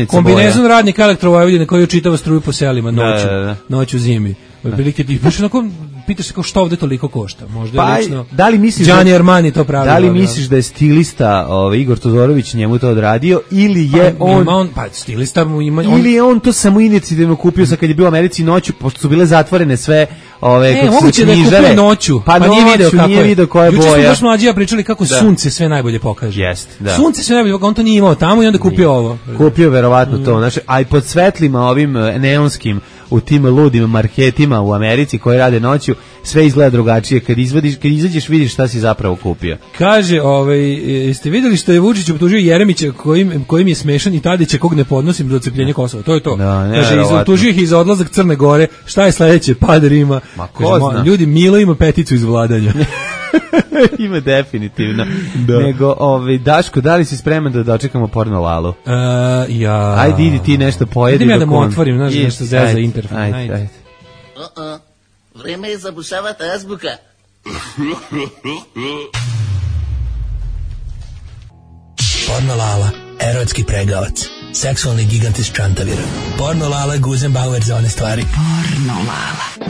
kombinezon boja. radnika Elektrovojvodine koji učitava struju po selima noću, da, da, da. noću zimi. Otprilike ti baš onako pitaš se kao što ovde toliko košta. Možda pa, je lično da li misliš Gianni Armani to pravi. Da li misliš da je stilista ovaj Igor Todorović njemu to odradio ili je pa, on, on pa stilista mu ima on, ili je on to samo inicijativno kupio sa kad je bio u Americi noću, pošto su bile zatvorene sve ove e, kako se knjižare. Da je noću, pa, pa nije video kako nije video koja je boja. Juče smo baš mlađi pričali kako da. Sunce sve najbolje pokaže. Jest, da. Sunce sve najbolje, on to nije imao tamo i onda kupio nije. Ovo. Kupio verovatno mm. to, znači, a i pod svetlima ovim neonskim u tim ludim marketima u Americi koji rade noću, sve izgleda drugačije. Kad izvadiš, kad izađeš vidiš šta si zapravo kupio. Kaže, ovaj, jeste vidjeli što je Vučić optužio Jeremića kojim, kojim je smešan i Tadića kog ne podnosim za odcepljenje Kosova. To je to. Da, kaže, optužio ih i za odlazak Crne Gore. Šta je sledeće? Pad Rima. Ma ko kaže, ljudi, Milo ima peticu iz vladanja. Ima definitivno. Da. Nego, ovaj, Daško, da li si spreman da dočekamo porno Lalu? Uh, ja. Ajde, idi ti nešto pojedi. Idem ja da mu otvorim, znaš, nešto zeza interfon. Ajde, ajde. ajde. Uh-uh. Vreme je zabušavati azbuka. Porno Lala, erotski pregavac, seksualni gigant iz Čantavira. Porno Lala, Guzenbauer za one stvari. Porno Lala.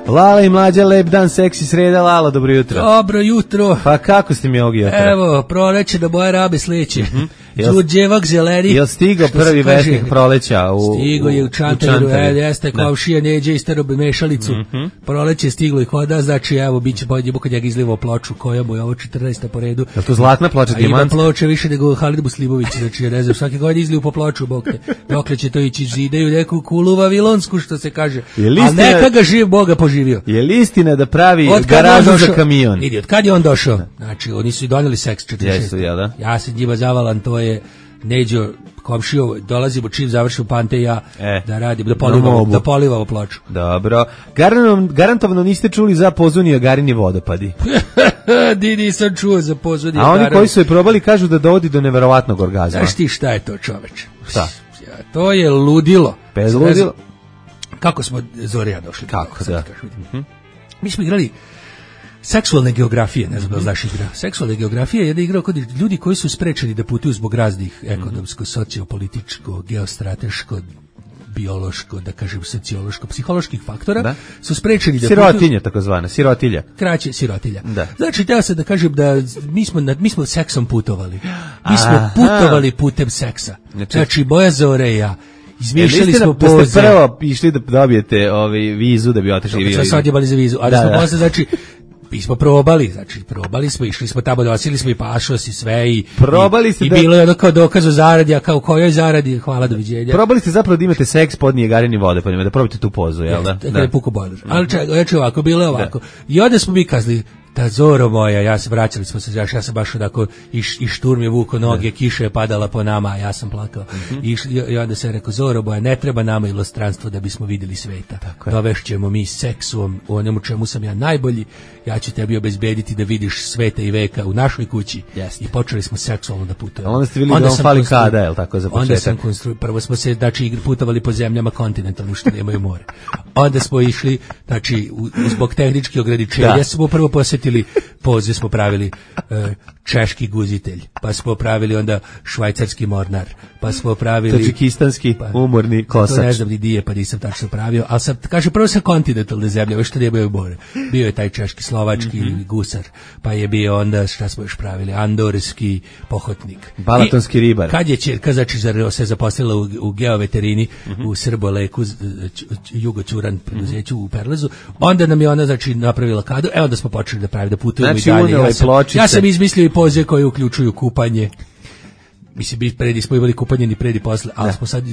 Lala i Mlađa, lep dan, seksi sreda. Lala, dobro jutro. Dobro jutro. Pa kako ste mi ovog jutra? Evo, proleće da boje rabe sleće. Mm-hmm. Đuđevak zeleri. Jel stigao prvi vesnik proleća? U, stigo je u Čantaviru, jeste kao šija neđe i starobe mešalicu. Mm-hmm. Proleće je stiglo i koda, znači evo, bit će pojedje kad ja ga izlivao ploču, koja mu je ovo četrnaesta po redu. Je to zlatna ploča, dijamant? A ima ploče više nego Halid Buslibović, znači ne znam, svake godine izliju po ploču, bog te. Dokle će to ići, zideju neku kulu vavilonsku, što se kaže. A neka ga živ Boga poživio. Je li istina da pravi garažu za kamion? Idi, od kad je on došao? Znači, oni su i donijeli seks četrdeset šeste. Jesu, ja da? Ja se njima zavalan, to je Neđo komšio, dolazimo čim završim pante ja e, da radim, da polivamo, da polivamo ploču. Dobro. Garantovano, garantovano niste čuli za Pozunija Garini vodopadi. Di nisam čuo za Pozunija. A oni koji su je probali kažu da dovodi do neverovatnog orgazma. Znaš ti šta je to, čoveče? Šta? To je ludilo. Bez ludilo. kako smo Zore ja došli. Kako, da. Mm-hmm. Mi smo igrali seksualne geografije, ne znam da znaš igra. Seksualne geografije je jedna igra kod ljudi koji su sprečeni da putuju zbog raznih ekonomsko, sociopolitičko, geostrateško, biološko, da kažem sociološko, psiholoških faktora, da. Su sprečeni da sirotinja takozvana, sirotilja. Kraće sirotilja. Da. Znači, teo sam da kažem da mi smo, mi smo seksom putovali. Mi smo Aha. putovali putem seksa. Znači, znači Boja Zore i ja. Izmišljali smo poze. Da ste prvo išli da dobijete ovaj vizu da bi otišli vi. Sad smo odjebali za vizu, ali da, smo da. posle, znači, mi smo probali, znači probali smo, išli smo tamo, nosili smo i pašos i sve i probali ste i, da... i bilo je ono kao dokaz o zaradi, a kao kojoj zaradi, hvala, doviđenja. Probali ste zapravo da imate seks pod Nijagarine vode, pa da probate tu pozu, jel da? Da, da je puko bojler. Ali čekaj, znači ovako, bilo je ovako. Da. I onda smo mi kazali, ta Zoro moja, ja se vraćali smo se, ja sam baš onako i, i šturm je vuko noge, da. Kiša je padala po nama, a ja sam plakao. Mm-hmm. I, I onda se rekao, Zoro moja, ne treba nama ilostranstvo da bismo vidjeli sveta. Dovešćemo mi seksom, u onemu čemu sam ja najbolji, ja ću tebi obezbediti da vidiš sveta i veka u našoj kući. Jeste. I počeli smo seksualno da putujemo. Onda ste vidjeli onda da on fali kada, je li tako za početak? Onda sam konstru... Prvo smo se, znači, putovali po zemljama kontinentalno što nemaju more. Onda smo išli, znači, zbog tehničkih ograničenja da. Smo prvo posjetili, poze smo pravili uh, češki guzitelj, pa smo pravili onda švajcarski mornar, pa smo pravili tadžikistanski pa, umorni kosač. To ne znam ni dije, pa nisam tačno pravio, ali sam, kaže, prvo sam kontinentalne zemlje, već što nemaju more. Bio je taj češki, slovački mm-hmm. gusar, pa je bio onda, šta smo još pravili, andorski pohotnik. Balatonski ribar. Kad je ćerka, znači, se zaposlila u, u geoveterini, mm-hmm. u Srboleku, Jugoćuran preduzeću u Perlezu, onda nam je ona, znači, napravila kadu, evo da smo počeli da pravimo, da putujemo znači, i dalje. Ja sam, ja sam izmislio i poze koje uključuju kupanje. Mislim, predi smo imali kupanje ni predi posle, ali da. Smo sad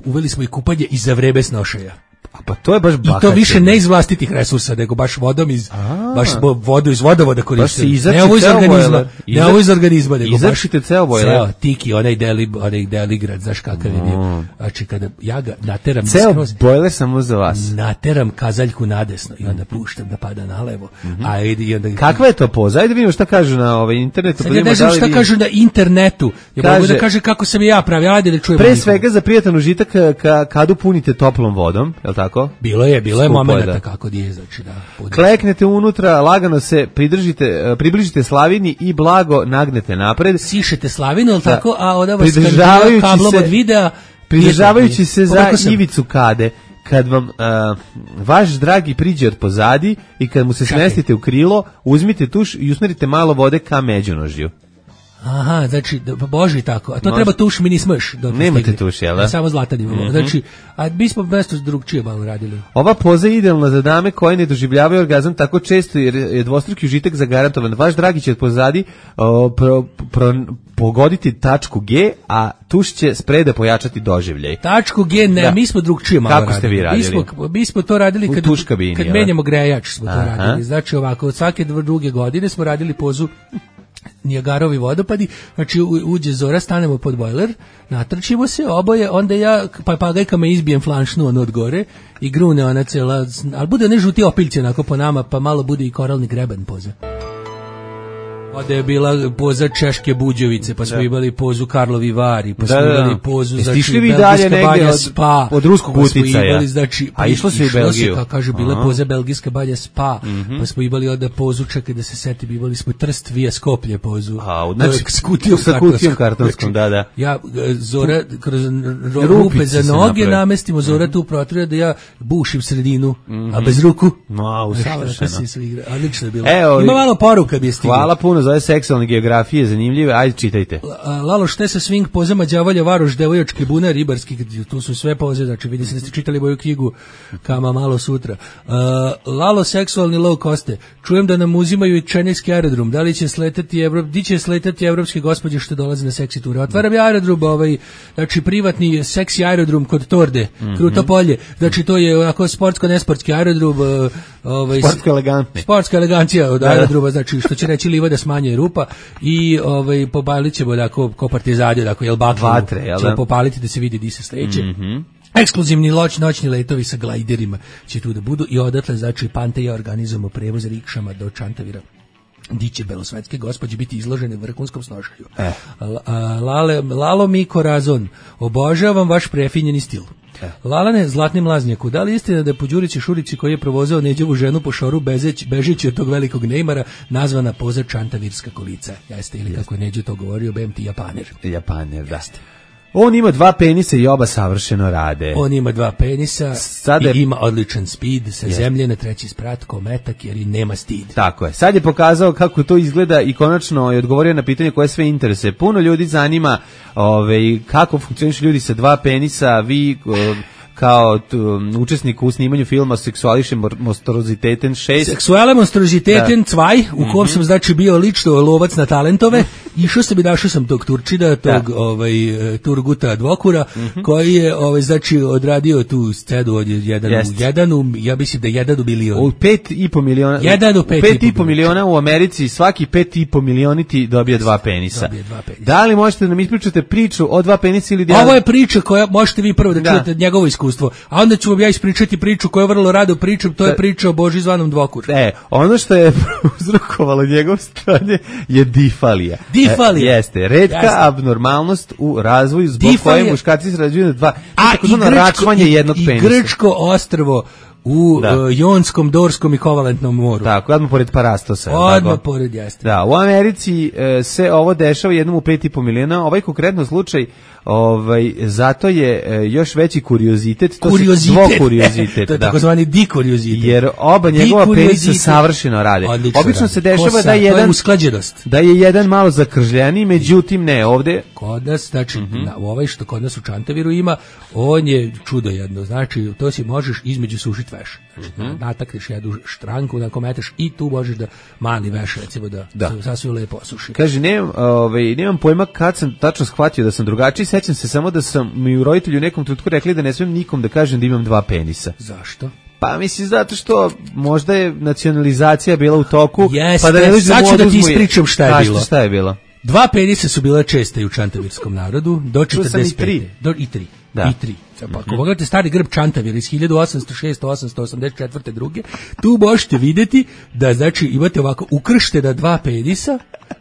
uveli smo i kupanje i za vreme snošaja. A pa to je baš bahati. I to više ne iz vlastitih resursa, nego baš vodom iz, A, baš vodu iz vodovoda koristimo. Ne ovo iz organizma, ne ovo iz organizma, nego baš ceo bojler. Ceo, tiki, onaj deli, onaj deligrad, znaš kakav je bio. Znači, kada ja ga nateram... Ceo bojler samo za vas. Nateram kazaljku nadesno i onda puštam da pada nalevo. Mm-hmm. A i onda... Kakva je to poza? Ajde vidimo šta kažu na ovaj internetu. Sad ja ne znam šta vi... kažu na internetu. Ja kaže, mogu da kaže kako sam ja pravio. Ajde li čujemo. Pre svega za prijatan užitak ka, kadu punite toplom vodom, je li tako? Bilo je, bilo je momenata kako je, znači da. Podržite. Kleknete unutra, lagano se pridržite, približite slavini i blago nagnete napred. Sišete slavinu, al tako, a onda vas kad kablom od videa, pridržavajući se za ivicu kade. Kad vam uh, vaš dragi priđe od pozadi i kad mu se Čakaj. smestite u krilo, uzmite tuš i usmerite malo vode ka međunožju. Aha, znači, boži tako. A to Može. treba tuš mini smrš. Nemate tuš, jel da? Samo zlatan imamo. Mm-hmm. Znači, a mi smo mesto drugčije malo radili. Ova poza je idealna za dame koje ne doživljavaju orgazam tako često jer je dvostruki užitak zagarantovan. Vaš dragi će od pozadi o, pro, pro, pogoditi tačku G, a tuš će spreda pojačati doživljaj. Tačku G, ne, da. mi smo drugčije malo Kako radili. Kako ste vi radili? Mi smo, mi smo to radili kad, kabini, kad menjamo grejač smo to Aha. radili. Znači ovako, od svake druge godine smo radili pozu Nijagarovi vodopadi, znači uđe Zora, stanemo pod bojler, natrčimo se, oboje, onda ja papagajkama izbijem flanšnu ono od gore i grune ona cela, ali bude ne žuti opiljci onako po nama, pa malo bude i koralni greben poza. Onda je bila poza Češke Buđevice, pa smo da. imali pozu Karlovi Vari, pa smo da, da, da. imali pozu znači Belgijska banja od, Spa, od ruskog pa uticaja. Imali, znači, a išlo se u Belgiju. Kako kaže, bila Aha. poza Belgijska banja Spa, mm-hmm. pa smo imali onda pozu, čekaj da se setim, imali smo Trst via Skoplje pozu. A, znači, s kutijom kartonskom, kartonskom da, da. Ja, Zora, kroz rupe za noge namestimo, Zora mm-hmm. tu protruje da ja bušim sredinu, mm-hmm. a bez ruku. No, usavršeno. Odlično je bilo. Ima malo poruka bi je stigla. Hvala puno za ove seksualne geografije, zanimljive, ajde čitajte. Lalo šte sa swing pozama đavolja varoš devojački bunar ribarski, tu su sve poze, znači vidi se da ste čitali moju knjigu Kama malo sutra. Uh, Lalo seksualni low coste, čujem da nam uzimaju i čenijski aerodrom, da li će sletati Evrop, di će sletati evropske gospođe što dolaze na seksi ture. Otvaram ja aerodrom, ovaj, znači privatni seksi aerodrom kod Torde, mm-hmm. Kruto polje, znači to je onako sportsko-nesportski aerodrom, ovaj, sportsko elegantni. Sportska elegancija od aerodroma, znači što će reći liva da smanje rupa i ovaj popalit ćemo da ko, ko partizani, da ko jel baklu, Vatre, jel ćemo popaliti da se vidi di se sleće. Mm-hmm. Ekskluzivni loć, noćni letovi sa glajderima će tu da budu i odatle, znači Pante ja organizujemo prevoz rikšama do Čantavira. Di će belosvetske gospođe biti izložene vrhunskom snošaju. Eh. Lale, Lalo Miko Razon, obožavam vaš prefinjeni stil. Lalane, zlatni mlaznjaku, da li je istina da je po Đurići Šurići koji je provozao Neđovu ženu po šoru bezeć, bežeći od tog velikog Neymara, nazvana poza Čantavirska kolica? Jeste, ili kako je Neđo to govorio, B M T Japaner. Japaner, da. On ima dva penisa i oba savršeno rade. On ima dva penisa Sada i ima odličan speed sa yes. zemlje na treći sprat ko metak jer i nema stid. Tako je. Sad je pokazao kako to izgleda i konačno je odgovorio na pitanje koje sve interese. Puno ljudi zanima ovaj, kako funkcionišu ljudi sa dva penisa, vi kao t, učesnik u snimanju filma Seksualische Monstroziteten šest. Seksuale Monstroziteten dva, u kom sam znači bio lično lovac na talentove. Išao sam i našao sam tog Turčida, tog da. ovaj, Turguta Dvokura, mm-hmm. koji je ovaj, znači, odradio tu scenu od jedan Jest. u jedanu, ja mislim da je jedan u milion. U pet i po miliona. Jedan u pet, pet i po miliona u Americi, svaki pet i po milioniti dobije dva penisa. Dobije dva penisa. Da li možete da nam ispričate priču o dva penisa ili... Ovo je priča koja možete vi prvo da, da. čujete njegovo iskustvo, a onda ću vam ja ispričati priču koju vrlo rado pričam, to je priča o Boži zvanom Dvokur. E, ono što je uzrokovalo njegov strane je difalija. Difalija. E, jeste, redka jeste. abnormalnost u razvoju zbog Difalija. koje muškarci se rađuju na dva, a tako zvano račvanje jednog i, penisa. I grčko ostrvo u da. uh, Jonskom, Dorskom i Kovalentnom moru. Tako, odmah pored Parastosa. Odmah pored, jeste. Da, u Americi uh, se ovo dešava jednom u pet i po miliona. Ovaj konkretno slučaj, ovaj, zato je uh, još veći kuriozitet. To kuriozitet. Su kuriozitet. To je da. takozvani dikuriozitet. Jer oba njegova penisa savršeno rade. Odlično Obično rade. se dešava Kosa, da je jedan, usklađenost. Da je jedan malo zakržljeniji, međutim ne ovde. Kod nas, znači, mm-hmm. na, ovaj što kod nas u Čantaviru ima, on je čudo jedno. Znači, to si možeš između sušit veš. Znači, mm-hmm. natakneš jednu štranku, nakon meteš i tu možeš da mali veš, recimo, da, da. sasvim lepo osuši. Kaže, nemam, ovaj, nemam pojma kad sam tačno shvatio da sam drugačiji, sećam se samo da sam mi u roditelju u nekom trenutku rekli da ne smijem nikom da kažem da imam dva penisa. Zašto? Pa mislim zato što možda je nacionalizacija bila u toku. Jeste, pa da ne sad ću da ti ispričam šta je bilo. Šta je bilo? Dva penisa su bila česte u čantavirskom narodu do četrdeset pete. Do, I tri. Da. I tri. Pa ako pogledate stari grb Čantavir iz hiljadu osamsto šeste do osamsto osamdeset četvrte druge, tu možete vidjeti da znači imate ovako ukrštena dva penisa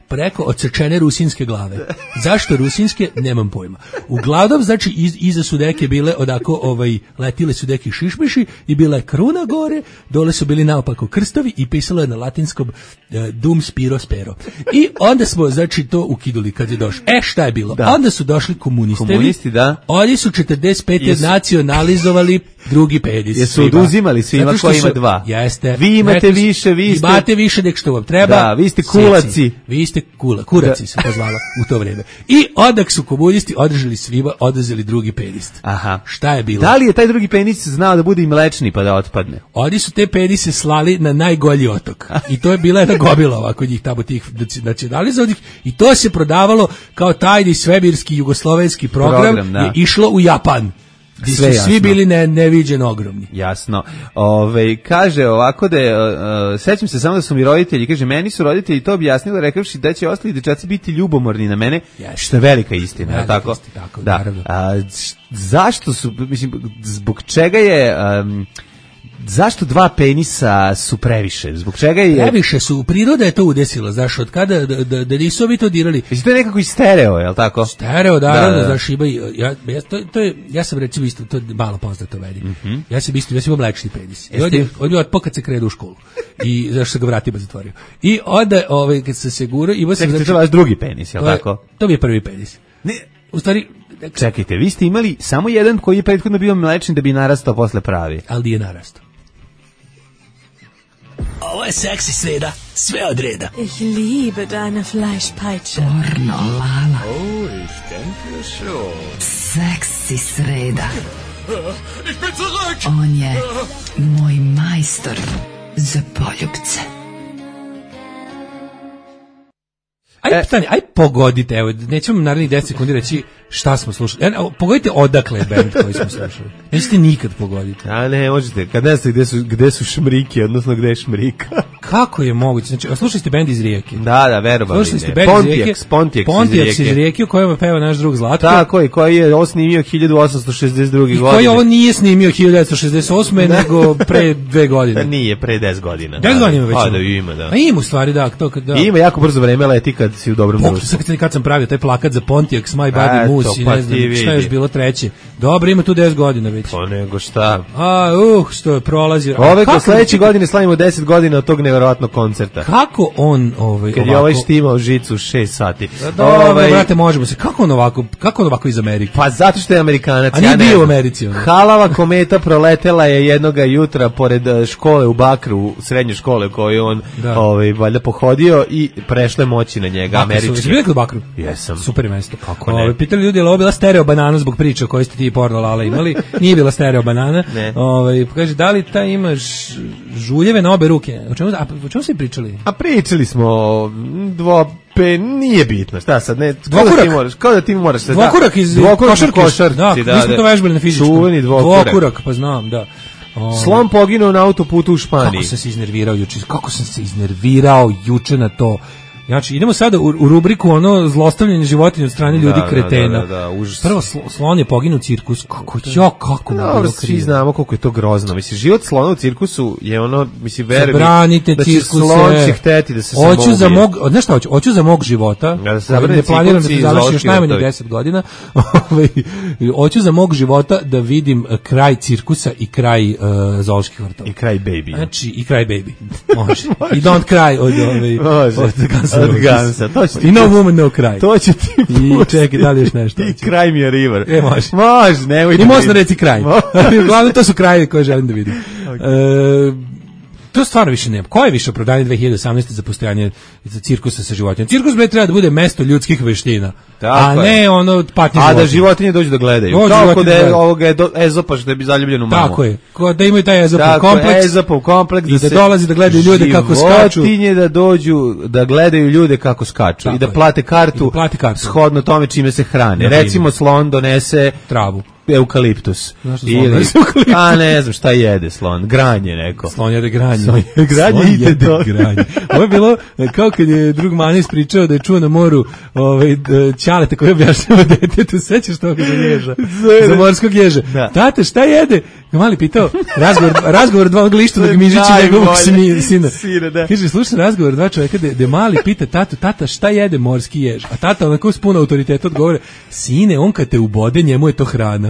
preko odsečene rusinske glave. Zašto rusinske? Nemam pojma. Uglavnom, znači, iz, iza su neke bile odako, ovaj, letile su neki šišmiši i bila je kruna gore, dole su bili naopako krstovi i pisalo je na latinskom eh, dum spiro spero. I onda smo, znači, to ukiduli kad je došlo. E, šta je bilo? Da. Onda su došli komunistevi. Komunisti, da. Oni su četrdeset pete Jesu. nacionalizovali drugi penis. Jesu oduzimali svima koji ima dva. Jeste. Vi imate više, vi ste... Imate više nek što vam treba. Da, vi ste kulaci. Seci. Vi ste kula, kuraci se to zvalo u to vrijeme. I odak su komunisti održali svima, oduzeli drugi penis. Aha. Šta je bilo? Da li je taj drugi penis znao da bude i mlečni pa da otpadne? Oni su te penise slali na najgolji otok. I to je bila jedna gomila ovako njih tamo tih nacionalizovanih i to se prodavalo kao tajni svemirski jugoslovenski program, program je išlo u Japan. Gdje su jasno. Svi bili ne, neviđeno ogromni. Jasno. Ove, kaže ovako da je, uh, sećam se samo da su mi roditelji, kaže, meni su roditelji to objasnili, rekavši da će ostali dečaci biti ljubomorni na mene, yes. što je velika istina. Velika tako? Istina, tako, da. A, zašto su, mislim, zbog čega je... Um, Zašto dva penisa su previše? Zbog čega je... Previše su, priroda je to udesila, znaš, od kada, da, da, da nisu ovi to dirali. Mislim, to je nekako i stereo, je li tako? Stereo, da, da, da. Znaš, ima, ja, ja, to, to je, ja sam recimo isto, to je malo poznato meni. Mm-hmm. Ja sam isto, ja sam imao mlečni penis. I on je, on je otpo kad se krenuo u školu. I zašto sam ga vratima zatvorio. I onda, ovaj, kad sam se gurao, imao sam... Čekajte, to je vaš drugi penis, je li tako? To mi je prvi penis. Ne, u stvari... Čekajte, vi ste imali samo jedan koji je prethodno bio mlečni da bi narastao posle pravi. Ali nije narastao. Ovo je seksi sreda, sve od reda. Ich liebe deine Fleischpeitsche. Pornolala. Oh, ich denke schon. Seksi sreda. Ich bin zurück. On je moj majstor za poljubce. Aj, pitanje, aj pogodite, evo, nećemo narednih deset sekundi reći šta smo slušali. E, pogodite odakle je band koji smo slušali. Nećete nikad pogoditi. A ne, možete, kad ne znate gde su, gde su šmrike, odnosno gde je šmrika. Kako je moguće? Znači, slušali ste band iz Rijeke? Da, da, verovali. Slušali ste band iz Rijeke? Pontiac, Pontiac iz Rijeke, u kojem peva naš drug Zlatko. Tako, i koji je ovo snimio hiljadu osamsto šezdeset druge. godine. I koji ovo nije snimio hiljadu devetsto šezdeset osme nego pre dve godine. Da nije, pre deset godina. deset godina već. A, da ima, da. A ima u stvari, da. To, da. I ima jako brzo vreme leti kad si u dobrom društvu. Kad sam pravio taj plakat za Pontiac, My Body Moose i ne znam šta je još bilo treće. Dobro, ima tu deset godina već. Pa nego šta. A, uh, što je prolazi. Ove ko sledeće godine slavimo deset godina od tog nevjerojatnog koncerta. Kako on ovaj kad ovako... je ovaj štimao žicu šest sati. Dobro, ovaj... brate, možemo se. Kako on ovako, kako on ovako iz Amerike? Pa zato što je Amerikanac. A nije ja bio u Americi. Ono. Halava kometa proletela je jednoga jutra pored škole u Bakru, srednje škole koju on da. ovaj valjda pohodio i prešle moći na njega američki. Jesi bio kod Bakru? Jesam. Super mesto. Kako ne? Ovaj pitali ljudi, je li ovo bila stereo banana zbog priče koje ste ti Porno Lala imali? Nije bila stereo banana. Ovaj kaže da li ta imaš žuljeve na obe ruke? O čemu, a, o čemu ste pričali? A pričali smo dvo pe nije bitno. Šta sad ne? Dvokurak. Kao da ti moraš, kao da ti moraš da. Dvokurak iz košarke. Da, mi smo to vežbali na fizičkom. Čuveni dvokurak. Dvokurak, pa znam, da. O, Slon poginuo na autoputu u Španiji. Kako sam se iznervirao juče? Kako sam se iznervirao juče na to? Znači, idemo sada u, u rubriku ono zlostavljanje životinja od strane ljudi, da, kretena. Da, da, da, užas. Prvo sl, slon je poginuo u cirkus. Kako jo, kako mu bilo svi znamo koliko je to grozno. Mislim, život slona u cirkusu je ono, mislim, verujem zabranite da će cirkuse. slon će hteti da se samo hoću za mog, znaš šta hoću? Hoću za mog života. Da se ne planiram da se završi još najmanje deset godina. Hoću za mog života da vidim kraj cirkusa i kraj uh, zooloških vrtova. I kraj baby. Znači, i kraj baby. Može. I don't cry od ove. Može. Od Gansa. I no woman, no cry. To će ti i čekaj, da li još nešto? I kraj mi je river. E, može. Može, nemoj da i možda reci kraj. Uglavnom, to su krajevi koje želim da vidim. Okay. E, to stvarno više nema. Ko je više opravdanje dve hiljade osamnaeste za postojanje cirkusa sa životinjama? Cirkus bre treba da bude mesto ljudskih veština. Tako a je. ne ono patnje životinje. A životinje. da životinje dođu da gledaju. Dođu kao kod je, ovoga je do, Ezopa što je bi zaljubljenu mamu. Tako je. Ko da imaju taj Ezopov kompleks. Ezopov kompleks i da, da dolazi da gledaju ljude kako skaču. Životinje da dođu da gledaju ljude kako skaču. Tako I da plate kartu, da plate kartu shodno tome čime se hrane. Da, recimo slon donese travu. Eukaliptus. Ili, a ne znam šta jede slon. Granje neko. Slon jede granje. Slon jede granje slon ide to. Granje. Ovo je bilo kao kad je drug Manis pričao da je čuo na moru ovaj, ćaleta koji objašnjava detetu. Sećaš toga za ježa? Za morskog ježa. Da. Tate, šta jede? Mali pitao, razgovor, razgovor dva glišta dok Mižići njegovog sina. Sina da. Kaže, slušaj razgovor dva čovjeka da, da mali pita tatu, tata, šta jede morski jež? A tata onako s puno autoriteta odgovore, sine, on kad te ubode, njemu je to hrana.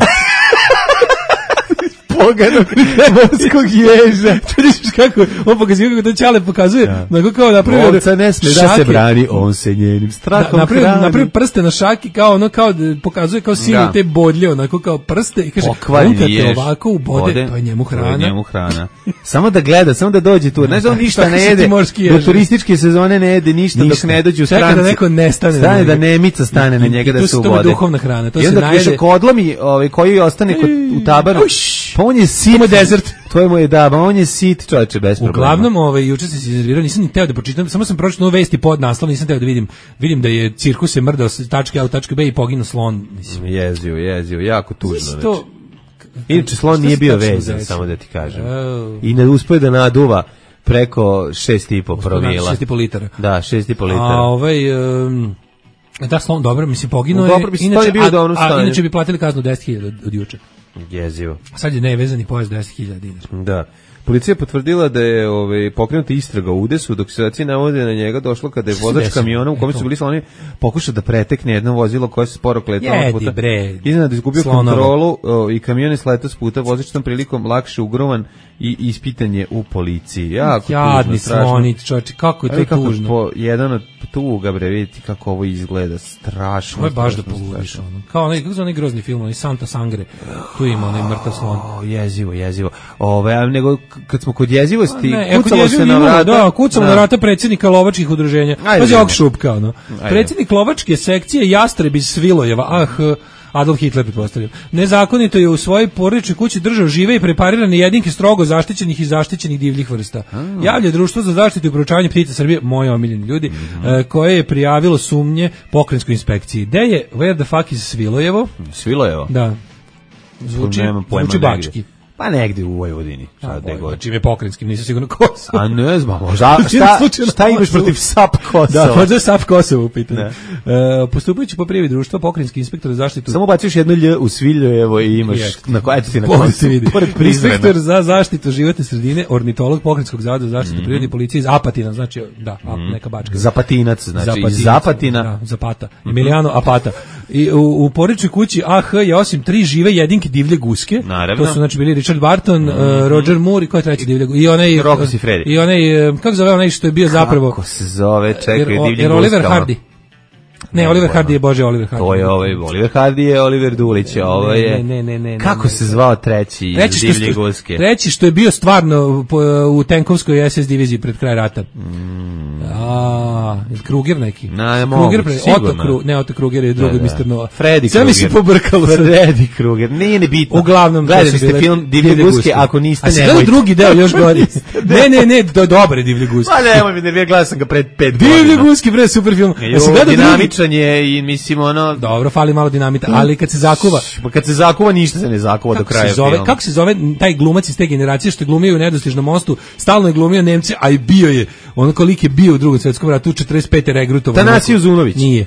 Poganog morskog ježa. Vidiš kako, on pokazuje kako to Ćale pokazuje. Ja. Onako kao napravio... Ovca ne sme da se brani, on se njenim strahom da, napravio, hrani. Napravio prste na šaki, kao ono, kao pokazuje kao sine ja. te bodlje, onako kao prste i kaže, on kad te ovako ubode, to je njemu hrana. To je njemu hrana. Samo da gleda, samo da dođe tu. Znaš da on ništa ne jede, do turističke sezone ne jede ništa, ništa. Dok ne dođu stranci. Čeka da neko nestane. Stane da nemica stane na njega da se ubode. To je duhovna hrana. To I onda još kodlomi koji ostane u tabaru. Pa on je sit, desert. To je moj da, on je sit, čoveče, bez problema. Uglavnom, ovaj juče sam se iznervirao, nisam ni teo da pročitam, samo sam pročitao vesti pod naslov, nisam teo da vidim. Vidim da je cirkus se mrdao s tačke A u tačke B i poginuo slon, mislim. Jezio, jezio, jako tužno. Znači. Inače slon nije bio vezan, samo da ti kažem. Oh. I ne uspio da naduva preko šest i po promila. šest i po litara. Da, šest i po litara. A ovaj um, da slon dobro, mislim poginuo je. Dobro, mislim, inače, bio a, a inače bi platili kaznu deset hiljada od, od juče. Jezivo. A sad je nevezani pojas deset hiljada dinara. Da. Policija potvrdila da je ovaj, pokrenuta istraga u Udesu, dok se saci navode na njega došlo kada je vozač kamiona u kome su bili sloni pokušao da pretekne jedno vozilo koje se sporo kletalo puta. Iznenada izgubio Slonova. kontrolu o, i kamion je sletao s puta, vozač tom prilikom lakše ugrovan i ispitan je u policiji. Jako Jadni tužno, strašno. Slonić, čovječe, kako je to kako tužno. Po, jedan od tuga, bre, vidite kako ovo izgleda, strašno. Ovo je baš da poludiš, ono. Kao onaj, kako su onaj grozni film, onaj Santa Sangre, tu ima onaj mrtav slon. Oh, jezivo, jezivo. Ove, a nego, kad smo kod jezivosti, ne, kucalo se na vrata. Da, kucamo na vrata predsjednika lovačkih udruženja. Pazi ovog šupka, ono. Predsjednik lovačke sekcije Jastreb iz Svilojeva, ah, Adolf Hitler, pretpostavljam. Nezakonito je u svojoj porodičnoj kući držao žive i preparirane jedinke strogo zaštićenih i zaštićenih divljih vrsta. Mm. Javlja Društvo za zaštitu i proučavanje ptica Srbije, moji omiljeni ljudi, mm -hmm. koje je prijavilo sumnje pokrajinskoj inspekciji. Gde je, where the fuck is Svilojevo? Svilojevo? Da. Zvuči, zvuči bački. Pa negde u Vojvodini. Sad da god. Čim je pokrajinskim, nisam sigurno Kosovo. A ne znam, možda, šta, šta imaš protiv S A P Kosova? Da, možda je S A P Kosovo u pitanju. Uh, postupajući po prijavi društva, pokrajinski inspektor za zaštitu... Samo baciš jedno lj u Sviljojevo i imaš je. Na koje ti na Kosovo. Inspektor za zaštitu životne sredine, ornitolog Pokrajinskog zavoda za zaštitu mm. prirode i policije iz Apatina, znači, da, mm. neka Bačka. Zapatinac, znači, Zapatinac, iz Zapatina. Da, Zapata. Mm-hmm. Emiliano Apata. I u, u porodičnoj kući A H je osim tri žive jedinke divlje guske. Naravno. To su znači bili Richard Barton, mm -hmm. uh, Roger Moore i ko je treći divlje guske. I onaj Rocco Siffredi. I onaj kako zove onaj što je bio zapravo Kako se zove, čekaj, divlje guske. Jer Oliver Hardy. Ne, ne, Oliver Hardy je Bože Oliver Hardy. To je ovaj Oliver Hardy je Oliver Dulić, ovo je. Ne, ne, ne, ne. Kako ne, se zvao treći iz divlje guske? Treći što je bio stvarno u tenkovskoj S S diviziji pred kraj rata. Mm. A, Kruger neki. Na, Kruger, pre, Otto Kruger, ne Otto Kruger je drugi mister Nova. Freddy Kruger. Sve mi se pobrkalo. Freddy Kruger. Nije nebitno. Uglavnom, gledali ste film Divlje guske, ako niste nemojte. A se drugi deo još gori. Ne, ne, ne, to je dobre Divlje guske. Pa nemoj mi, ne, gledao sam ga pred pet godina. Divlje guske, bre, super film. Ja se gleda dinamičan je i mislim ono. Dobro, fali malo dinamita, ali kad se zakuva, pa kad se zakuva ništa se ne zakuva do kraja filma. Kako se zove taj glumac iz te generacije što je glumio u Nedostižnom mostu, stalno je glumio Nemce, a i bio je, on koliko je bio u Drugom svetskom ratu, četrdeset pete regrutovan. Tanasije Uzunović. Nije.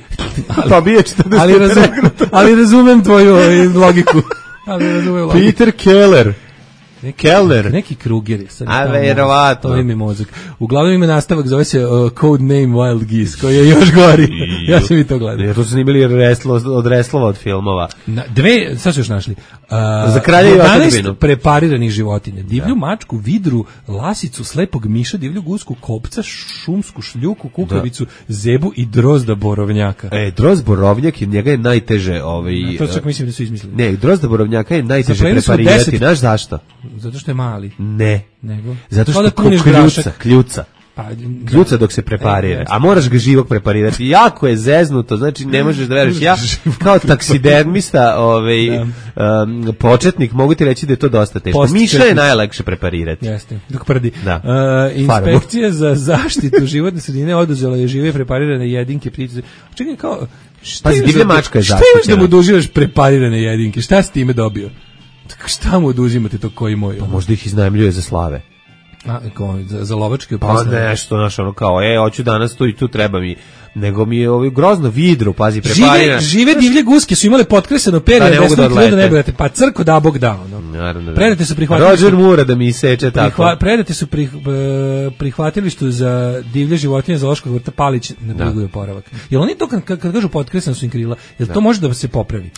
Pa bio četrdeset ali, razum, ali razumem tvoju logiku. Ali razumem logiku. Peter Keller. Neki, Keller. Neki Kruger je sad. A verovatno. To ime mozak. Uglavnom ime nastavak zove se uh, Code Name Wild Geese, koji je još gori. Ja sam i to gledao. Jer to su snimili reslo, od reslova od filmova. Na, dve, sad su još našli. Uh, Za kralja i otadžbinu. Prepariranih životinja. Divlju da. mačku, vidru, lasicu, slepog miša, divlju gusku, kopca, šumsku šljuku, kukavicu, da. zebu i drozda borovnjaka. E, drozd borovnjak je njega je najteže. Ovaj, Na, to čak mislim da su izmislili. Ne, drozda borovnjaka je najteže preparirati. Znaš zašto? Zato što je mali. Ne. Nego? Zato što ko kljuca, kljuca. Pa, kljuca dok se preparira. A moraš ga živog preparirati. Jako je zeznuto, znači ne možeš da veruješ. Ja kao taksidermista, ovaj um, početnik, mogu ti reći da je to dosta teško. Miša je najlakše preparirati. Jeste, dok prdi. Da. Uh, inspekcija za zaštitu životne sredine oduzela je žive preparirane jedinke ptice. Čekaj, kao šta pa divlja mačka je zaštićena. Šta imaš da mu oduživaš preparirane jedinke? Šta si time dobio? Šta mu oduzimate to koji moj? Pa možda ih iznajmljuje za slave. A, kao, za, za lovačke pa poslove. nešto, znaš, ono kao, e, hoću danas tu i tu treba mi, nego mi je ovaj grozno vidru, pazi, preparirano. Žive, žive divlje guske su imale potkreseno perje, da desno da ne budete, pa crko da Bog dao. No. Naravno, predate su prihvatili... Roger Moore da mi seče tako. Prihva, predate su prih, prihvatilištu za divlje životinje zoološkog vrta Palić na dugoj oporavak. Jel oni to, kad, kad kažu potkreseno su im krila, jel da. to može da se popravi?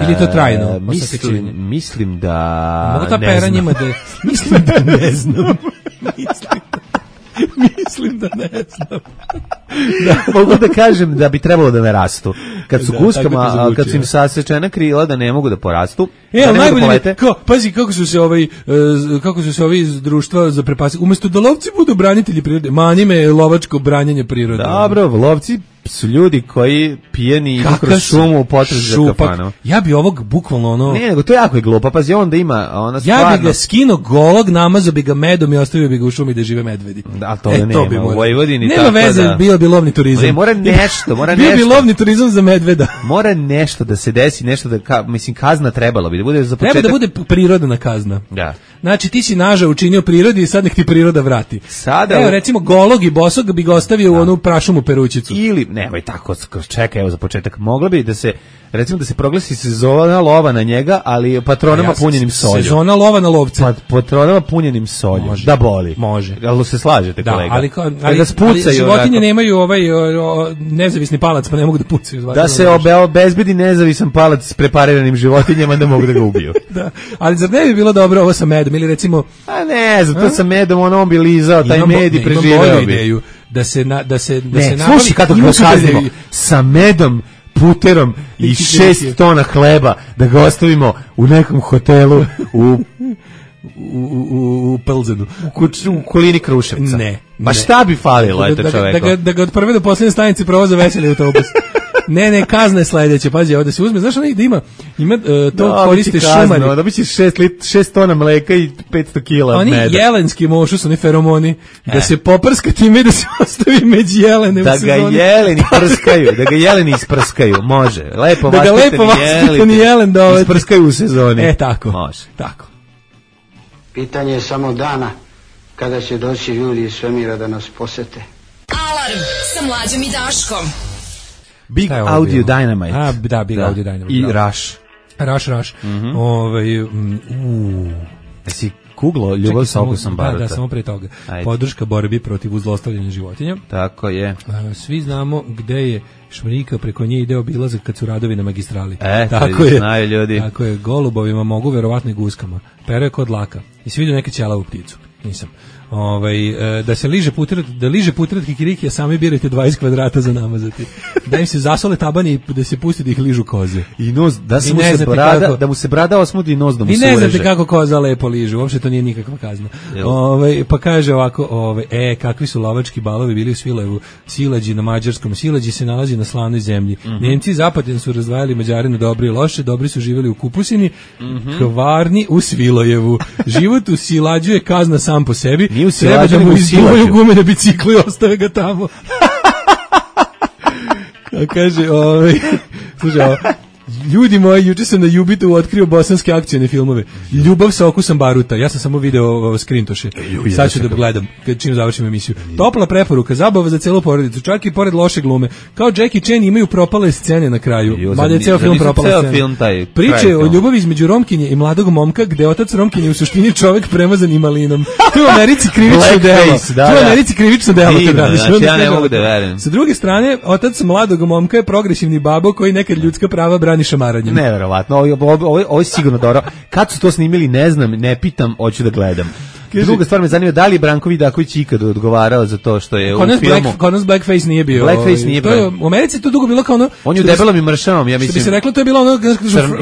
Ili to trajno? E, mislim, mislim da mogu ta pera njima da... Mislim da ne znam. Mislim da, mislim da ne znam. Da. Mogu da kažem da bi trebalo da ne rastu. Kad su da, guskama, kad su im sasečena krila da ne mogu da porastu. E, ali najbolje, kao, pazi kako su se ovaj, kako su se ovi iz društva za prepasi, umjesto da lovci budu branitelji prirode, mani me lovačko branjenje prirode. Dobro, lovci su ljudi koji pijeni idu kroz šumu u potrazi za kafanom. Ja bi ovog bukvalno ono... Ne, nego to jako je glupo, pazi, onda ima ona stvarno... Ja bi ga skinuo golog, namazao bi ga medom i ostavio bi ga u šumi da žive medvedi. Da, to e, nema, to u Vojvodini nema tako veze, da... bio bi lovni turizam. Ne, mora nešto, mora bio nešto. Bio bi lovni turizam za medveda. Mora nešto da se desi, nešto da, ka, mislim, kazna trebala bi, da bude za početak... Treba da bude prirodna kazna. Da. Znači, ti si naža učinio prirodi i sad nek ti priroda vrati. Sada... Evo, recimo, golog i bosog bi ga ostavio da. u onu prašumu perućicu. Ili, nemoj tako, čekaj, evo za početak, mogla bi da se, recimo da se proglasi sezona lova na njega, ali patronama ja, punjenim solju. Sezona lova na lovce. Pa, patronama punjenim solju. Može. Da boli. Može. Ali se slažete, kolega? Da, ali, ali, ali, ali životinje nemaju ovaj o, o, nezavisni palac, pa ne mogu da pucaju. Da se obe, obezbedi nezavisan palac s prepariranim životinjama, da mogu da ga ubiju. Da, ali zar ne bi bilo dobro ovo sa medom, ili recimo... A ne, zato sa medom, on, on bi lizao, taj med i preživeo bi. Ideju. Da se na, da se da ne, se nabavi, slušaj kako ga kaznimo sa medom, puterom i šest tona hleba da ga ostavimo u nekom hotelu u u u u Pelzenu u, u okolini Kruševca. Ne. Ma ne. Šta bi falilo eto čoveku? Da, da, da, da ga od prve do poslednje stanice provoza veseli autobus. Ne, ne, kazna je sledeća. Pazi, ovde se uzme, znaš onaj da ima, ima uh, to no, koriste šumari. Da biće šest tona mleka i petsto kila oni meda. Oni jelenski mošu su oni feromoni, e. da se poprska time da se ostavi među jelene da u sezoni. Da ga jeleni prskaju, da ga jeleni isprskaju, može. Lepo da ga lepo vaspitani jelen da ovaj... isprskaju u sezoni. E, tako. Može. Tako. Pitanje je samo dana kada će doći ljudi iz svemira da nas posete. Alarm sa Mlađom i Daškom. Big Audio Dynamite. A, da, Big da. Audio Dynamite. I da. Rush. Rush, Rush. Mm-hmm. Ovaj, um, uuu. Jesi kuglo ljubav sa okusom baruta? Da, da, samo pre toga. Ajde. Podrška borbi protiv uzlostavljanja životinja. Tako je. A, svi znamo gde je Šmrika, preko nje ide obilazak kad su radovi na magistrali. E, tako je, znaju ljudi. Tako je, golubovima mogu, verovatno i guskama. Pero je kod laka. I svi vidio neke ćelavu pticu. Nisam. Ovaj, da se liže putret, da liže putret kikiriki, a sami birajte dvadeset kvadrata za namazati. Da im se zasole tabani i da se pusti da ih ližu koze. I nos, da, se mu se brada, kako, da mu se brada osmudi i nos da mu se ureže. I ne znate kako koza lepo ližu, uopšte to nije nikakva kazna. Ovaj, pa kaže ovako, ovaj, e, kakvi su lovački balovi bili u Svilajevu, Silađi na mađarskom, Silađi se nalazi na slanoj zemlji. Mm-hmm. Nemci i Zapadin su razdvajali Mađare na dobri i loše, dobri su živjeli u Kupusini, mm-hmm. Kvarni u Svilajevu. Život u Silađu je kazna sam po sebi. Treba da mu izduvaju gume na biciklu i ostave ga tamo. A kaže, ovaj, slušaj, ovo, ljudi moji, juče sam na Jubitu otkrio bosanske akcijne filmove. Ljubav sa okusom baruta. Ja sam samo video skrintoše. Sad ću da gledam kad čim završim emisiju. Topla preporuka, zabava za celu porodicu, čak i pored loše glume. Kao Jackie Chan imaju propale scene na kraju. Mada je ceo film propala scena. Priče o ljubavi između Romkinje i mladog momka, gde otac Romkinje u suštini čovek premazan i malinom. To je u Americi krivično delo. To je u Americi krivično delo. Znači, ja ne mogu da verujem. Sa druge strane, otac mladog momka je progresivni babo koji nekad ljudska prava brani šamaranjem. Neverovatno, ovo, ovo, ovo, ovo je sigurno dobro. Kad su to snimili, ne znam, ne pitam, hoću da gledam. Druga stvar me zanima, da li je Branko Vidaković ikad odgovarao za to što je u filmu? Black, kod nas Blackface nije bio. Blackface nije bio. U Americi to dugo bilo kao ono... On je u debelom i mršavom, ja mislim. Što bi se reklo, to je bilo ono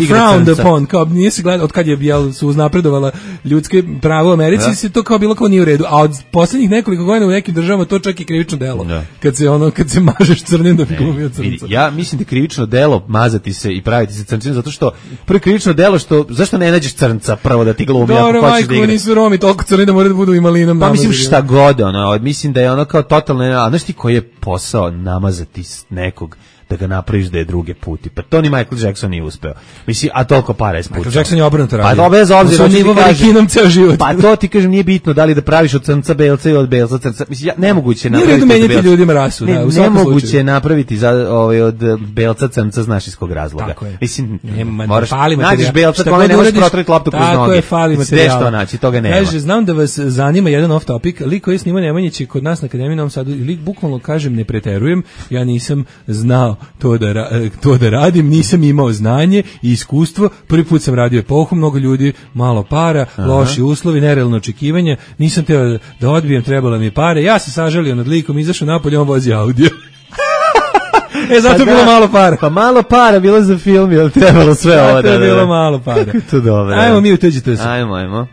frowned upon, kao nije se gledao, od kad je jel, su uznapredovala ljudske pravo u Americi, da. Se to kao bilo kao nije u redu. A od poslednjih nekoliko godina u nekim državama to čak i krivično delo. Da. Kad se ono, kad se mažeš crnim da bi glumio crnca. Ja mislim da je krivično delo mazati se i praviti se crncima, zato što prvo krivično delo što, zašto ne nađeš crnca prvo da ti glumi, ako hoćeš da igraš? Nisu Romi toliko crni da moraju da budu imali. Pa mislim šta god, ono, mislim da je ono kao totalno, a znaš ti koji je posao namazati nekog da ga napraviš da je druge puti. Pa to ni Michael Jackson nije uspeo. Mislim, a toliko para je spučao. Michael Jackson je obrnuto radio. Pa to bez obzira, on nivo varikinom ceo život. Pa to ti kažem, nije bitno da li da praviš od crnca belca ili od belca crnca. Mislim, ja, nemoguće je napraviti. Nije menjati ljudima rasu, ne, da, u nemoguće je napraviti za, ovaj, od belca crnca znaš iz kog razloga. Tako je. Mislim, Nema, moraš, fali nađeš belca, kome ne možeš protrati loptu kroz noge. Tako je, fali materijal. Sve što naći, toga nema. Kaže, znam da vas zanima jedan off topic, lik koji snima Nemanjić kod nas na Akademiji Novom Sadu, lik bukvalno kažem ne preterujem, ja nisam znao to da to da radim, nisam imao znanje i iskustvo, prvi put sam radio epohu, mnogo ljudi, malo para, aha, loši uslovi, nerealno očekivanja, nisam teo da odbijem, trebalo mi pare, ja se sažalio nad likom, izašao napolje, on vozi audio. E, zato pa bilo da, malo para. Pa malo para bilo za film, jel trebalo sve ovo da... To je bilo malo para. Kako to dobro. Ajmo mi u tuđite se. Ajmo, ajmo.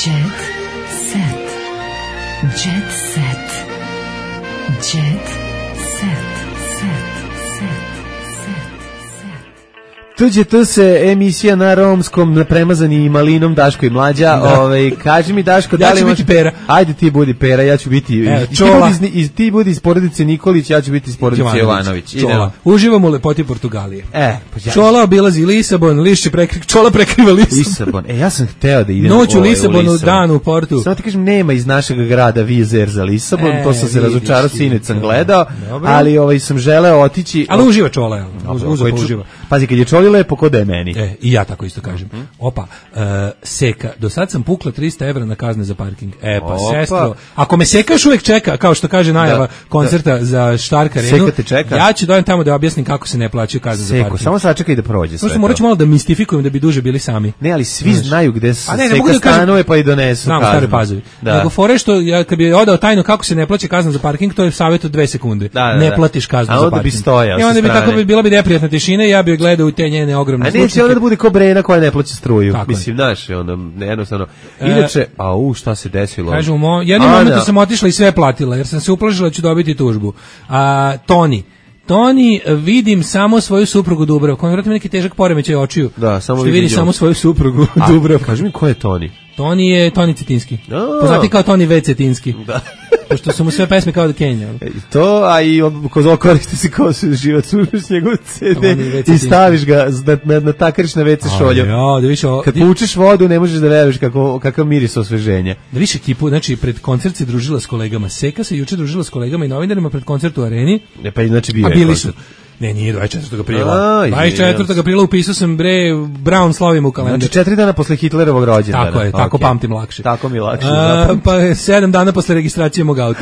Jet set. Jet set. Jet set. Set. Tuđe tu se emisija na romskom premazani malinom Daško i Mlađa. Da. Ovaj kaži mi Daško, da ja li ću može... biti Pera. Ajde ti budi Pera, ja ću biti e, i, ti budi iz, ti budi iz porodice Nikolić, ja ću biti iz porodice Jovanović. Čola. Uživamo u lepoti Portugalije. E, pa ja... Čola obilazi Lisabon, lišće prekriva, Čola prekriva Lisabon. Lisabon. E, ja sam hteo da idem noć u ovaj, Lisabonu, dan u Portu. Samo ti kažem, nema iz našeg grada vizer za Lisabon, e, to sam se razočarao, sinoć sam gledao, ali ovaj sam želeo otići. Ali uživa Čola, uživa, uživa. Pazi, kad je Čoli lepo, kod je meni. E, i ja tako isto kažem. Mm-hmm. Opa, uh, seka, do sad sam pukla trista evra na kazne za parking. E, pa opa, sestro, ako me sekaš uvek čeka, kao što kaže najava da, koncerta da. za Štark Arenu, Seka te čeka. Ja ću dojem tamo da objasnim kako se ne plaćaju kazne Seko, za parking. Samo sačekaj da prođe sve. Možda morat ću malo da mistifikujem da bi duže bili sami. Ne, ali svi znaš, znaju gde se ne, Seka ne stanuje pa i donesu znam, kaznu. Stare Pazovi. Da. Nego fore što, ja, kad bi odao tajno kako se ne plaća kazna za parking, to je savjet od dve sekunde. Da, da, ne da. platiš kaznu za parking. I onda bi tako bi bila bi neprijatna tišina i ja bih gledao u te njene ogromne zvučnike. A neće onda da bude ko Brena koja ne plaća struju. Tako mislim, znaš, onda jednostavno. Inače, a u šta se desilo? Kažu, mo, jednim momentom sam otišla i sve platila, jer sam se uplašila da ću dobiti tužbu. A Toni, Toni, vidim samo svoju suprugu Dubravku. On vjerojatno neki težak poremećaj očiju. Da, samo vidi samo svoju suprugu Dubravku. Kaži mi ko je Toni? Toni je Toni Cetinski. Oh. Poznati kao Toni V. Cetinski. Da. Pošto su mu sve pesme kao da Kenja. E, to, a i ko koristi se kao se život, slušaš njegov ce de i staviš ga na, na, na takariš na ve ce šolju. Ja, da više, o, kad pučeš vodu, ne možeš da veruješ kako, kakav miris osveženja. Da više ekipu, znači, pred koncert se družila s kolegama. Seka se juče družila s kolegama i novinarima pred koncert u Areni. E, pa znači bio a je bili koncert. su. Ne, nije dvadeset četvrtog aprila. dvadeset četvrtog aprila upisao sam, bre, Brown slavim u kalendar. Znači četiri dana posle Hitlerovog rođendana. Tako je, tako okay. pamtim lakše. Tako mi lakše. A, pa sedam dana posle registracije mog auta.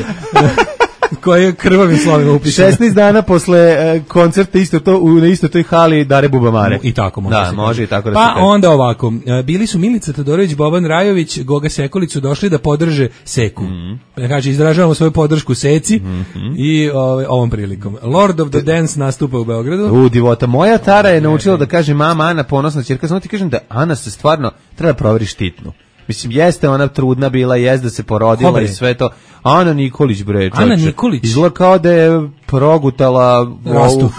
Koje je krvavim slovima upisano. šesnaest dana posle uh, koncerta isto to, u isto toj hali Dare Bubamare. I tako može. Da, može i tako da pa se kaže. onda ovako, bili su Milica Todorović, Boban Rajović, Goga Sekolić su došli da podrže Seku. Mm -hmm. Kaže, izražavamo svoju podršku Seci mm -hmm. i ove, ovom prilikom. Lord of the Dance nastupa u Beogradu. U, divota. Moja Tara je naučila da kaže mama Ana, ponosna ćerka. Samo ti kažem da Ana se stvarno treba proveri štitnu. Mislim, jeste ona trudna bila, jeste da se porodila Dobre. I sve to. Ana Nikolić, bre, čoče. Ana Nikolić. Izgleda kao da je progutala Rastu.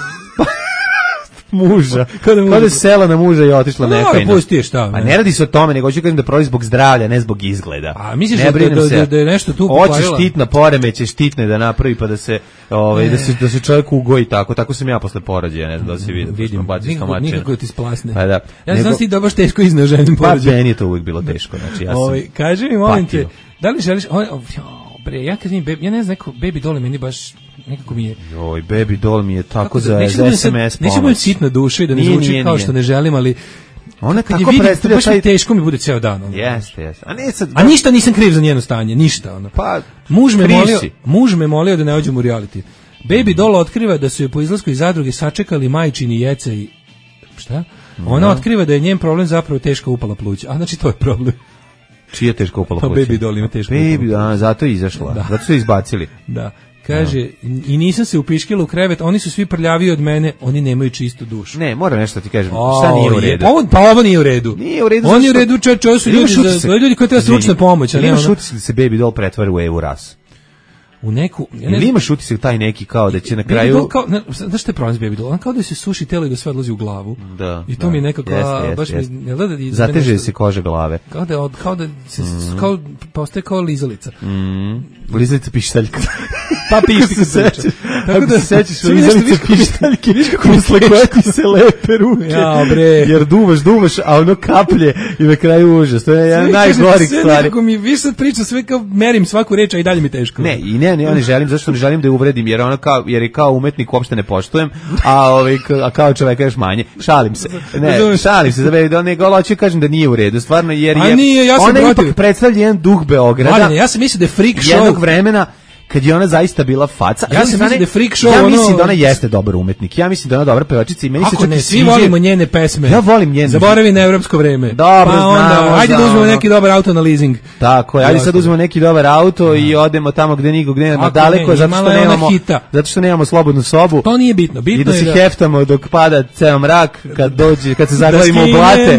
muža. Kada mu... je sela na muža i otišla no, nefajno. Pusti, šta? Pa ne radi se o tome, nego hoću kažem da prolazi zbog zdravlja, ne zbog izgleda. A misliš da, da, da, da je nešto tu pokvarila? Hoće štitna poremeće, štitne da napravi pa da se, ovaj, da se, da se čovjek ugoji tako. Tako sam ja posle porođaja, ne znam da se vidi. Vidim, nikako, nikako ti splasne. Pa da. Ja nego... znam si da baš teško iznoženim porođajem. Pa meni je to uvijek bilo teško. Znači, ja sam ovaj, kaži mi, molim te, da li želiš... Ovaj, bre, ja kad vidim, ja ne znam, neko Baby Doll meni baš nekako mi je... Joj, Baby Doll mi je tako za, da, za es em es pomoć. Neću biti sitna duša i da ne nije, zvuči nije, kao nije. što ne želim, ali... Ona kad kako vidim, predstavlja baš taj... mi teško mi bude ceo dan. Ono. Jeste, jeste. A, ne, sad, A ništa nisam kriv za njeno stanje, ništa. Ono. Pa, muž me, molio, muž me molio da ne ođem u reality. Baby Doll otkriva da su je po izlasku iz zadruge sačekali majčini Jeca i... Šta? Ona no. otkriva da je njen problem zapravo teško upala pluća. A znači to je problem. Čija teško upala pluća? Pa Baby Doll ima teško Baby, upala pluća. A, zato je izašla. Da. Zato su je izbacili. Da. Kaže, no. i nisam se upiškila u krevet, oni su svi prljaviji od mene, oni nemaju čistu dušu. Ne, moram nešto ti kažem. O, šta nije u redu? Ovo, pa ovo nije u redu. Nije u redu. On je u redu, čovječ, ovo su ljudi, za, za ljudi koji treba stručna pomoć. Ili imaš utisak da se Baby Doll pretvara u Evu Ras? U neku... Ja ne Ili imaš utisak taj neki kao da će na kraju... Doll kao, ne, znaš što je problem s Baby Doll? On kao da se suši telo i da sve odlazi u glavu. Da. I to da. mi je nekako... Jeste, jeste, baš jeste. Mi, da, da, zateže se koža glave. Kao da, od, kao da se... Mm. Kao, postaje kao lizalica. Mm. Lizalica pištaljka. Pa pišti se seća. Tako da se sećaš lizalice pištaljke, posle koje ti se lepe ruke. Ja, bre. Jer duvaš, duvaš, a ono kaplje i na kraju užas. To je jedan najgorih stvari. Sve nekako mi više sad priča, sve kao merim svaku reč, a i dalje mi teško. Ne, i ne, ne, ja ne želim, zašto ne želim da je uvredim, jer ono kao, jer je kao umetnik uopšte ne poštujem, a ovaj a kao čovjek još manje. Šalim se. Ne, šalim se, da be da ne hoću kažem da nije u redu, stvarno jer je nije, ja ona ipak predstavlja jedan duh Beograda. Mladine, ja sam mislio da je freak show jednog vremena kad je ona zaista bila faca. Ja sam mislio da je freak show. Ja ono... mislim da ona jeste dobar umetnik. Ja mislim da ona dobra pevačica i meni Ako se čak ne, i svi sviđa. volimo njene pesme. Ja volim njene. Zaboravi na evropsko vreme. Dobro, pa onda, znamo, ajde da uzmemo ono. neki dobar auto na leasing. Tako je, ajde sad uzmemo neki dobar auto i odemo tamo gde nikog nema, daleko, zato što nemamo zato što nemamo slobodnu sobu. To nije bitno, bitno i da je se da heftamo dok pada ceo mrak, kad dođe, kad se zaglavimo u blate.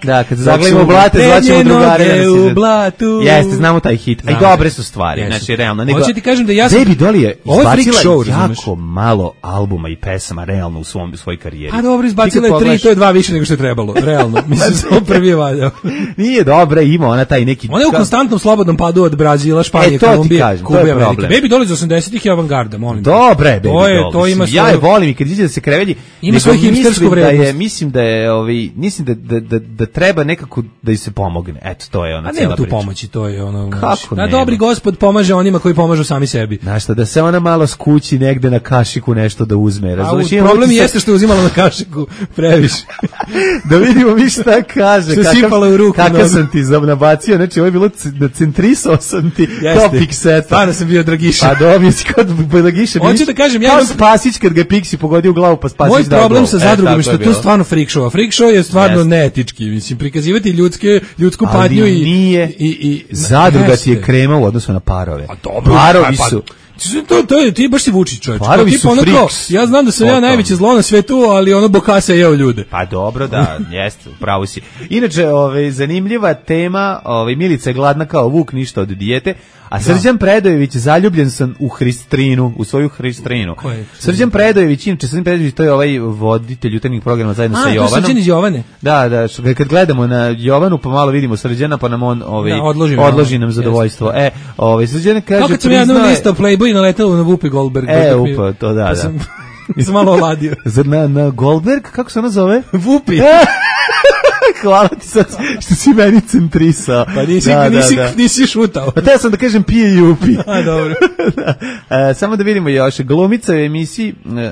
Da, kad se zaglavimo u blate, zvaćemo drugare da nas izvedu. Jeste, znamo taj hit. Aj dobre su stvari, znači realno. Hoćete ti kažem da ja sam Baby Doll je izbacila show, jako razumeš? malo albuma i pesama realno u svom u svojoj karijeri. A dobro, izbacila je tri, to je dva više nego što je trebalo, realno. Mislim, samo prvi je valjao. Nije dobra, ima ona taj neki... Ona je u konstantnom slobodnom padu od Brazila, Španije, e, to Kolumbije, kažem, Kube, Amerike. Baby Doll iz osamdesetih je avangarda, molim. Dobre, Baby to je, Doll. to ima mislim, ja je volim i kad iđe da se krevelji, ima svoju hipstersku vrednost. Da mislim da je, ovaj, mislim da, da, da, da treba nekako da ih se pomogne. Eto, to je ona cijela cijela priča. A nema tu pomoći, to je ono... Kako nema? Da, dobri gospod pomaže onima koji pomažu sami sebi. Znaš šta, da se ona malo skući negde na kašiku nešto da uzme. Razumiješ? Problem utisak... jeste što je uzimala na kašiku previše. Da vidimo mi šta kaže. Što kakav, sipala u ruku. Kakav sam ti nabacio, znači ovo je bilo centrisao sam ti kao pikseta. Stvarno sam bio Dragiša. Pa dobio si kod Dragiša. Hoću da kažem, ja kao Spasić kad ga Piksi pogodio u glavu pa Spasić moj dao problem gol. sa zadrugom e, je što je to stvarno freak show. Freak show je stvarno yes. neetički. Mislim, prikazivati ljudske, ljudsku patnju i... nije, i, i zadruga ti je krema u odnosu na parove. A dobro, Parovi pa, su... To, to je, ti baš si Vučić, čovječ. Parovi Ti su ono kao, friks. ja znam da sam ja Potom. najveće zlo na svetu, ali ono Bokasa je jeo ljude. Pa dobro, da, jeste, upravo si. Inače, ovaj, zanimljiva tema, ovaj, Milica je gladna kao vuk, ništa od dijete, a Srđan Predojević, zaljubljen sam u Hristrinu, u svoju Hristrinu. Srđan Predojević, inače, Srđan Predojević, to je ovaj voditelj jutarnjih programa zajedno A, sa to je Jovanom. Srđan iz Jovane. Da, da, što, kad gledamo na Jovanu, pa malo vidimo Srđana, pa nam on ovaj, Da, odloži, odloži nam zadovoljstvo. E, ovaj, Srđan kaže... Kao kad sam ja jednom listao Playboy i naletalo na Whoopi Goldberg. E, upa, to da, pa da. Sam, sam malo oladio. Zar na, na Goldberg, kako se ona zove? Whoopi. Hvala ti sad što si meni centrisao. Pa nisi, da, nisi, da, da. nisi šutao. Pa teo sam da kažem pije i upi. A, dobro. da. E, samo da vidimo još. Glumica u emisiji... E,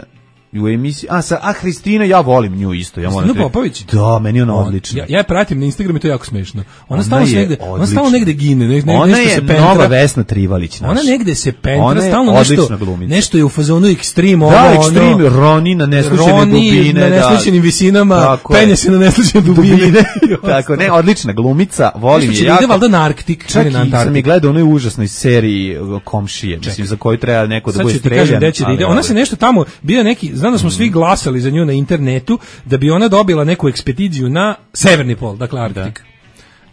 u emisiji, a sa a Hristina, ja volim nju isto, ja moram. Hristina Popović? Da, meni je ona odlična. Ja, ja je pratim na Instagramu i to je jako smešno. Ona, Ona stalno je negde, ona stalno negde gine, ne, ne, ona nešto je se pentra. nova Vesna Trivalić naša. Ona negde se pentra, Ona je stalno nešto, glumica. nešto je u fazonu ekstrem, ono, da, ekstrem, ono, Roni na neslučene Roni dubine, na neslučenim da. visinama, penje se na neslučene dubine. Tako, ne, odlična glumica, volim je jako. Ide valjda na Arktik, čak na Antarktik. sam je gledao u onoj užasnoj seriji Komšije, mislim, za koju treba neko da bude streljan. Sad ću ti kažem gde će da ide. Ona se nešto tamo, bio neki, znam da smo svi glasali za nju na internetu, da bi ona dobila neku ekspediciju na severni pol, dakle Arktik.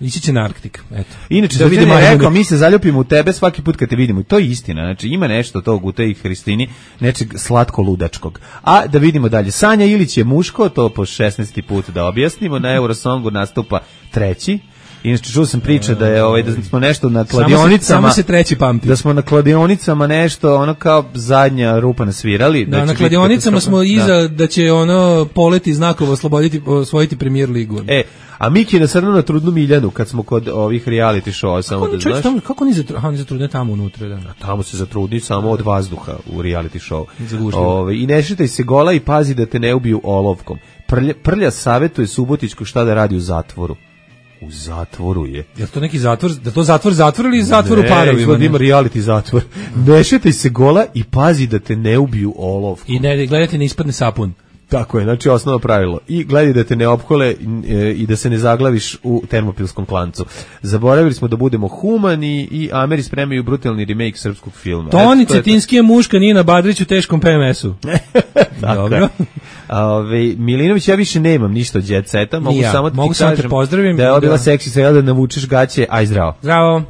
Ići će na Arktik, eto. Inače, da vidimo, rekao, mi se zaljubimo u tebe svaki put kad te vidimo. I to je istina, znači ima nešto tog u tej Hristini, nečeg slatko-ludačkog. A da vidimo dalje. Sanja Ilić je muško, to po šesnaesti put da objasnimo, na Eurosongu nastupa treći. Inače, čuo sam priče da je ovaj, da smo nešto na kladionicama, samo se, samo se treći pamti. Da smo na kladionicama nešto, ono kao zadnja rupa nasvirali. Da, da na kladionicama smo iza da. da će ono poleti znakovo osloboditi, osvojiti Premier ligu. E, a Miki je nasrnuo na Trudnu Miljanu kad smo kod ovih reality showa, samo da znaš. Tamo, kako oni zatrudne, zatrudne tamo unutra? Da. A tamo se zatrudni samo od vazduha u reality show. Ove, I ne šitaj se gola i pazi da te ne ubiju olovkom. Prlja, prlja savjetuje Subotićku šta da radi u zatvoru. U zatvoru je. Je to neki zatvor, da to zatvor zatvor ili zatvor u parovima? Ne, ima reality zatvor. Ne šetaj se gola i pazi da te ne ubiju olovkom. I ne gledajte ne ispadne sapun. Tako je, znači osnovno pravilo. I gledaj da te ne opkole i da se ne zaglaviš u termopilskom klancu. Zaboravili smo da budemo humani i Ameri spremaju brutalni remake srpskog filma. Toni Cetinski je muška, Nina Badrić u teškom P M S-u. Dobro. Ove, Milinović, ja više nemam ništa od Jet Seta, mogu ja, samo da mogu ti samo kažem te pozdravim, da je ovo bila seksi sve da navučeš gaće, aj zdravo. Zdravo.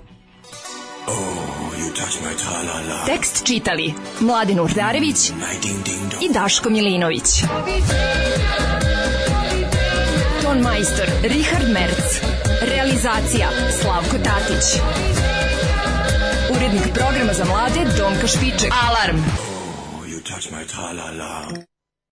Tekst čitali Mladin Urdarević i Daško Milinović. Ton majstor Richard Merc. Realizacija Slavko Tatić. Urednik programa za mlade Donka Špiček. Alarm!